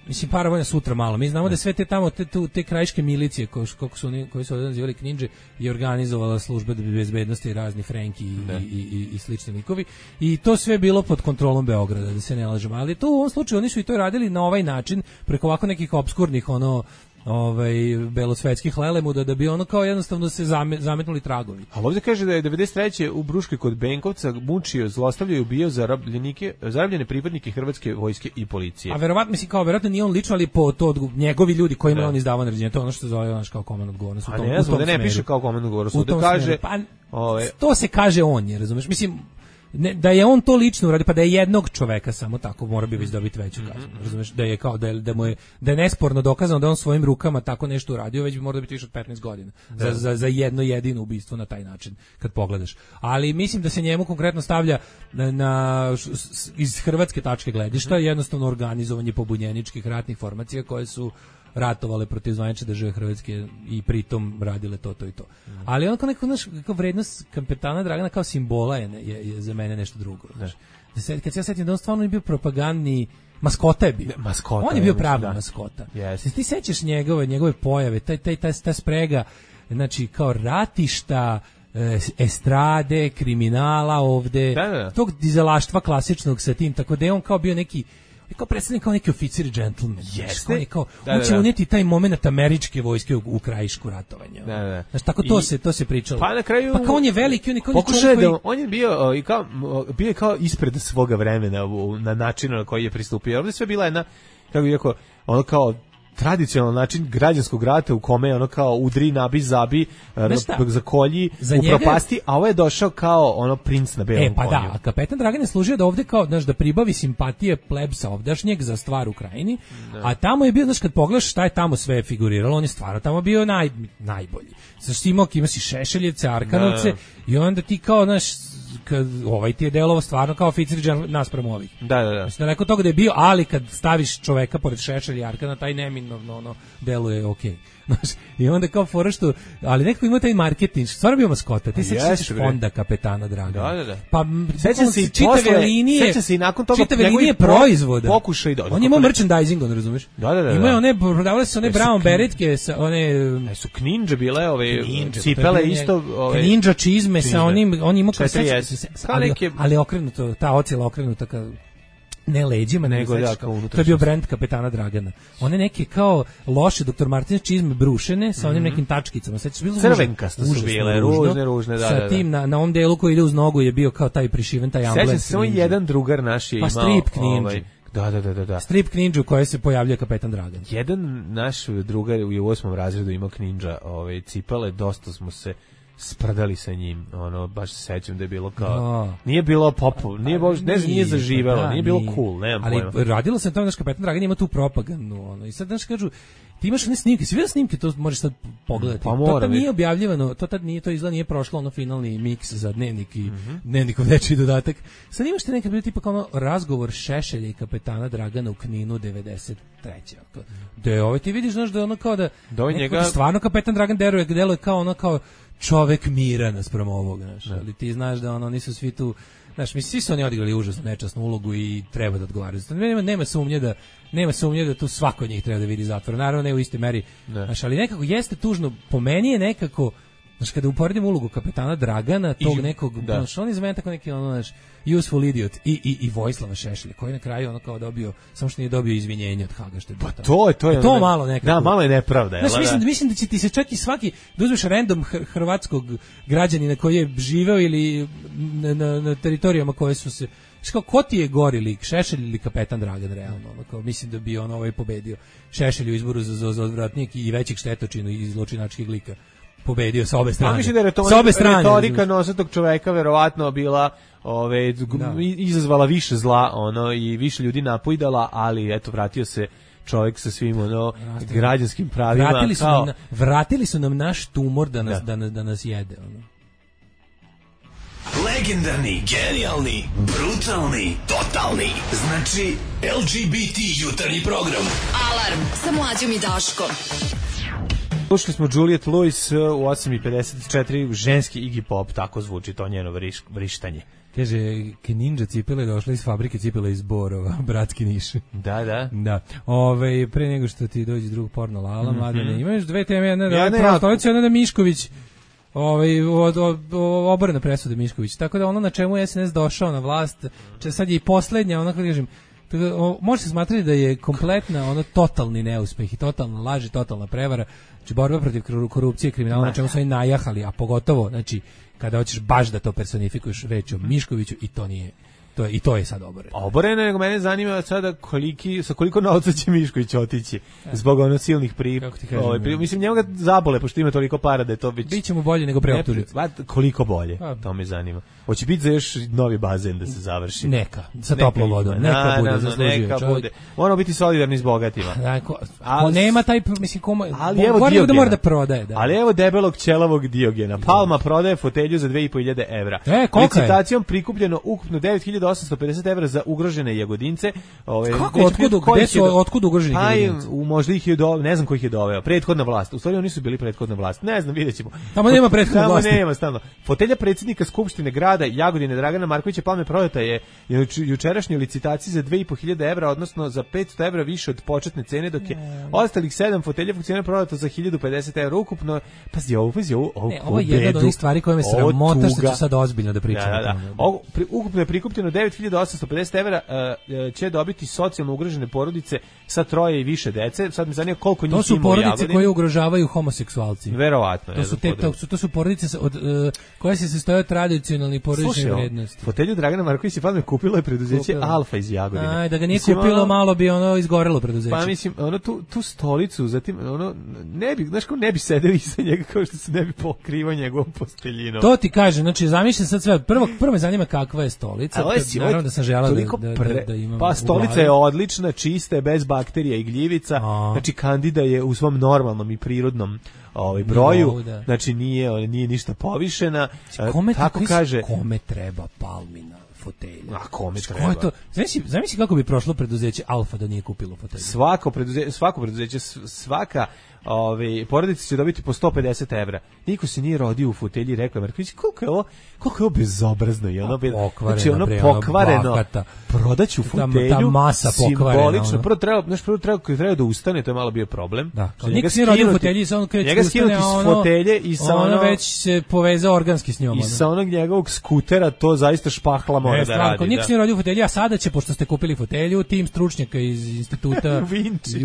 mislim, paravojna sutra malo. Mi znamo da sve te tamo, te, te, te krajiške milicije, ko, kako su oni, koji su ovdje nazivali Kninđe, je organizovala služba bezbednosti, razni Frenki i, i, i, i slični likovi. I to sve bilo pod kontrolom Beograda, da se ne lažemo. Ali to u ovom slučaju oni su i to radili na ovaj način, preko ovako nekih obskurnih, ono, ovaj belosvetskih lelemuda, da bi ono kao jednostavno se zame, zametnuli tragovi. A ovdje kaže da je devedeset treće u Bruškoj kod Benkovca mučio, zlostavljao i ubijao zarobljenike, zarobljene pripadnike Hrvatske vojske i policije. A verovatno, mislim, kao verovatno nije on lično, ali po to odgu- njegovi ljudi kojima je Da. on izdavao naređenje, to je ono što se zove ono kao komandna odgovornost. u A tom- ne u znam, tom da ne smeru. piše kao komandnu odgovornost, U ovdje tom kaže... smeru. Pa, ove, to se kaže on je, razumeš? Mislim, ne, da je on to lično uradio, pa da je jednog čoveka samo tako, mora bi već dobiti veću kaznu. Razumeš? Da je kao da je, da mu je da je nesporno dokazano da je on svojim rukama tako nešto uradio, već bi morao biti više od petnaest godina. Za, za, za jedno jedino ubistvo na taj način kad pogledaš. Ali mislim da se njemu konkretno stavlja na, na š- s- iz hrvatske tačke gledišta jednostavno organizovanje pobunjeničkih ratnih formacija koje su ratovale protiv zvanične države Hrvatske i pritom radile to, to i to. Ali on kao neko, znaš, kao vrednost kapetana Dragana kao simbola je, je, je za mene nešto drugo. Znaš. Da se, kad se ja setim da on stvarno je bio propagandni, maskota je bio. Maskota, On je bio ja pravi mislim, da. maskota. Jeste. Ti sećaš njegove, njegove pojave, taj, taj, taj, ta sprega, znači kao ratišta, e, estrade, kriminala ovde, Da, da, da. tog dizelaštva klasičnog sa tim, tako da je on kao bio neki I kao predstavljen kao neki oficir i džentlmen. Jeste. On, kao, da, on će da, da. unijeti taj moment američke vojske u, u krajišku ratovanja. Da, da. Znaš, tako to I, se to se pričalo. Pa na kraju pa kao on je veliki, on je kao pokušao koji... da on je bio o, i kao bio je kao ispred svoga vremena u, na način na koji je pristupio. Ovdje sve bila jedna, kako bih rekao, ono kao tradicionalan način građanskog rata u kome je ono kao udri, nabi, zabi, zakolji, za upropasti, a ovo je došao kao ono princ na belom konju. E, pa konju. da, a kapetan Dragan je služio da ovde kao, znaš, da pribavi simpatije plebsa ovdašnjeg za stvar u krajini, ne. A tamo je bio, znaš, kad pogledaš šta je tamo sve figuriralo, on je stvarno tamo bio naj, najbolji. Znaš, ti imao, ima si Šešeljevce, Arkanovce, ne. I onda ti kao, znaš, kad ovaj ti je delovo stvarno kao oficir naspram ovih. Da, da, da. Mislim, daleko toga da je bio, ali kad staviš čoveka pored Šešelja i Arkana, taj neminovno ono, deluje okej. Okay. Znaš, i onda kao fora što, ali nekako ima taj marketing, stvarno bio maskota, ti se sećaš fonda kapetana Dragana. Da, da, da. Pa sećam se i čitave posle, linije, sećam se i nakon toga čitave linije proizvoda. Pokušaj da. On je imao merchandising, on razumeš? Da, da, da. Ima one, prodavale su one brown beretke sa one, ne su Kninđe bile, ove cipele isto, ove Kninđa čizme sa onim, on ima kao ali, ali okrenuto, ta ocjela okrenuta kao ne leđima, nego da, kao to je bio brend kapetana Dragana. One neke kao loše doktor Martins čizme brušene sa onim nekim tačkicama. Sećaš bilo crvenkasto su bile, ružne, ružne, da, sa da. tim na na ovom delu koji ide uz nogu je bio kao taj prišiven taj amblem. Sećam se samo jedan drugar naš je pa imao strip Kninđu. Ovaj, da, da, da, da, da. Strip Kninđu u kojoj se pojavljuje kapetan Dragan. Jedan naš drugar u osmom razredu imao Kninđa, ovaj cipele, dosta smo se sprdali sa njim, ono baš se sećam da je bilo kao no. Nije bilo popu, nije baš ne znam, nije zaživelo, da, nije bilo nije. Cool, nemam ali pojma. Ali radilo se na tome da kapetan Dragan ima tu propagandu, ono. I sad znaš kažu, ti imaš one snimke, svi snimke, to možeš sad pogledati. Pa to tad nije objavljivano, to tad nije, to izgleda nije prošlo ono finalni miks za dnevnik i mm-hmm. dnevnikov dečiji dodatak. Sad imaš te nekad bilo tipa kao ono razgovor Šešelja i kapetana Dragana u Kninu devedeset treće Da je ovo ti vidiš, znaš da ono kao da, da njega... stvarno kapetan Dragan deluje, deluje kao ono kao čovek mira naspram ovoga, znaš, ali ti znaš da ono nisu svi tu, znaš, mi svi su oni odigrali užasno nečasnu ulogu i treba da odgovaraju. Nema, nema sumnje da nema sumnje da tu svako od njih treba da vidi zatvor. Naravno ne u iste meri, ne. Znaš, ali nekako jeste tužno, po meni je nekako, znaš, kada uporedim ulogu kapetana Dragana, tog I, nekog, da. Znaš, on je za mene tako neki, ono, znaš, useful idiot i, i, i Vojislava Šešelja, koji na kraju ono kao dobio, samo što nije dobio izvinjenje od Haga, što je pa to je, to je, to ono, malo nekako. Da, malo je nepravda. Znaš, mislim, da, mislim da će ti se čak i svaki, da uzmeš random hr- hrvatskog građanina koji je živeo ili na, na, na teritorijama koje su se, znaš kao, ko ti je gori lik, Šešelj ili kapetan Dragan, realno, ono, kao, mislim da bi on ovaj pobedio Šešelj u izboru za, za, za odvratnik i većeg štetočinu iz zločinačkih lika. Pobedio sa obe strane. Pa mislim da je retorika, obe strane, retorika nosatog čoveka verovatno bila ove, da. izazvala više zla ono, i više ljudi napojdala, ali eto vratio se čovjek sa svim ono, građanskim pravima. Vratili su, kao... nam, vratili su nam naš tumor da nas, da. Da, nas, da nas jede. Ono. Legendarni, genijalni, brutalni, totalni. Znači L G B T jutarnji program. Alarm sa Mlađom i Daškom. Slušali smo Juliet Lewis u osam i pedeset četiri, ženski Iggy Pop, tako zvuči to njeno vriš, vrištanje. Kaže, Kninđa cipele došla iz fabrike cipele iz Borova, bratski Niš. Da, da. Da. Ove, pre nego što ti dođe drug porno Lala, mm-hmm. Mladene, imaš dve teme, jedna da ja je prava stolica, jedna da Mišković, ovaj, od, od, oborena presuda Mišković. Tako da ono na čemu je S N S došao na vlast, če sad je i poslednja, ono kako kažem, može se smatrati da je kompletna ono totalni neuspeh i totalna laž i totalna prevara, znači borba protiv korupcije i kriminala, na čemu su oni najahali, a pogotovo, znači, kada hoćeš baš da to personifikuješ reč o Miškoviću i to nije, to je, i to je sad oboreno. Oboreno, nego mene zanima sada koliki, sa koliko novca će Mišković otići zbog ono silnih pri, ovaj, pri, mislim njemu ga zabole, pošto ima toliko para da je to već... Biće mu bolje nego preoptužiti. Koliko bolje, to me zanima. Hoće biti za još novi bazen da se završi. Neka, sa toplom vodom, neka na, bude, zaslužio. Neka čovjek. Bude. Moramo biti solidarni s bogatima. Da, ko, ko nema taj, mislim, koma, ali evo Diogena, da mora da prodaje. Da. Ali evo debelog ćelavog Diogena. Palma prodaje fotelju za dve i po hiljade evra. E, koliko je? Licitacijom prikupljeno ukupno devet hiljada osamsto pedeset evra za ugrožene jagodince. Ove, kako, otkud, gde su, do... otkud ugroženi jagodinci? U možda ih je do, ne znam ko ih je doveo. Prethodna vlast. U stvari oni su bili prethodna vlast. Ne znam, videćemo. Tamo nema prethodna vlast. Tamo nema stalno. Fotelja predsjednika Skupštine grada Jagodine Dragana Markovića Palme prodata je jučerašnjoj licitaciji za dve i po hiljade evra, odnosno za petsto evra više od početne cene, dok je ne. ostalih sedam fotelja funkcionira prodata za hiljadu pedeset evra ukupno. Pazi ovo, pazi ovo. Ne, ovo je jedna od onih stvari koje me sramota što ću sad ozbiljno da pričam. Da, da, da. Ovo, pri, ukupno je prikupljeno devet hiljada osamsto pedeset evra uh, će dobiti socijalno ugrožene porodice sa troje i više dece. Sad me zanima koliko njih ima u Jagodini. To su porodice koje ugrožavaju homoseksualci. Verovatno. To su, te, to, su, to su porodice od, uh, koje se sastoje od tradicionalnih porodičnih vrednosti. Fotelju Dragana Markovića Padme kupilo je preduzeće Kupila. Alfa iz Jagodine. Aj, da ga nije mislim, kupilo, ono, malo bi ono izgorelo preduzeće. Pa mislim, ono tu, tu stolicu, zatim, ono, ne bi, znaš ko ne bi sedeo iza njega kao što se ne bi pokrivao njegovom posteljinom. To ti kaže, znači zamišljam sad sve, prvo, prvo me zanima kakva je stolica, a, si, naravno da sam želao da, da, pre, da, da imam. Pa stolica je odlična, čista je, bez bakterija i gljivica, a. Znači Kandida je u svom normalnom i prirodnom ovaj broju, no, da. Znači nije, nije ništa povišena, kome, tako tako kaže. Kome treba Palmina fotelja? A kome treba? Ko to? Zamisli, zamisli kako bi prošlo preduzeće Alfa da nije kupilo fotelju. Svako preduzeće, svako preduzeće, svaka Ove, porodice će dobiti po sto pedeset evra. Niko se nije rodio u fotelji i rekao, Marković, koliko je ovo, koliko je ovo bezobrazno i ono, pokvareno, znači ono bre, pokvareno, prodaću fotelju, ta, ta masa simbolično, prvo treba, znaš, prvo treba, treba da ustane, to je malo bio problem. Da, niko se nije rodio u fotelji, sa ono kreće njega skinuti s fotelje i sa ono, ono već se povezao organski s njom. I sa onog njegovog skutera to zaista špahla mora ne, da radi. Niko se nije rodio u fotelji, a sada će, pošto ste kupili fotelju, tim stručnjaka iz instituta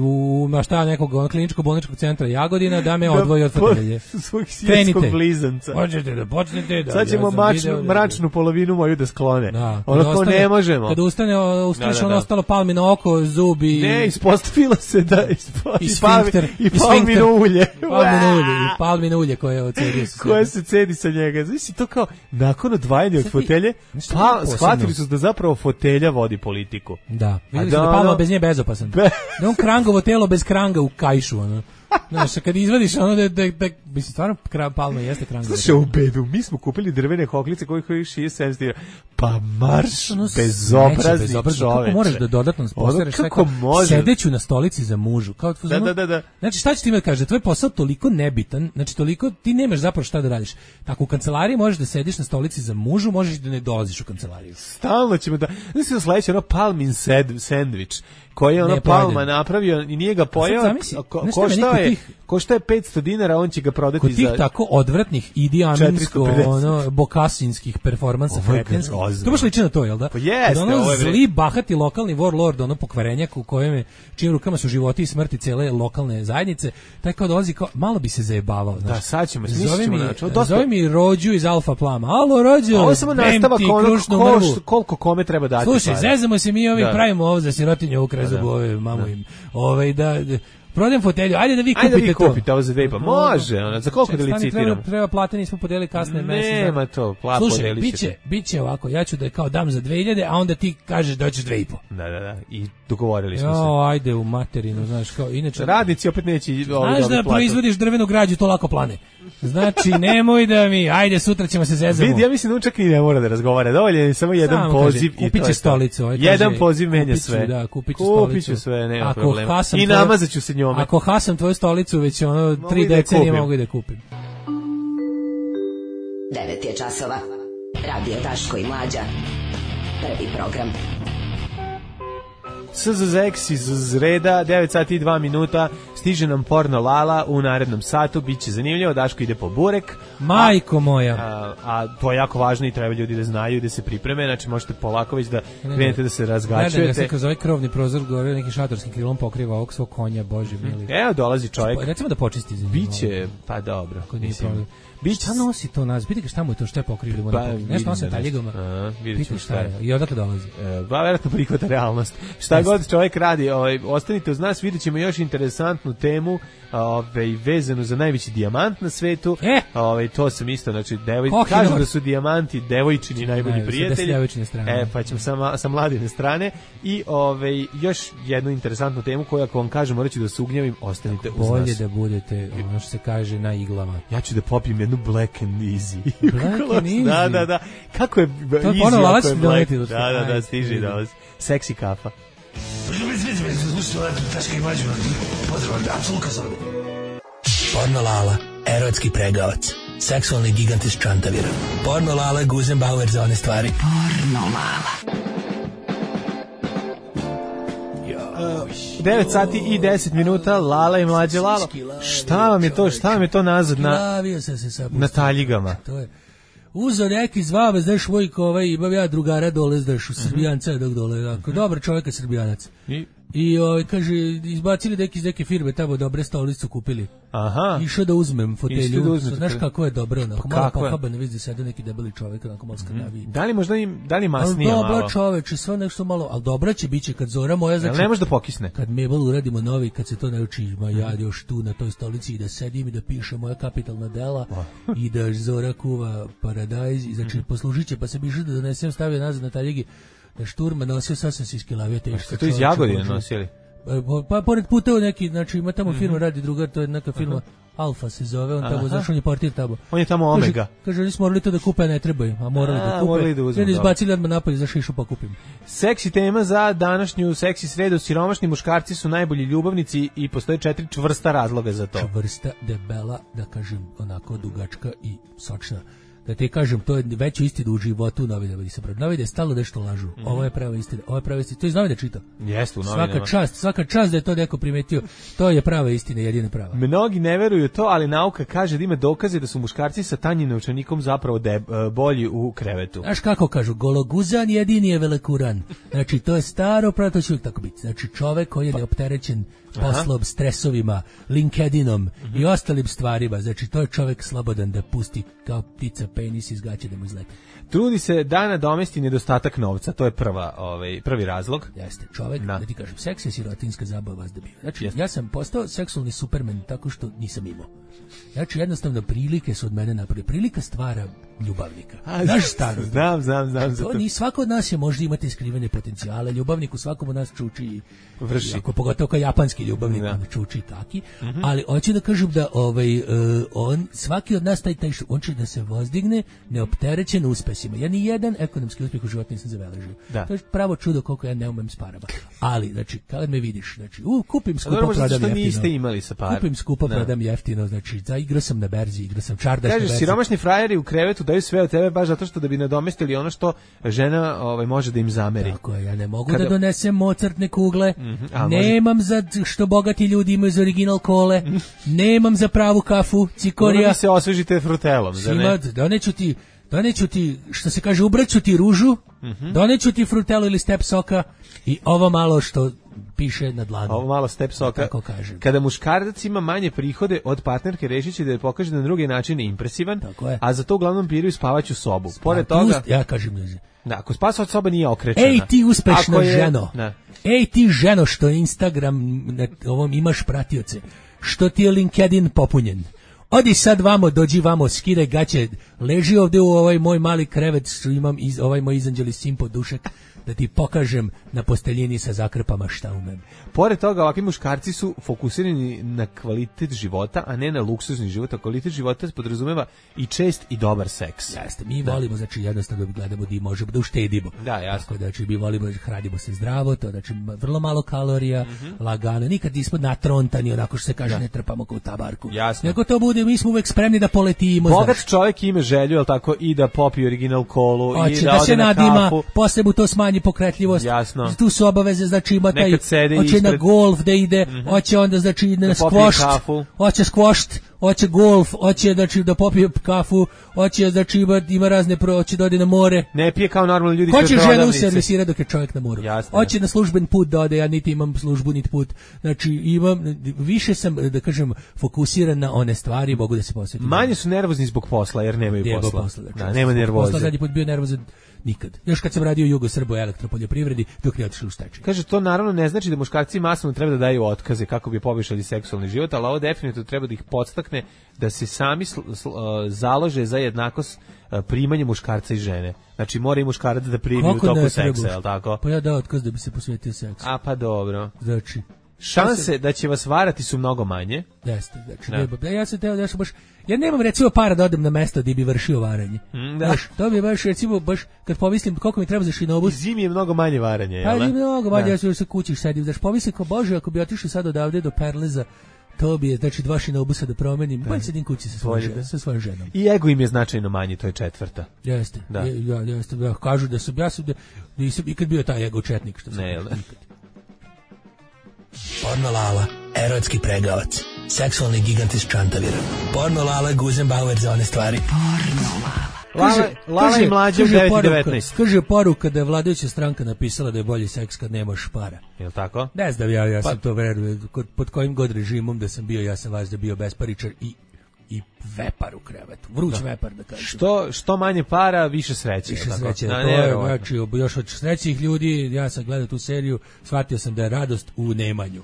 u mašta nekog ono, kliničko-bolničkog centra Jagodina da me odvoji od fotelje. Svog sijetskog blizanca. Možete da počnete. Da, sad ćemo ja mačnu, video, mračnu polovinu moju da sklone. Da, ono ko ne možemo. Kada ustane, ustane da, da, da. ostalo palmino oko, zub i... Ne, ispostavilo se da... Ispo, i sfinkter. I palmino ulje. Palmino ulje. I palmino ulje koje ocedio se. Koje se cedi sa njega. Znači to kao, nakon odvajanja od fotelje, pa, shvatili su da zapravo fotelja vodi politiku. Da. Vidjeli su da Palma bez nje bezopasan. Da on krangovo telo bez kranga u kajšu, ono. Znaš, kad izvadiš ono da, da, da mislim, stvarno Palma jeste kranga. Slušaj, u bedu, mi smo kupili drvene hoklice koji koji šije sedamsto dinara. Pa marš, ono bezobrazni čoveče. Kako moraš da dodatno postaveš kako može sedeću na stolici za mužu. Kao da, da, da, da. Znači, šta će ti me kaže, tvoj posao toliko nebitan, znači toliko, ti nemaš zapravo šta da radiš. Tako u kancelariji možeš da sediš na stolici za mužu, možeš da ne dolaziš u kancelariju. Stalno ćemo da, znači da sledeće ono Palmin sendvič koji je ono Palma napravio i nije ga pojeo, ko, koštao je, koštao je petsto dinara, on će ga prodati kod za... Kod tih tako odvratnih idijaminsko, ono, bokasinskih performansa fretenskih, to baš liči na to, jel da? Pa jeste, ono ovo je zli, bahati lokalni warlord, ono pokvarenjak u kojem je, čijim rukama su životi i smrti cele lokalne zajednice, taj kao dolazi, kao, malo bi se zajebavao. Da, sad ćemo, zove mi, dosta... zove mi Rođu iz Alfa Plama. Alo, Rođu, ovo samo nastavak ono ko, koliko kome treba dati. Slušaj, zezamo se mi ovih, da. Pravimo ovo za sirotinju u krezubu, ove, mamu im. Ove, da, da prodajem fotelju, ajde da vi kupite to. Ajde da vi kupite ovo za dve, pa može, ona, za koliko da licitiramo? Treba, treba plate, nismo podelili kasne mesec. Nema to, plate podeli. Slušaj, biće, biće ovako, ja ću da kao dam za dve hiljade, a onda ti kažeš da hoćeš dve i po. Da, da, da, i dogovorili smo se. Jo, ajde u materinu, znaš, kao, inače... Radnici opet neće ovi dobiti platu. Znaš da proizvodiš drvenu građu, to lako plane. Znači, nemoj da mi, ajde, sutra ćemo se zezamo. Vidi, ja mislim da on čak ni ne mora da razgovara, dovoljen je samo jedan samo poziv. Kaže, kupit će stolicu. Ovaj, jedan poziv menja sve. Da, kupit ću stolicu. Kupit ću sve, nema problema. I namazat ću se njome. Ako hasam tvoju stolicu, već ono, tri decenije mogu i da kupim. devet je časova. Radio Daško i Mlađa. Prvi program. S Z Z X iz reda, devet sati i dva minuta, stiže nam porno Lala u narednom satu, bit će zanimljivo, Daško ide po burek. Majko moja. A, a to je jako važno i treba ljudi da znaju i da se pripreme, znači možete polako već da krenete da se razgačujete. Gledam ga se kroz ovaj krovni prozor gore neki šatorskim krilom pokriva ovog svog konja, Bože mili. Evo dolazi čovjek. Recimo da počisti za njim. Biće, pa dobro. Bić šta nosi to nas? Vidite šta mu je to, šta je pokrivljeno pa, na nešto nosi taljigama. A, vidite šta je. I odakle dolazi? E, ba verovatno prihvata realnost. Šta Jeste. God čovjek radi, ovaj ostanite uz nas, videćemo još interesantnu temu, ovaj vezanu za najveći dijamant na svetu. E? Ovaj to sam isto, znači devoj kažu da su dijamanti devojčini najbolji prijatelji. E pa ćemo sa sa mladine strane i ovaj još jednu interesantnu temu koju ako vam kažem moraću da se ugnjavim, ostanite uz nas. Bolje da budete, ono što se kaže, na iglama. Ja ću da popijem jednu Black and Easy. Black and Easy. Da, da, da. Kako je to easy? Ponovo Lalac doneti. Da, da, da, stiže i dolazi. Seksi kafa. Porno Lala, erotski pregavac. Seksualni gigant iz Čantavira. Porno Lala, Guzenbauer za one stvari. Porno Lala. devet sati i deset minuta, Lala i mlađe Lala. Šta vam je to, šta vam je to nazad na, na taljigama? To je uzeo neki zvave, znaš, Vojko, ovaj, imam ja drugara dole, znaš, u Srbijanca dok dole, dakle, dobar čovjek, Srbijanac. I? I ovaj, kaže, izbacili neki iz neke firme, tamo dobre stolicu kupili. Aha. Išao da uzmem fotelju. Da uzmem, znaš kako je dobro, onako, pa malo pohaban, vidi da sede neki debeli čovjek, onako malo skrnavi. Da li možda im, da li masnije malo? Dobra čoveče, sve nešto malo, ali dobra će biće kad Zora moja, znači. Ne može da pokisne. Kad Mabel uradimo novi, kad se to nauči, ma ja još tu na toj stolici i da sedim i da piše moja kapitalna dela i da Zora kuva paradajz i znači poslužiće, pa se biše da donesem, stavio nazad na taljegi. Da šturma nosio sasvim se iskilavio teško. Ste to iz Jagodine nosili? Pa, pa pored puteva neki, znači ima tamo firma, mm-hmm. radi drugar, to je neka firma, uh-huh. Alfa se zove, on tamo, znaš, on je portir tamo. On je tamo Omega. Kaže, kaže oni smo morali to da kupe, ne trebaju, a morali a, da kupe. Morali da uzmem, I izbacili odmah napolje za šišu pa kupim. Seksi tema za današnju seksi sredu, siromašni muškarci su najbolji ljubavnici i postoje četiri čvrsta razloga za to. Čvrsta, debela, da kažem, onako dugačka i sočna. Da ti kažem, to je veća istina u životu u novinama. Novine je stalo nešto lažu. Mm-hmm. Ovo je prava istina. Ovo je prava istina. To je iz novina čitao. Jeste, u novinama. Svaka čast, svaka čast da je to neko primetio. To je prava istina, jedina prava. Mnogi ne veruju to, ali nauka kaže da ima dokaze da su muškarci sa tanjim novčanikom zapravo de, bolji u krevetu. Znaš kako kažu, gologuzan jedini je velekuran. Znači, to je staro, pravo to će uvijek tako biti. Znači, čovek koji je neopterećen poslom, stresovima, LinkedInom mm-hmm. i ostalim stvarima. Znači, to je čovek slobodan da pusti kao ptica penis iz gaće da mu izleti. Trudi se da nadomesti nedostatak novca, to je prva, ovaj, prvi razlog. Jeste, čovek, da, da ti kažem, seks je sirotinska zabava vas da bio. Znači, Jeste. ja sam postao seksualni supermen tako što nisam imao. Znači, jednostavno, prilike su od mene napravili. Prilika stvara ljubavnika. Znaš staro? Znam, znam, znam. To ni svako od nas je možda imati skrivene potencijale. Ljubavnik u svakom od nas čuči i vrši. Ako pogotovo kao japanski ljubavnik, on čuči taki. Mm-hmm. Ali hoću da kažem da ovaj, uh, on, svaki od nas taj, taj on će da se vozdigne neopterećen uspesima. Ja ni jedan ekonomski uspjeh u životu nisam zabeležio. Da. To je pravo čudo koliko ja ne umem s parama. Ali, znači, kad me vidiš, znači, u, kupim skupo, prodam jeftino. Niste imali sa par. Kupim skupo, da. Prodam jeftino, znači, za igrao sam na berzi, igrao sam čardaš Kažeš, na berzi. Siromašni frajeri u krevetu daju sve od tebe baš zato što da bi nadomestili ono što žena ovaj, može da im zameri. Tako je, ja ne mogu Kada... da donesem Mozartne kugle, mm-hmm, nemam može... za što bogati ljudi imaju za original kole, mm-hmm. nemam za pravu kafu, cikorija. Ono se osvežite frutelom, za ne? Doneću ti, doneću ti, što se kaže, ubraću ti ružu, mm-hmm. doneću ti frutelu ili step soka i ovo malo što piše na dlanu. Ovo malo step soka. Tako kažem. Kada muškarac ima manje prihode od partnerke, rešit će da je pokaže na drugi način impresivan, a za to uglavnom biraju spavaću sobu. Pored pa, toga... Ja kažem ljudi. Da, ako spavač soba nije okrečena. Ej ti uspešna je, ženo. Da. Ej ti ženo što Instagram na ovom imaš pratioce. Što ti je LinkedIn popunjen. Odi sad vamo, dođi vamo, skidaj gaće, leži ovde u ovaj moj mali krevet što imam, iz, ovaj moj izanđeli simpo dušek, da ti pokažem na posteljini sa zakrpama šta umem. Pored toga, ovakvi muškarci su fokusirani na kvalitet života, a ne na luksuzni život. A kvalitet života podrazumeva i čest i dobar seks. Jeste, mi da. volimo, znači jednostavno gledamo da možemo da uštedimo. Da, jasno. Tako, znači mi volimo da hranimo se zdravo, to znači vrlo malo kalorija, mm-hmm. lagano, nikad nismo natrontani, onako što se kaže, da. ne trpamo kao u tabarku. Jasno. Nego to bude, mi smo uvek spremni da poletimo. Bogat znaš. čovjek ima želju, jel tako, i da popije original kolu, Oće, i da, da ode se na nadima, kafu. posle mu to smanji pokretljivost. Jasno. Tu su obaveze, znači ima taj, hoće ispred. na golf da ide, mm-hmm. hoće onda znači na da skvošt, hoće skvošt, hoće golf, hoće znači da popije kafu, hoće znači ima, ima razne pro, hoće da ode na more. Ne pije kao normalni ljudi. Hoće ženu servisira dok je čovjek na moru. Jasne. Hoće na služben put da ode, ja niti imam službu niti put. Znači imam, više sam, da kažem, fokusiran na one stvari, mogu da se posvetim. Manje su nervozni zbog posla jer nemaju Debo posla. posla znači, da, nema nervoze. Posla zadnji put bio nervozan nikad. Još kad sam radio u Jugosrbo elektropoljoprivredi dok ne otišli u stečaj. Kaže, to naravno ne znači da muškarci masovno treba da daju otkaze kako bi poboljšali seksualni život, ali ovo definitivno treba da ih podstakne da se sami sl, sl, uh, založe za jednakost uh, primanja muškarca i žene. Znači mora i muškarac da primi u toku seksa, je li tako? Pa ja dao otkaz da bi se posvetio seksu. A pa dobro. Znači, šanse da će vas varati su mnogo manje. Jeste, znači, da. Ne, ja sam teo da sam baš, ja nemam recimo para da odem na mesto gdje bi vršio varanje. Mm, da. Baš, to bi baš recimo, baš, kad pomislim koliko mi treba za šinobus. Zimi je mnogo manje varanje, jel? Pa je mnogo manje, da. Ja sam se kući sedim. Znači, pomislim kao, Bože, ako bi otišao sad odavde do Perleza, to bi je, znači, dva šinobusa da promenim, bolje sedim kući sa svojom, žen, sa svojom ženom. I ego im je značajno manji, to je četvrta. Jeste, da. Je, ja, jeste, da, kažu da sam, ja sam, da, nisam ikad bio taj ego četnik, što sam. Ne, jel da? Porno Lala, erotski pregavac, seksualni gigant iz Čantavira. Porno Lala, Guzenbauer za one stvari. Porno Lala. Lala, Lala i mlađe u devet i devetnaest. Kaže poruka da je vladajuća stranka napisala da je bolji seks kad nemaš para. Jel tako? Ne znam, ja, ja sam pa, to verujem. Pod kojim god režimom da sam bio, ja sam vas da bio besparičar i i vepar u krevetu, vruć da. vepar da kažem. Što, što manje para, više sreće. Više sreće, da, to je, znači, još od srećih ljudi, ja sam gledao tu seriju, shvatio sam da je radost u nemanju.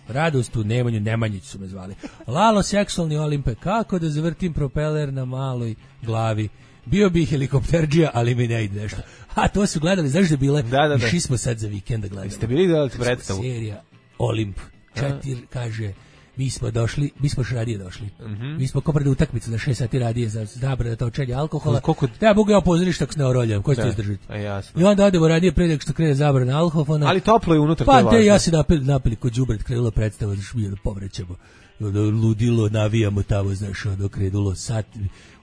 Radost u nemanju, Nemanjić su me zvali. Lalo, seksualni Olimpe, kako da zavrtim propeler na maloj glavi. Bio bi helikopterđija, ali mi ne ide nešto. A to su gledali, znaš da bile? Da, da, da. Išli smo sad za vikenda gledali. Jeste bili gledali predstavu? Serija Olimp, četir, kaže... Mi smo došli, mi smo radije došli. Mm-hmm. Mi smo kopali utakmicu za šest sati radije za zabranu točenja alkohola. Koliko... Ja mogu ja pozoriš tako s neoroljom, ko će to izdržati? I onda odemo radije pre nego što krene zabrana alkohola. Ali toplo je unutra, pa, to je važno. Pa te ja se napili, napili kod đubret, krenula predstava, znaš, mi da povrećemo. Ludilo, navijamo tamo, znaš, ono krenulo sat.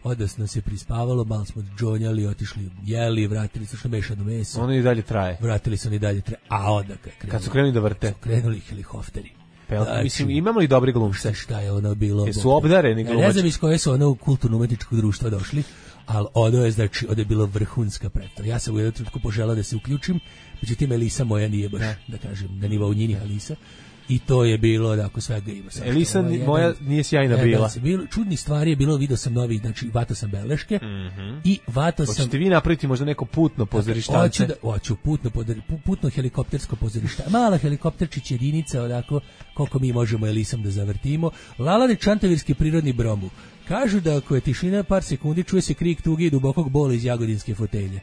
Onda smo se prispavalo, malo smo džonjali, otišli, jeli, vratili su što mešano meso. Ono i dalje traje. Vratili su oni dalje traje. A onda kad krenuli, kad su krenuli da vrte. Su krenuli helikopteri. Znači, mislim, imamo li dobri glumce? Šta je ono bilo? Jesu obdareni glumači? Ja ne znam iz koje su ono u kulturno-umetničkog društva došli, ali ono je, znači, ono je bilo vrhunska predstava. Ja sam u jednom trenutku poželao da se uključim, međutim, Elisa moja nije baš, ne. da kažem, na nivou njinih Elisa. I to je bilo, da ako svega ima. Elisa ovaj, moja jedan, nije sjajna jedan, bila. Bilo, čudni stvari je bilo, vidio sam novi, znači vato sam beleške mm-hmm. i vato sam... Hoćete vi napraviti možda neko putno pozorištance? Hoću, da, hoću putno, putno helikoptersko pozorište. Mala helikopterčić jedinica, odako, koliko mi možemo Elisom da zavrtimo. Lalani Čantavirski prirodni bromu. Kažu da ako je tišina par sekundi čuje se krik tuge i dubokog bola iz jagodinske fotelje.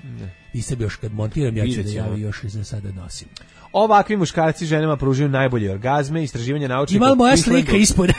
I sad još kad montiram ja ću da javi još i za sada nosim. Ovakvi muškarci ženama pružaju najbolje orgazme, istraživanje naučnika. Ima li moja slika ispod?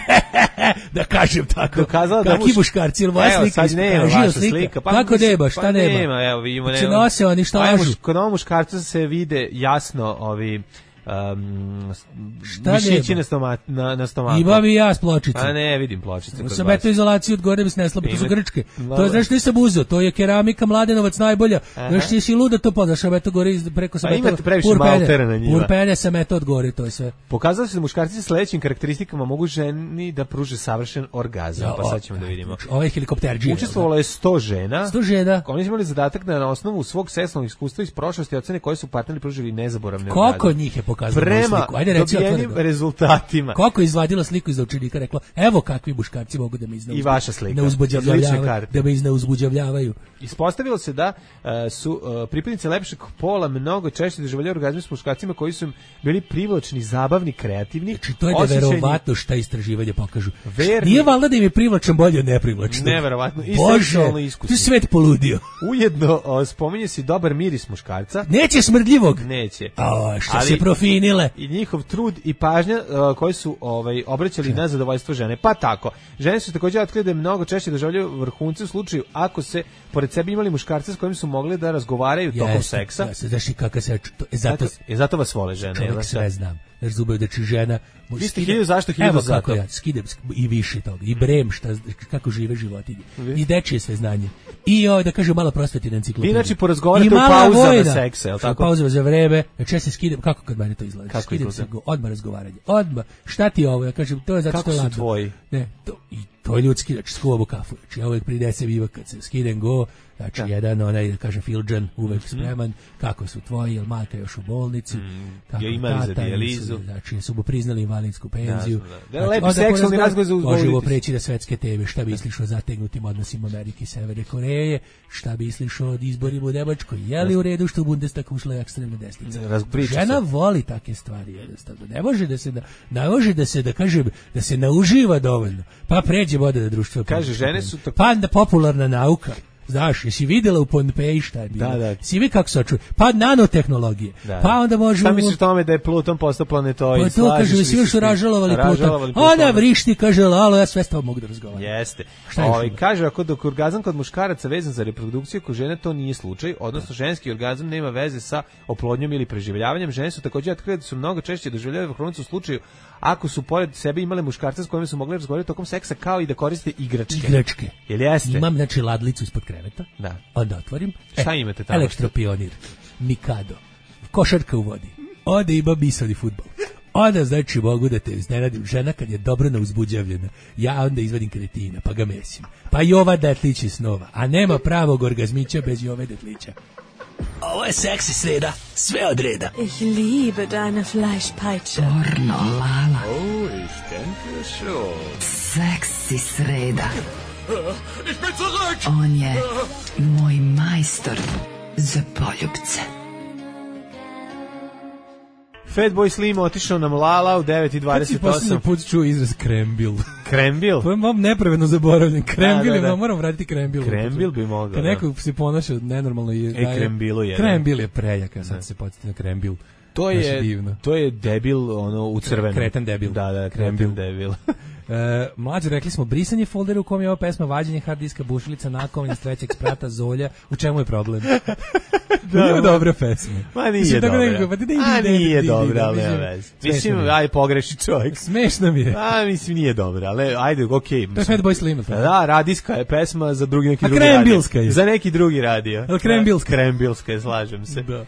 Da kažem tako. Dokazala da muš... Kakvi muškarci, ili moja evo, slika ispod? Nema vaša slika. slika. Pa, kako nema, šta pa nema? nema? Evo, vidimo, nema. Nose oni šta lažu. Muš, kod ovog muškarca se vide jasno ovi... Um, šta mišići na, stoma, na, na stomaku. Imam i ja s pločice. A ne, vidim pločice. Sam eto izolaciju od gore bi se nesla, to su grčke. To je, znaš, nisam uzeo, to je keramika Mladenovac najbolja. Znaš, ti si luda to poznaš, sam eto gore preko sam eto. Pa imate previše maltera na njima. Urpene sam eto od gore, to je sve. Pokazalo se da muškarci sa sledećim karakteristikama mogu ženi da pruže savršen orgazam, ja, pa sad ćemo da vidimo. Ovaj helikopterđija. Učestvovalo je sto žena. sto žena. Oni su imali zadatak da na osnovu svog seksualnog iskustva iz prošlosti ocene koji su partneri pružili nezaboravne orgazme. Koliko njih je pokazalo? Prema ajde reci dobijenim rezultatima. Kako je izvadila sliku iz učenika, rekla, evo kakvi muškarci mogu da me izneuzbuđavaju. I vaša slika. Neuzbuđavljavaju, da me izneuzbuđavljavaju. Ispostavilo se da uh, su uh, pripadnice lepšeg pola mnogo češće doživljavali orgazme s muškarcima koji su bili privlačni, zabavni, kreativni. Znači, to je neverovatno šta istraživanja pokažu. Verni. Nije valjda da im je privlačan bolje od neprivlačnog. Neverovatno. I seksualno iskusno. To je svet poludio. Ujedno uh, spominje se dobar miris muškarca. Neće smrdljivog. Neće. A, što ali, se profinile. I njihov trud i pažnja uh, koji su ovaj obraćali na zadovoljstvo žene. Pa tako. Žene su također otkrili da mnogo češće doživljavaju vrhunce u slučaju ako se pored sebe imali muškarce s kojim su mogli da razgovaraju tokom yes, seksa. Ja se znaš i kako se to, je zato je zato vas vole žene. Čovjek sve znam. Jer zubaju da će žena vi ste hiljadu zašto hiljadu zato. Kako ja skidem i više toga. I brem šta kako žive životinje. I dečije sve znanje. I ovaj da kažem malo prosvetina enciklopedija. Vi znači porazgovarate u pauzama seksa, je l' tako? Pauzama za vreme. Znači ja se skidem kako kad meni to izgleda. Kako skidem se odmah razgovaranje. Odmah. Šta ti je ovo? Ja kažem to je zato što je ladno. Tvoji? Ne, to i to je ljudski, znači skuvam kafu. Znači ja uvek prinesem iva kad se skidem go. Znači, da. jedan, onaj, da kažem, Filđan, uvek mm-hmm. spreman, kako su tvoji, jel majka još u bolnici, mm. kako ja imali za dijalizu. Znači, su mu priznali invalidsku penziju. Da, da. Da, lepi znači, seksualni razgovor za uzbolitis. Možemo preći na svetske teme, šta misliš o zategnutim odnosima Amerike i Severne Koreje, šta misliš o izborima u Nemačkoj, je li u redu što u Bundestag ušla ekstremna desnica. Žena se. Voli take stvari, jednostavno. Ne može da se, ne može da se, da kažem, da se nauživa dovoljno. Pa pređe voda na društvo. Kaže, žene su tako... Pa popularna nauka. Znaš, jesi vidjela u Pompeji šta je bilo? Da, da. Si vi kako se očuje? Pa nanotehnologije. Da. Pa onda možemo... Šta misliš tome da je Pluton postao planetoid? Pa to kaže, svi još su ražalovali Pluton. Ona vrišti, kaže, lalo, ja sve s tobom mogu da razgovaram. Jeste. Ovaj kaže, ako dok orgazam kod muškaraca vezan za reprodukciju, kod žene to nije slučaj, odnosno ženski orgazam nema veze sa oplodnjom ili preživljavanjem. Žene su također otkrile da su mnogo češće doživljavaju vrhunac u slučaju ako su pored sebe imale muškarca s kojim su mogli razgovarati tokom seksa, kao i da koriste igračke. Igračke. Jel jeste? Imam, znači, ladlicu ispod kreveta. Da. Onda otvorim. Šta e, imate tamo? Elektropionir. Mikado. Košarka u vodi. Ode ima bisovni fudbal. Onda znači mogu da te iznenadim, žena kad je dobro neuzbuđavljena, ja onda izvadim kretina, pa ga mesim. Pa Jova Detlić iz snova, a nema pravog orgazmića bez Jove Detlića. Ovo je seksi sreda, sve od reda. Ich liebe deine Fleischpeitsche. Pornolala. Oh, ich denke schon. Seksi sreda. Ich bin zurück! On je moj majstor za poljubce. Fatboy Slim otišao nam Lala u devet i dvadeset osam. Kad si posljednji put čuo izraz krembil? Krembil? To je mam nepravedno zaboravljen. Krembil, da, da, da. Moram vratiti krembil. Krembil bi mogao. Kad neko se ponaša nenormalno i e, krembilu je. Krembil je prejaka, sad se podsjeti na krembil. To je, divno. To je debil ono u crvenom. Kretan debil. Da, da, kretan debil. E, mlađe, rekli smo brisanje foldera u kom je ova pesma, vađenje hard diska, bušilica, nakovanje, strećeg sprata, Zolja. U čemu je problem? Da, nije dobra pesma. Ma nije mislim, dobra. Nekako, pa da A nije dobra, ali nema veze. Mislim, aj pogreši čovjek. Smešno mi je. A, mislim, nije dobra, ali ajde, okej. To je Fatboy Slim. Da, radijska je pesma za drugi neki A drugi radio. Krembilska je. Za neki drugi radio. Ali Krembilska. Krembilska je, slažem se. Da.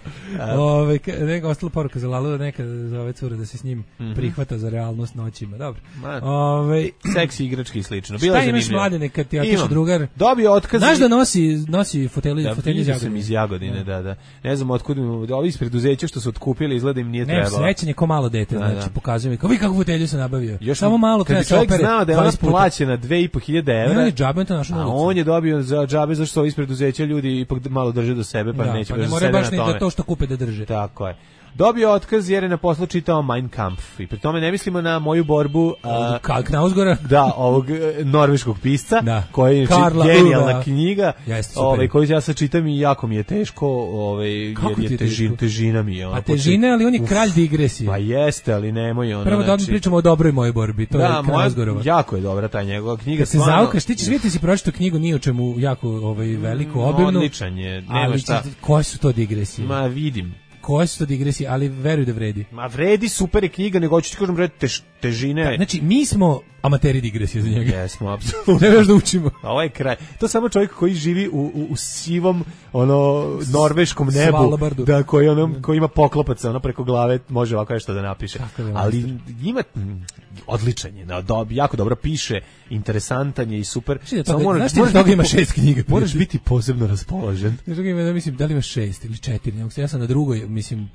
Ove, neka ostala poruka za Lalu, neka za ove cure da se s njim mm-hmm. prihvata za realnost noćima. Dobro. Ove, seksi igrački i slično. Bila šta imaš, Mladene, kad ti otišao drugar? Dobio otkaz. Znaš da nosi, nosi fotelje, da, fotelje iz Jagodine? Sam iz Jagodine, da, da. Ne znam otkud mi, ovi iz preduzeća što su otkupili, izgleda im nije trebalo. Ne, srećan je ko malo dete, da, znači, da. Pokazuju mi, kao vi kakvu fotelju sam nabavio. Još samo malo kada se opere. Kad bi čovjek znao da je ona plaćena dve i po hiljade evra, ne, džabe to našo na ulici. A on je dobio za džabe zašto ovi iz preduzeća ljudi ipak malo drže do sebe, pa da, neće pa da ne sede na tome. baš ni da to što kupe da drže. Tako je. Dobio otkaz jer je na poslu čitao Mein Kampf. I pri tome ne mislimo na moju borbu a, Karl Knausgora. Da, ovog norveškog pisca, da. koji je genijalna Uda. knjiga, Jeste, ovaj, koju ja sad čitam i jako mi je teško, ovaj, jer je, je težin, težina mi je. Ona, a težina, ali on je kralj digresije. Pa jeste, ali nemoj ono. Prvo znači, da pričamo o dobroj mojoj borbi, to da, je Knausgorova. Jako je dobra ta njegova knjiga. Se zaukaš, ti ćeš vidjeti si pročitao knjigu ni o čemu jako ovaj, veliku, obimnu. Odličan je, nema ali, šta. Koje su to digresije? Ma vidim. Koje su to digresije, ali veruj da vredi. Ma vredi, super je knjiga, nego ću ti kažem vredi tež, težine. Da, znači, mi smo amateri digresije za njega. Jesmo, apsolutno. Ne veš da učimo. A ovo je kraj. To je samo čovjek koji živi u, u, u sivom, ono, norveškom nebu. Svalabardu. Da, koji, ono, koji ima poklopaca, ono, preko glave, može ovako nešto da napiše. Da ali ima, odličan je, do, jako dobro piše, interesantan je i super. Da toga, moraš, znaš ti da toga ima šest knjiga? Moraš biti posebno raspoložen. Znaš toga ima, mislim, da li ima šest ili četiri, ja sam na drugoj, mislim,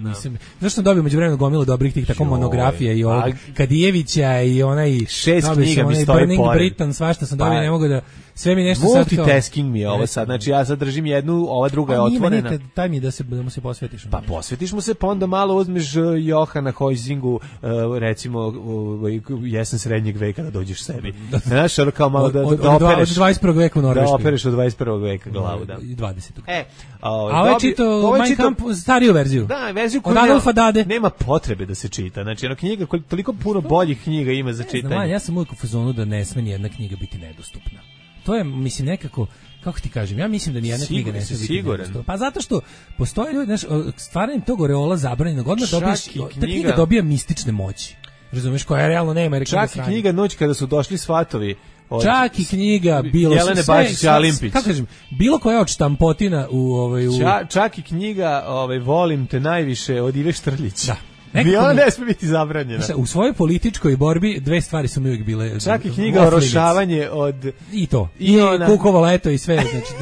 nisam, znaš sam dobio među vremenu gomilu dobrih tih tako monografija i ovog Kadijevića i onaj šest knjiga mi stoji Burning pored. Britain, svašta sam dobio, pa, ne mogu da sve mi nešto sad kao multitasking mi je ovo sad, znači ja sad držim jednu, ova druga je otvorena. Nikad, daj mi da se da mu se posvetiš. Pa posvetiš mu se, pa onda malo uzmeš Johana Hojzingu, recimo jesen srednjeg veka da dođeš sebi. Znaš, ono kao malo da, da, da opereš od dvadeset prvog veka u Norveškoj. Da opereš od dvadeset prvog veka glavu, da. dvadesetog E, a ovo je čito Mein Kampf stariju verziju. Da, verziju koju od Adolfa Dade. Nema potrebe da se čita. Znači, ona knjiga, toliko puno boljih knjiga ima za čitanje. Znam, ja sam uvijek u fazonu da ne sme ni jedna knjiga biti nedostupna. To je, mislim, nekako, kako ti kažem, ja mislim da ni jedna knjiga ne sme biti nedostupna. Pa zato što postoje ljudi, znaš, stvaranjem tog oreola zabranjenog, odmah dobiješ, ta knjiga dobija mistične moći. Razumeš, koja realno nema. Čak i knjiga Noć kada su došli svatovi. Od Čak i knjiga bilo Jelene Bačić Alimpić. Kako kažem, bilo koja od štampotina u ovaj u Ča, čak i knjiga ovaj Volim te najviše od Ive Štrljić. Da. Ni ona ne smije biti zabranjena. U svojoj političkoj borbi dve stvari su mi uvijek bile. Čak i knjiga Orošavanje od i to. I, I ona... Kukovo leto i sve, znači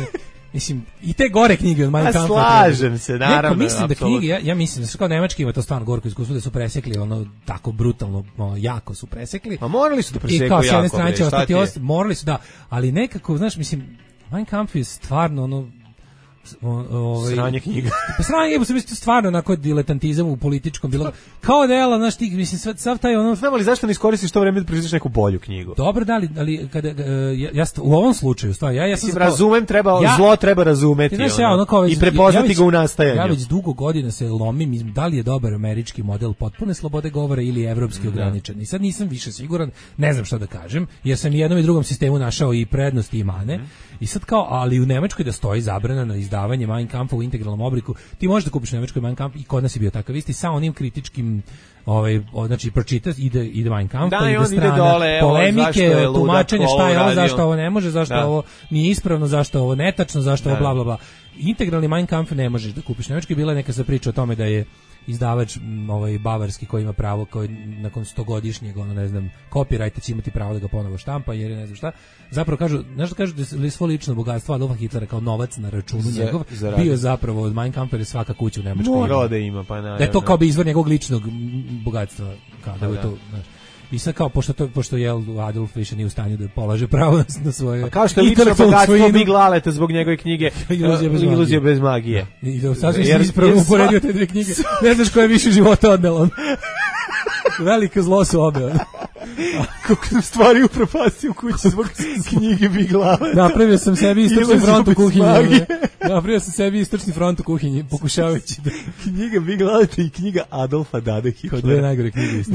mislim, i te gore knjige od Mein Kampfa. Slažem se, naravno. Neko, mislim da knjige, ja, ja mislim da su kao nemački ima to stvarno gorko iskustvo da su presekli ono tako brutalno, ono, jako su presekli. Ma morali su da preseku jako. I kao s jedne strane će ostati, ost, morali su da, ali nekako, znaš, mislim, Mein Kampf je stvarno ono, ovaj sranje knjiga. Pa sranje, bo se misli stvarno onako diletantizam u političkom bilo. Kao dela, znaš, ti mislim sav, sav taj ono. Znam li zašto ne iskoristiš to vreme da proizvedeš neku bolju knjigu? Dobro, da li, ali kada ja, ja u ovom slučaju stvarno ja ja sam razumem, treba ja, zlo treba razumeti znaš, ono, ja, ono kao, i prepoznati ja, ja ga u nastajanju. Ja već dugo godina se lomim, da li je dobar američki model potpune slobode govora ili evropski ograničen. I sad nisam više siguran, ne znam šta da kažem, jer sam i jednom i drugom sistemu našao i prednosti i mane. Mm. I sad kao, ali u Nemačkoj da stoji zabrana na izdavanje Mein Kampfa u integralnom obliku, ti možeš da kupiš u Nemačkoj Mein Kampf i kod nas je bio takav isti sa onim kritičkim, ovaj, znači pročitaš, ide, ide Mein Kampf, da, ide strana, ide dole, polemike, evo, tumačenje šta je ovo, zašto ovo ne može, zašto da. Ovo nije ispravno, zašto ovo netačno, zašto da. Ovo bla bla bla. Integralni Mein Kampf ne možeš da kupiš u Nemačkoj, bila je neka sa priča o tome da je izdavač m, ovaj bavarski koji ima pravo, koji nakon stogodišnjeg, ono ne znam, copyrighta će imati pravo da ga ponovo štampa, jer je ne znam šta. Zapravo kažu, znaš što kažu da je svo lično bogatstvo Adolfa Hitlera kao novac na računu Za, njegov, zaradi. bio zapravo od Mein Kampfa, jer je svaka kuća u Nemačkoj. Morao da ima, pa naravno. Da je to kao bi izvor njegovog ličnog bogatstva, kao da, Da, je to, znaš. I sad kao, pošto, to, pošto je Adolf više nije u stanju da polaže pravo na, na svoje... A kao što je lično bogatstvo Big Laleta zbog njegove knjige Iluzija bez magije. Iluzija bez magije. I da sasvim Jer- si ispravno jer uporedio sva- te dve knjige. Ne znaš koje je više života odnelo. Veliko zlo su obe. ono. Kako sam stvari upropastio u kući zbog knjige Big Laleta. Napravio sam sebi istočni Iluzija front u bez kuhinji. magije. ono. Napravio sam sebi istočni front u kuhinji, pokušavajući da... Knjiga Big Laleta i knjiga Adolfa Dade Kao dve Hitlera. najgore knjige isto.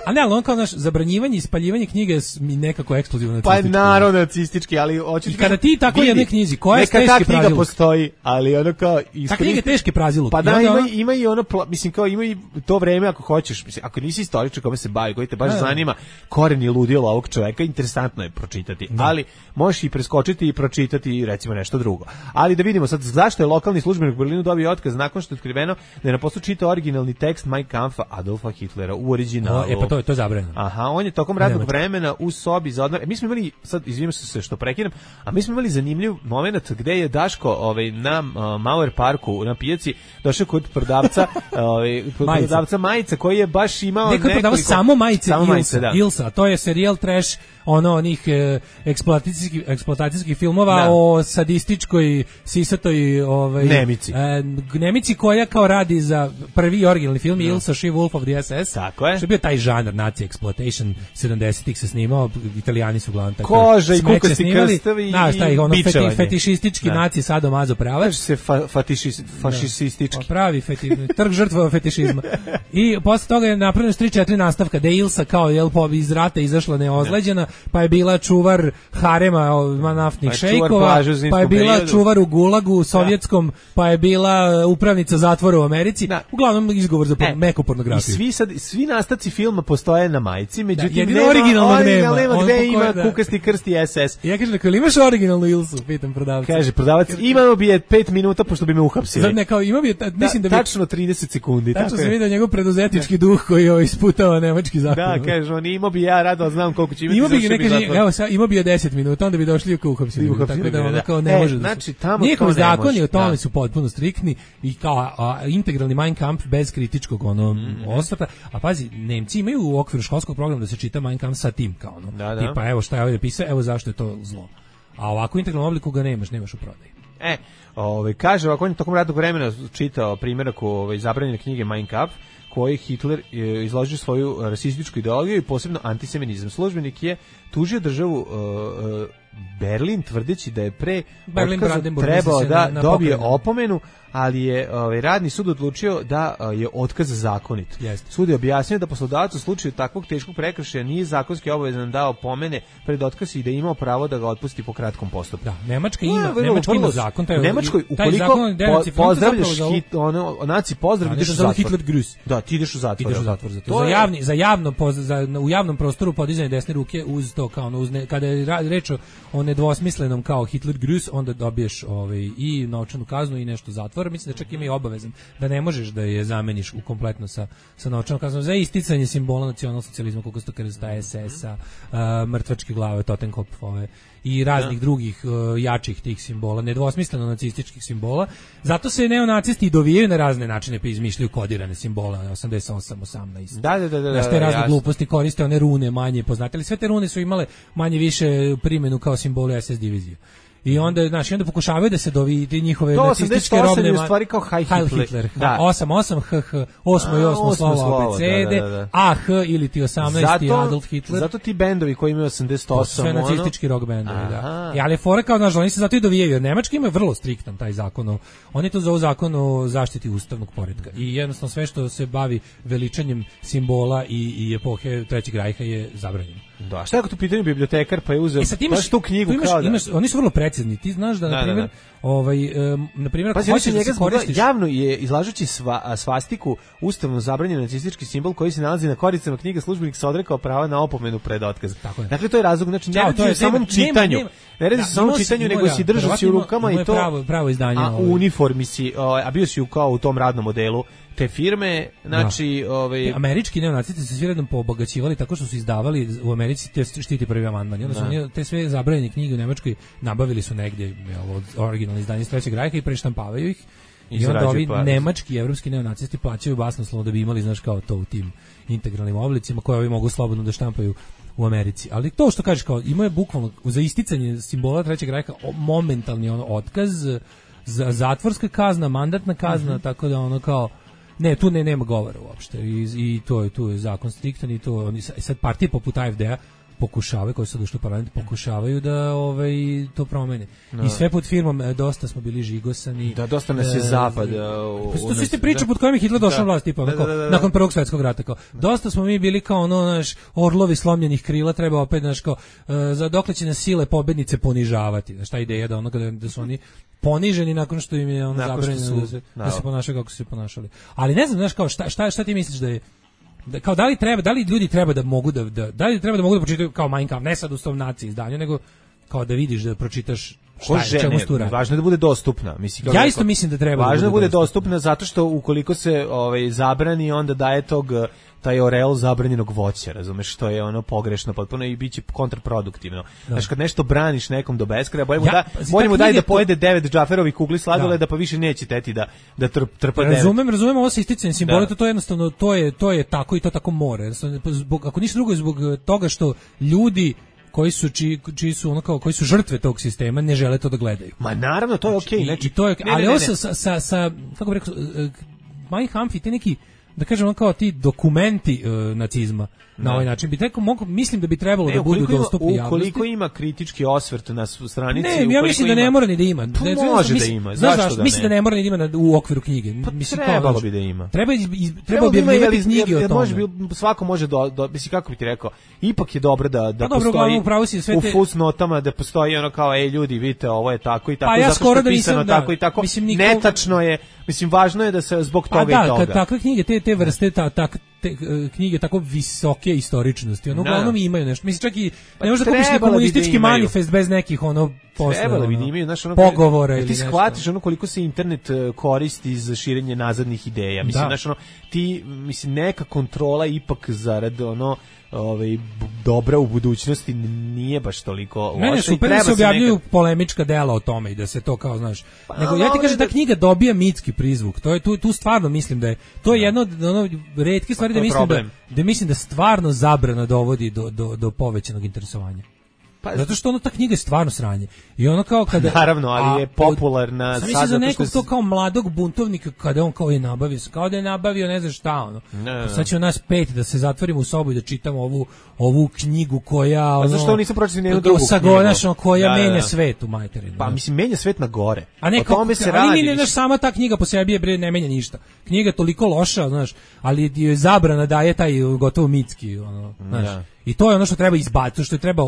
A ne, ali on kao naš zabranjivanje i spaljivanje knjige je s- mi nekako ekskluzivno Pa nacistički. naravno nacistički, ali hoću I kada ti tako vidi, jednoj knjizi, koja je neka ta teški knjiga praziluk? postoji, ali ono kao Ta iskoristi- knjiga je teški praziluk. Pa I da, onda ima, ono- ima i ono, pla- mislim, kao ima i to vreme ako hoćeš, mislim, ako nisi istoričar kome se bavi, koji te baš Da, da. zanima koreni ludila ovog čoveka, interesantno je pročitati, ali možeš i preskočiti i pročitati recimo nešto drugo. Ali da vidimo sad, zašto je lokalni službenik u Berlinu dobio otkaz nakon što je otkriveno da je na poslu čitao originalni tekst Mein Kampfa Adolfa Hitlera u originalu. O, e, pa to je- to je zabranjeno. Aha, on je tokom radnog Nemački. vremena u sobi za odmor. E, mi smo imali, sad izvinjam se što prekinem, a mi smo imali zanimljiv moment gde je Daško ovaj, na uh, Mauer parku, na pijaci, došao kod prodavca, ovaj, kod Majica. prodavca majica koji je baš imao Neko je prodavao samo majice samo Ilsa, majice, da. Ilsa, to je serijal trash ono onih e, eksploatacijskih eksploatacijskih filmova Da. o sadističkoj sisatoj ovaj Nemici. e, Nemici koja kao radi za prvi originalni film Ilsa She Wolf of the S S. Tako je. Što je bio taj žanr nazi exploitation sedamdesetih se snimao, Italijani su uglavnom tako. Koža i smeće kukasti snimali. krstovi Znaš, taj ono i feti, bičevanje. fetišistički Da. naci sadomazo pravac. Kaže se fa, fatišis, fašistički. Pa pravi feti, trg žrtva fetišizma. I posle toga je napravljeno tri četiri nastavka da je Ilsa kao jel po iz rata izašla neozleđena, pa je bila čuvar harema o, naftnih Pa je čuvar šejkova, plaže u zimskom pa je bila periodu. čuvar u Gulagu sovjetskom, pa je bila upravnica zatvora u Americi. Da. Uglavnom izgovor za E, meku I pornografiju. svi sad svi nastavci filma postoje na majici, međutim jedino nema originalnog original, nema. nema On gde po ima kojoj, da. kukasti krst i S S. I ja kažem, ako imaš originalnu Ilsu, pitam prodavca. Kaže prodavac, imamo bi je pet minuta pošto bi me uhapsili. Zar ne, kao ima bi, ta- mislim da bi... tačno trideset sekundi. Tačno tako se je. vidio njegov preduzetnički duh koji je isputao nemački zakon. Da, kaže on, imao bi ja rado, znam koliko će imati. Ima bi zašto ne bi kaže, zatvor. evo sad ima bi je deset minuta, onda bi došli u uhapsili. I uhapsili Tako da bi, ono da. kao ne E, može da. znači, tamo Njihovi to ne zakoni može, o tome da. su potpuno striktni i kao a, integralni Mein Kampf bez kritičkog ono Mhm. osvrta. A pazi, Nemci imaju u okviru školskog programa da se čita Mein Kampf sa tim kao ono. Da, da. Tipa evo šta je ovdje pisao, evo zašto je to zlo. A ovako u integralnom obliku ga nemaš, nemaš u prodaji. E, ovaj kaže ovako, on je tokom radnog vremena čitao primjerak ovaj zabranjene knjige Mein Kampf, koji Hitler e, izložio svoju rasističku ideologiju i posebno antisemitizam. Službenik je tužio državu e, e, Berlin tvrdeći da je pre Berlin otkaza Brandenburg, trebao misli se da na- na dobije pokrajinu. opomenu, ali je ovaj radni sud odlučio da a, je otkaz zakonit. Jeste. Sud je objasnio da poslodavac u slučaju takvog teškog prekršaja nije zakonski obavezan da opomene pred otkaz i da je imao pravo da ga otpusti po kratkom postupku. Da, Nemačka No, ima, vrlo- Nemačka vrlo- ima zakon, taj u Nemačkoj taj ukoliko zakon je po, denacifiziran, pozdravljaš zapravo za- hit, ono, naci pozdrav, Da, ideš u nešto zove zatvor. Hitler Grüß. Da, ti ideš u zatvor. Ideš u jel da? zatvor za to. To Za je- javni, za javno poz, za, u javnom prostoru podizanje desne ruke uz to kao ono, uz ne, kada je ra- reč o, o nedvosmislenom kao Hitler Grüß, onda dobiješ ovaj i novčanu kaznu i nešto zatvora. Mislim da čak ima i obavezan da ne možeš da je zameniš u kompletno sa sa novčanom kaznom za isticanje simbola nacionalsocijalizma, koliko sto krsta S S-a, uh, mrtvačke glave, Totenkopfove i raznih drugih uh, jačih tih simbola, nedvosmisleno nacističkih simbola. Zato se neonacisti i dovijaju na razne načine pa izmišljaju kodirane simbole osamdeset osam osamnaest. Da, da, da, da, Znaš, te razne jasno. gluposti koriste one rune manje poznate, ali sve te rune su imale manje više primjenu kao simboli S S divizije. I onda, znaš, i onda pokušavaju da se dovi ti njihove To nacističke osamdeset osam robne je u ma- stvari kao Heil Heil Hitler. Hitler. Da. osam osam H H, osmo i A, osmo osmo slovo slovo, abecede, da, da, da. A H ili ti osamnaesti Adolf Hitler. Zato ti bendovi koji imaju osamdeset To su osam, sve ono, nacistički rock bendovi, da. Aha. I ali je fora kao, znaš, oni se zato i dovijaju, jer Nemački ima vrlo striktan taj zakon, o- oni to zovu zakon o zaštiti ustavnog poretka. I jednostavno sve što se bavi veličanjem simbola i, i epohe Trećeg rajha je zabranjeno. Da, šta je ako tu pitanje bibliotekar pa je uzeo e, sad imaš, tu knjigu tu imaš, kao da... imaš, oni su vrlo precizni. Ti znaš da, na primjer, da, da, da. ovaj, um, na primjer, ako hoćeš da se koristiš... Javno je, izlažući sva, svastiku, ustavno zabranjen nacistički simbol koji se nalazi na koricama knjige, službenik se odrekao prava na opomenu pred otkaz. Dakle, to je razlog, znači, ne radi se o samom čitanju. Ne radi se o samom čitanju, nego si držao si u rukama i to... Pravo, pravo izdanje. A u uniformi si, a bio si kao u tom radnom modelu te firme, znači, da. ovaj američki neonacisti se svi redom poobogaćivali tako što su izdavali u Americi te štiti prvi amandman. I onda su oni te sve zabranjene knjige u Nemačkoj nabavili su negdje od originalnih izdanja iz Trećeg rajha i preštampavaju ih. I, I onda ovi par. Nemački i evropski neonacisti plaćaju basnoslovno da bi imali, znaš, kao to u tim integralnim oblicima koje ovi mogu slobodno da štampaju u Americi. Ali to što kažeš, kao ima je bukvalno za isticanje simbola Trećeg rajha momentalni ono otkaz, za zatvorska kazna, mandatna kazna, mm-hmm. tako da ono kao ne, tu ne nema govora uopšte i, i to je tu je zakon striktan i to oni sad partije poput A F D-a pokušavaju, koji su došli u parlament, pokušavaju da ovaj to promene. No. I sve pod firmom dosta smo bili žigosani. Da, dosta nas je e, zapad. Pa to su iste priče pod kojim je Hitler došao vlast, tipa, da, da, da, da. nakon Prvog svjetskog rata. Kao, dosta smo mi bili kao ono, naš, orlovi slomljenih krila, treba opet, naš, kao, uh, za dokle će nas sile pobednice ponižavati. Znaš, ta ideja da ono, kada, da su oni poniženi nakon što im je ono zabranjeno da se, da se ponašaju kako su se ponašali. Ali ne znam, znaš, kao, šta, šta, šta ti misliš da je Da, kao da li treba, da li ljudi treba da mogu da, da da li treba da mogu da pročitaju kao Mein Kampf, ne sad u tom naciji izdanju, nego kao da vidiš da pročitaš šta je, čemu se tu radi. Važno je da bude dostupna, mislim. Ja isto mislim da treba. Važno da bude, bude dostupna. dostupna zato što ukoliko se ovaj zabrani, onda daje tog taj oreol zabranjenog voća, razumeš, što je ono pogrešno potpuno i biće kontraproduktivno. Znaš, kad nešto braniš nekom do beskraja, bolje mu ja, da, bolje mu daj da pojede devet džaferovih kugli sladoleda, da. pa više neće teti da da trp, trpa devet. Razumem, razumem ovo sa isticanjem simbola, to, to je jednostavno, to je, to je tako i to tako mora. Zbog, ako ništa drugo, zbog toga što ljudi koji su čiji, čiji su ono kao koji su žrtve tog sistema ne žele to da gledaju. Ma naravno, to je okej, okay, znači i to je, ne, ali ne, ne, ovo sa, sa, sa kako bih rekao, Mein Kampf i te neki, da kažemo kao ti dokumenti uh, nacizma na no. ovaj način bi trebalo, mogu, mislim da bi trebalo ne, da budu dostupni javnosti. Ukoliko ima kritički osvrt na stranici, ne, ja mislim da ne mora ni da ima. To ne, može mislim, da ima. Zašto zašto da mislim ne? da ne mora ni da ima na, u okviru knjige. Pa mislim trebalo kao, bi da ima. Treba iz, iz, treba objavljivati knjige o tome. Može bi, svako može do, do mislim kako bi ti rekao, ipak je dobro da da pa postoji dobro, si sve te... u fusnotama da postoji ono kao ej ljudi vidite ovo je tako i tako pa ja zato što je da pisano da, tako i tako. Mislim, niko... Netačno je, mislim važno je da se zbog toga pa, i toga. Da, kad takve knjige te te vrste ta tak te, knjige tako visoke istoričnosti, ono uglavnom imaju nešto. Mislim čak i ne možeš da kupiš neki komunistički manifest bez nekih ono trebalo bi da imaju, znaš, ono pogovora ili ti shvatiš ono koliko se internet koristi za širenje nazadnih ideja. Mislim, znaš, ono ti mislim neka kontrola ipak zarad ono ovaj dobra u budućnosti nije baš toliko loša. Mene super da se objavljuju neka... polemička dela o tome i da se to kao znaš. Pa, nego ja ti kažem da knjiga dobija mitski prizvuk. To je tu tu stvarno mislim da je to je jedno od ono retke stvari pa, da mislim da, da mislim da stvarno zabrana dovodi do do do povećanog interesovanja. Pa, zato što ono ta knjiga je stvarno sranje. I ono kao kada naravno, ali je popularna sad zato za nekog to kao mladog buntovnika kada on kao je nabavio, kao da je nabavio ne znam šta ono. Ne, ne. Sad će nas pet da se zatvorimo u sobu i da čitamo ovu ovu knjigu koja ono. A zašto nisu pročitali nijednu drugu knjigu? Koja da, menja da. svet u materinu. Pa mislim menja svet na gore. A ne kao se radi. Ali ne, sama ta knjiga po sebi je bre ne menja ništa. Knjiga je toliko loša, znaš, ali je zabrana daje taj gotovo mitski ono, znaš. Ja. I to je ono što treba izbaciti, što je treba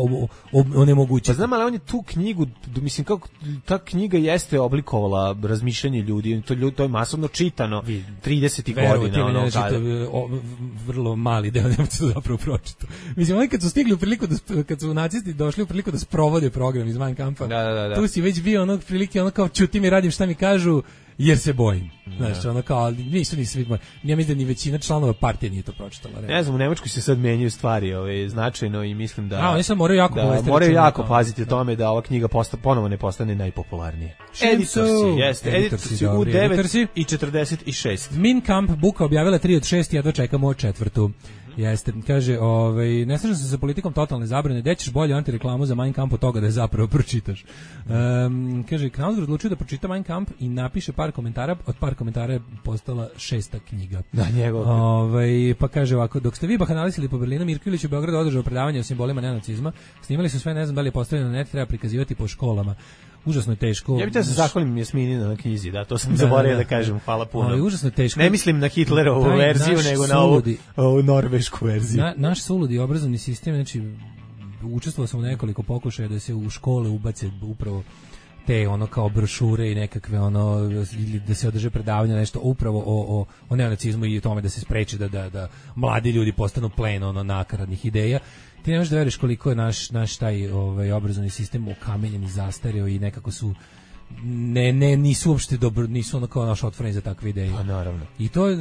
onemogućiti. Pa znam, ali on je tu knjigu, mislim kako ta knjiga jeste oblikovala razmišljanje ljudi, to ljudi to je masovno čitano tridesetih godina, ono ne čita, o, vrlo mali deo Nemaca zapravo pročitao. Mislim, oni kad su stigli u priliku da kad su nacisti došli u priliku da sprovode program iz Mein Kampfa, da, da, da. tu si već bio onog prilike ono kao čuti mi radim šta mi kažu jer se bojim. Znaš, ono kao, nisu ni svi, ja mislim da ni većina članova partije nije to pročitala. Ne znam, u Nemačkoj se sad menjaju stvari ove, značajno i mislim da... A, oni sad moraju jako, da, moraju jako paziti o tome da ova knjiga posta, ponovo ne postane najpopularnije. Editorsi, jeste, editorsi u devet i četrdeset šest. Mein Kampf Buka objavila tri od šest, ja dočekamo četvrtu. Jeste, kaže, ovaj, ne slažem se sa politikom totalne zabrane, gde ćeš bolje antireklamu za Mein Kampf od toga da je zapravo pročitaš. Um, kaže, Knausgård odlučio da pročita Mein Kampf i napiše par komentara, od par komentara je postala šesta knjiga. Da, njegov. Ovaj, pa kaže ovako, dok ste vi bahanalisili po Berlinu, Mirko Ilić u Beogradu održao predavanje o simbolima neonacizma, snimali su sve, ne znam da li je postavljeno na net, treba prikazivati po školama. užasno je teško. Ja bih te se zahvalim Jasmini na knjizi, da, to sam da, zaboravio da, da kažem, hvala puno. Ali užasno je teško. Ne mislim na Hitlerovu taj verziju, nego na ovu, ovu norvešku verziju. Na, naš suludi obrazovni sistem, znači, učestvovao sam u nekoliko pokušaja da se u škole ubace upravo te ono kao brošure i nekakve ono ili da se održe predavanja nešto upravo o, o, o neonacizmu i o tome da se spreči da, da, da mladi ljudi postanu plen ono nakaradnih ideja. Ti ne možeš da veriš koliko je naš, naš taj ovaj, obrazovni sistem okamenjen i zastareo i nekako su ne, ne, nisu uopšte dobro, nisu ono kao naš otvoreni za takve ideje. Pa naravno. I to je,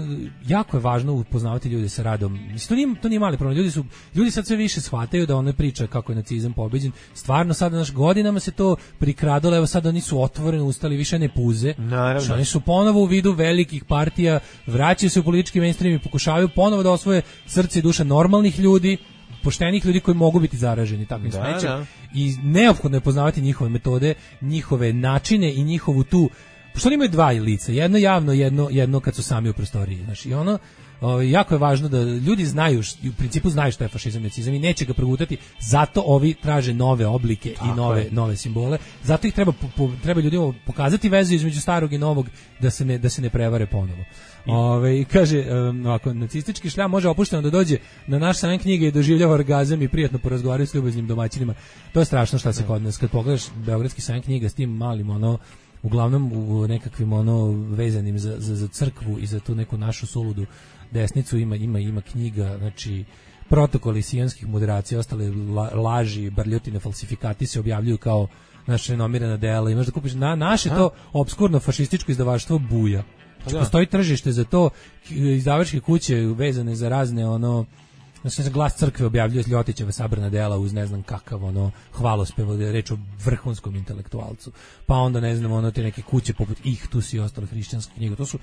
jako je važno upoznavati ljude sa radom. Mislim, to nije, to nije mali problem. Ljudi, su, ljudi sad sve više shvataju da ona priča kako je nacizam pobeđen. Stvarno sad naš godinama se to prikradalo, evo sad oni su otvoreni ustali, više ne puze. Naravno. Oni su ponovo u vidu velikih partija, vraćaju se u politički mainstream i pokušavaju ponovo da osvoje srce i duša normalnih ljudi, poštenih ljudi koji mogu biti zaraženi takvim da, smećem da. I neophodno je poznavati njihove metode, njihove načine i njihovu tu, pošto oni imaju dva lica, jedno javno, jedno, jedno kad su sami u prostoriji, znači, i ono, o, jako je važno da ljudi znaju, u principu znaju što je fašizam i nacizam i neće ga progutati, zato ovi traže nove oblike tako i nove, nove simbole, zato ih treba, po, treba ljudima pokazati vezu između starog i novog da se ne, da se ne prevare ponovo. Ove, kaže, um, ako nacistički šljam može opušteno da dođe na naš sajam knjige i doživljava orgazam i prijatno porazgovaraju s ljubaznim domaćinima, to je strašno šta se kod nas, kad pogledaš beogradski sajam knjiga s tim malim, ono, uglavnom u nekakvim ono vezanim za, za, za crkvu i za tu neku našu suludu desnicu ima, ima, ima knjiga, znači protokoli sijanskih moderacija, ostale la, laži, barljotine, falsifikati se objavljuju kao naše renomirana dela, imaš da kupiš na, naše to obskurno fašističko izdavaštvo buja. Znači, postoji tržište za to, izdavačke kuće vezane za razne ono, znači za Glas crkve objavljuje Ljotićeva sabrana dela uz ne znam kakav ono hvalospev, reč o vrhunskom intelektualcu. Pa onda ne znam ono te neke kuće poput Ihtus i ostale hrišćanske knjige. To su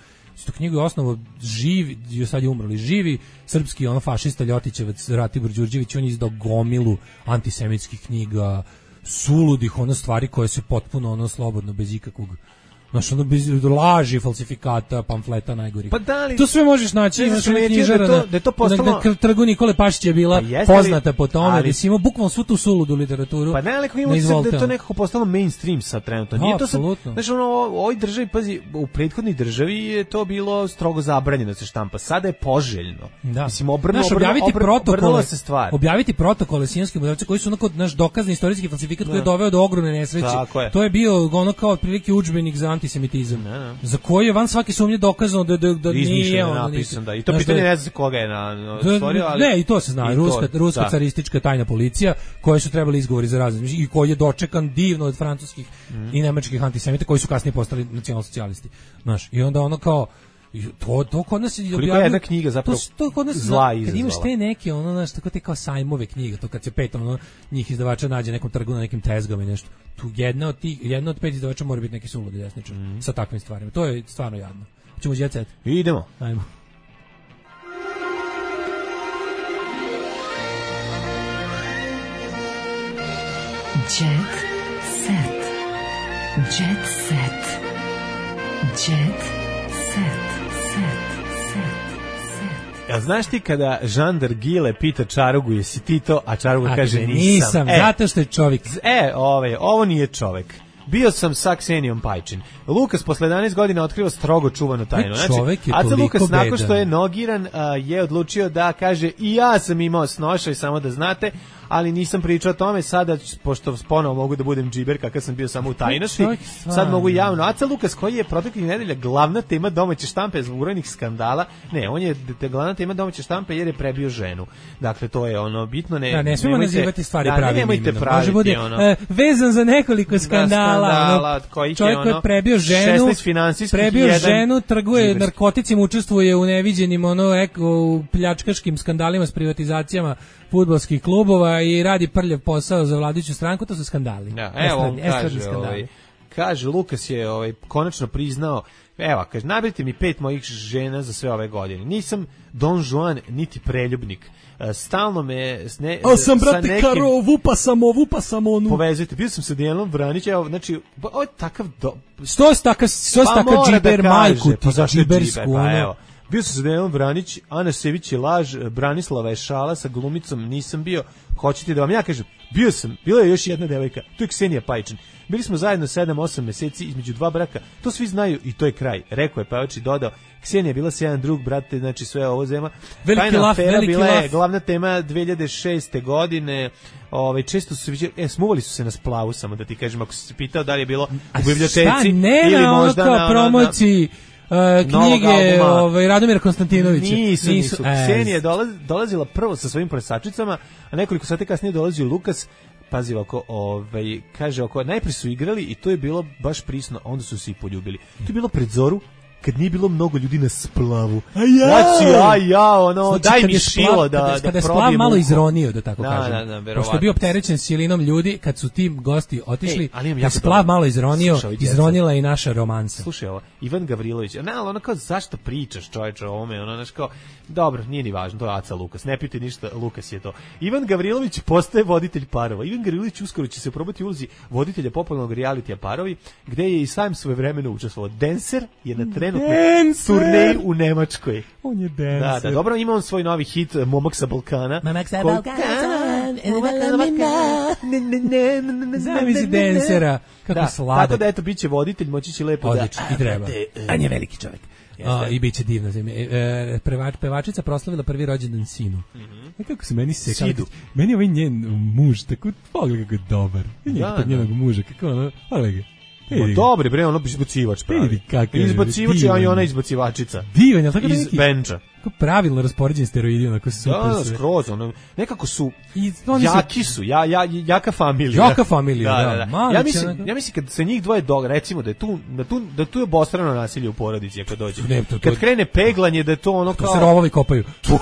to knjige osnovu živi, sad je umrli, živi srpski ono fašista Ljotićevac Ratibor Đurđević, on je izdao gomilu antisemitskih knjiga, suludih ono stvari koje se potpuno ono slobodno bez ikakvog znaš, ono bez laži, falsifikata, pamfleta najgorih. Pa da li, to sve možeš naći, imaš one knjižara da, da je to postalo... na trgu Nikole Pašića je bila pa poznata li, po tome, ali... da si imao bukvalno svu tu suludu literaturu. Pa ne, ali ima se da je to nekako postalo mainstream sad trenutno. Nije to sad, znaš, ono, u ovoj državi, pazi, u prethodnoj državi je to bilo strogo zabranjeno da se štampa. Sada je poželjno. Da. Mislim, obrnulo, znaš, objaviti obrnulo, protokole, se stvar. Objaviti protokole sijanskih moderacija koji su onako, naš dokazni istorijski falsifikat koji je doveo do ogromne nesreće. To je bio ono kao otprilike udžbenik za antisemitizam. Ne. Za koji je van svake sumnje dokazano da, da, da nije on napisan, da. I to pitanje ne znam koga je na, na stvorio, ali... Ne, i to se zna, ruska, to, ruska caristička tajna policija, koje su trebali izgovori za razne, i koji je dočekan divno od francuskih mm. i nemačkih antisemita, koji su kasnije postali nacionalsocijalisti. Znaš, i onda ono kao, to, to kod nas je objavljeno... Koliko je jedna knjiga zapravo to, to kod nas, zla izazvala. Kad imaš te neke, ono, znaš, tako te kao sajmove knjiga, to kad se pet, ono, njih izdavača nađe nekom trgu na nekim tezgama i nešto, tu jedna od tih, jedna od pet izdavača mora biti neki suludi desničar mm. sa takvim stvarima. To je stvarno jadno. Ćemo Jet Set. Idemo. Ajmo. Jet Set. Jet Set. Jet Set. Ja znaš ti kada Žandar Gile pita Čarugu jesi ti to, a Čaruga kaže nisam. Nisam, e, zato što je čovjek. E, ove, ovo nije čovjek. Bio sam sa Ksenijom Pajčin. Lukas posle jedanaest godina otkriva strogo čuvanu tajnu. Znači, Aca Lukas nakon što je nogiran a, je odlučio da kaže i ja sam imao snošaj, samo da znate, ali nisam pričao o tome, sada, pošto ponovo mogu da budem džiber kakav sam bio samo u tajnosti, sad mogu javno. Aca Lukas, koji je proteklih nedelja glavna tema domaće štampe zbog brojnih skandala, ne, on je te glavna tema domaće štampe jer je prebio ženu. Dakle, to je ono bitno, ne... Da, ne smemo nazivati stvari da, pravim imenom. Može bude ono, e, vezan za nekoliko skandala. Da, skandala ono, čovjek koji je prebio ženu, prebio ženu, trguje džiberski. Narkoticima, učestvuje u neviđenim ono, eko, pljačkaškim skandalima s privatizacijama fudbalskih klubova i radi prljav posao za vladajuću stranku, to su skandali. Ja, evo, on kaže, ovaj, kaže, Lukas je ovaj, konačno priznao, evo, kaže, nabrite mi pet mojih žena za sve ove godine. Nisam Don Juan, niti preljubnik. Stalno me... Ne, a sam, brate, nekim, karo, vupa sam o, vupa sam onu. Povezujte, bio sam sa Dijelom Vranić, evo, znači, ovo je takav... Do... Što je takav, što je pa takav džiber da majku, ti pa za džibersku, pa ono. Evo. Bio sam sa Dejanom Vranić, Ana Sević je laž, Branislava je šala, sa glumicom nisam bio. Hoćete da vam ja kažem, bio sam, bila je još jedna devojka, to je Ksenija Pajčin. Bili smo zajedno sedam osam meseci između dva braka, to svi znaju i to je kraj. Rekao je pevač i dodao, Ksenija je bila sjajan drug, brate, znači sve ovo zema. Veliki laf, veliki bila je laf. glavna tema dve hiljade šeste godine. Ovaj često su se e smuvali su se na splavu, samo da ti kažem, ako si se pitao da li je bilo u biblioteci ili možda na promociji Uh, knjige ovaj, Radomira Konstantinovića. Nisu, nisu. Ksenija je dolaz, dolazila prvo sa svojim plesačicama, a nekoliko sati kasnije dolazio Lukas. Pazi ovako, ovaj, kaže oko, najprije su igrali i to je bilo baš prisno, a onda su se i poljubili. To je bilo pred zoru, kad nije bilo mnogo ljudi na splavu. A ja! Znači, a ja, ono, znači, daj mi splav, šilo da, kada, da kada je probijem splav malo uho. izronio, da tako da, kažem. Da, da, pošto je bio opterećen silinom ljudi, kad su ti gosti otišli, Ej, kad splav malo izronio, slušaj, izronila i naša romansa. Slušaj ovo, Ivan Gavrilović, ne, ali ono kao, zašto pričaš čovječe o ovome, ono, znaš kao, dobro, nije ni važno, to je Aca Lukas, ne piti ništa, Lukas je to. Ivan Gavrilović postaje voditelj parova. Ivan Gavrilović uskoro će se probati u ulozi voditelja popularnog realitija Parovi, gde je i sam svojevremeno učestvovao. Dancer je na trenutnoj turneji u Nemačkoj. On je dancer. Da, da, dobro, ima on svoj novi hit Momak sa Balkana. Momak sa Balkana. Zamisli dancera, kako da, sladak. Tako da, eto, bit će voditelj, moći će lepo odlično, da... i treba. On je veliki čovjek. A, i bit će divno. E, prevač, pevačica proslavila prvi rođendan sinu. Mm -hmm. Kako se meni se... Sidu. Meni je ovaj njen muž, tako, pogledaj kako je dobar. I njeg tog njenog muža, kako ono, pogledaj. Ma dobri bre, ono izbacivač pravi. Izbacivač, a i ona izbacivačica. Divan, je tako iz neki benča. Kako pravilno raspoređen steroidi, onako super. Da, da, skroz, ono, nekako su I, jaki su, ja, ja, jaka familija. Jaka familija, da. da, da. da. Ja mislim, onako... ja mislim kad se njih dvoje dog, recimo da je tu, da tu, da tu je obostrano nasilje u porodici ako dođe. Ne, to, to, kad krene peglanje, da je to ono kao... To se rovovi kopaju. Tu.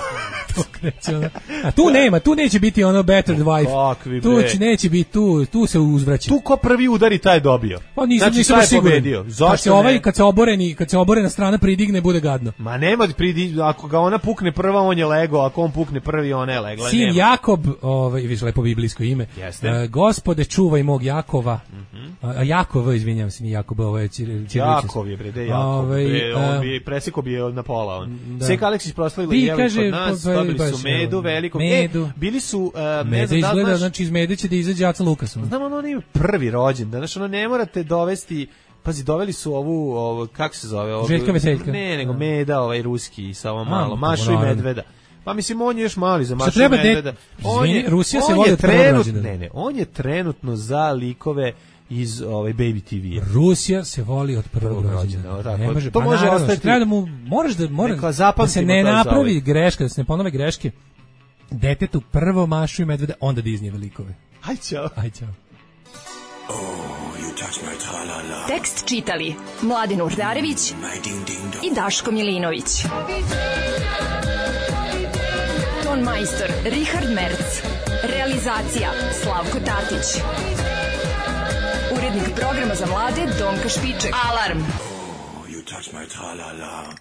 A tu nema, tu neće biti ono better wife. Kakvi, tu će, neće biti, tu, tu se uzvraća. Tu ko prvi udari, taj je dobio. Pa nisam, znači, nisam siguran. Kad se ovaj, kad se oboreni, kad se oborena strana pridigne, bude gadno. Ma nema pridi, ako ga ona pukne prva, on je lego, ako on pukne prvi, ona je legla. Sin nema. Jakob, ovaj, viš lepo biblijsko ime. Uh, gospode, čuvaj mog Jakova. Mm -hmm. A Jakov, izvinjavam se, ni Jakob, ovo je Ćirilić. Jakov je, bre, de Jakov. Ovaj, bre, on bi, preseko bi je na pola, on. Da. Sek Aleksić proslavila i jeli kod nas, pa, dobili su medu veliko. Medu. E, bili su... Uh, Meda izgleda, znači iz mede će da izađe Aca Lukasom. Znam, ono nije prvi rođen, znači ono ne morate dovesti... Pazi, doveli su ovu, ovo, kako se zove? Ovu, Željka Veseljka. Ne, nego Meda, ovaj ruski, sa ovo malo, Mašu i Medveda. Pa mislim, on je još mali za Mašu i treba Medveda. De... On je, Rusija on se voli od prvog rođendana. Ne, ne, on je trenutno za likove iz ovaj Baby T V. Rusija se voli od prvog rođendana. Ne može, to pa može naravno, ostati. Treba da mu, moraš da, mora, da se ne napravi greška, da se ne ponove greške. Detetu prvo Mašu i Medveda, onda Disneyve likove. Aj čao. Aj čao. Oh, you touch my tra-la-la. Tekst čitali Mladin Urdarević i Daško Milinović. Ton majstor Richard Merc. Realizacija Slavko Tatić. Urednik programa za mlade Donka Špiček. Alarm! Oh, you touch my tra-la-la.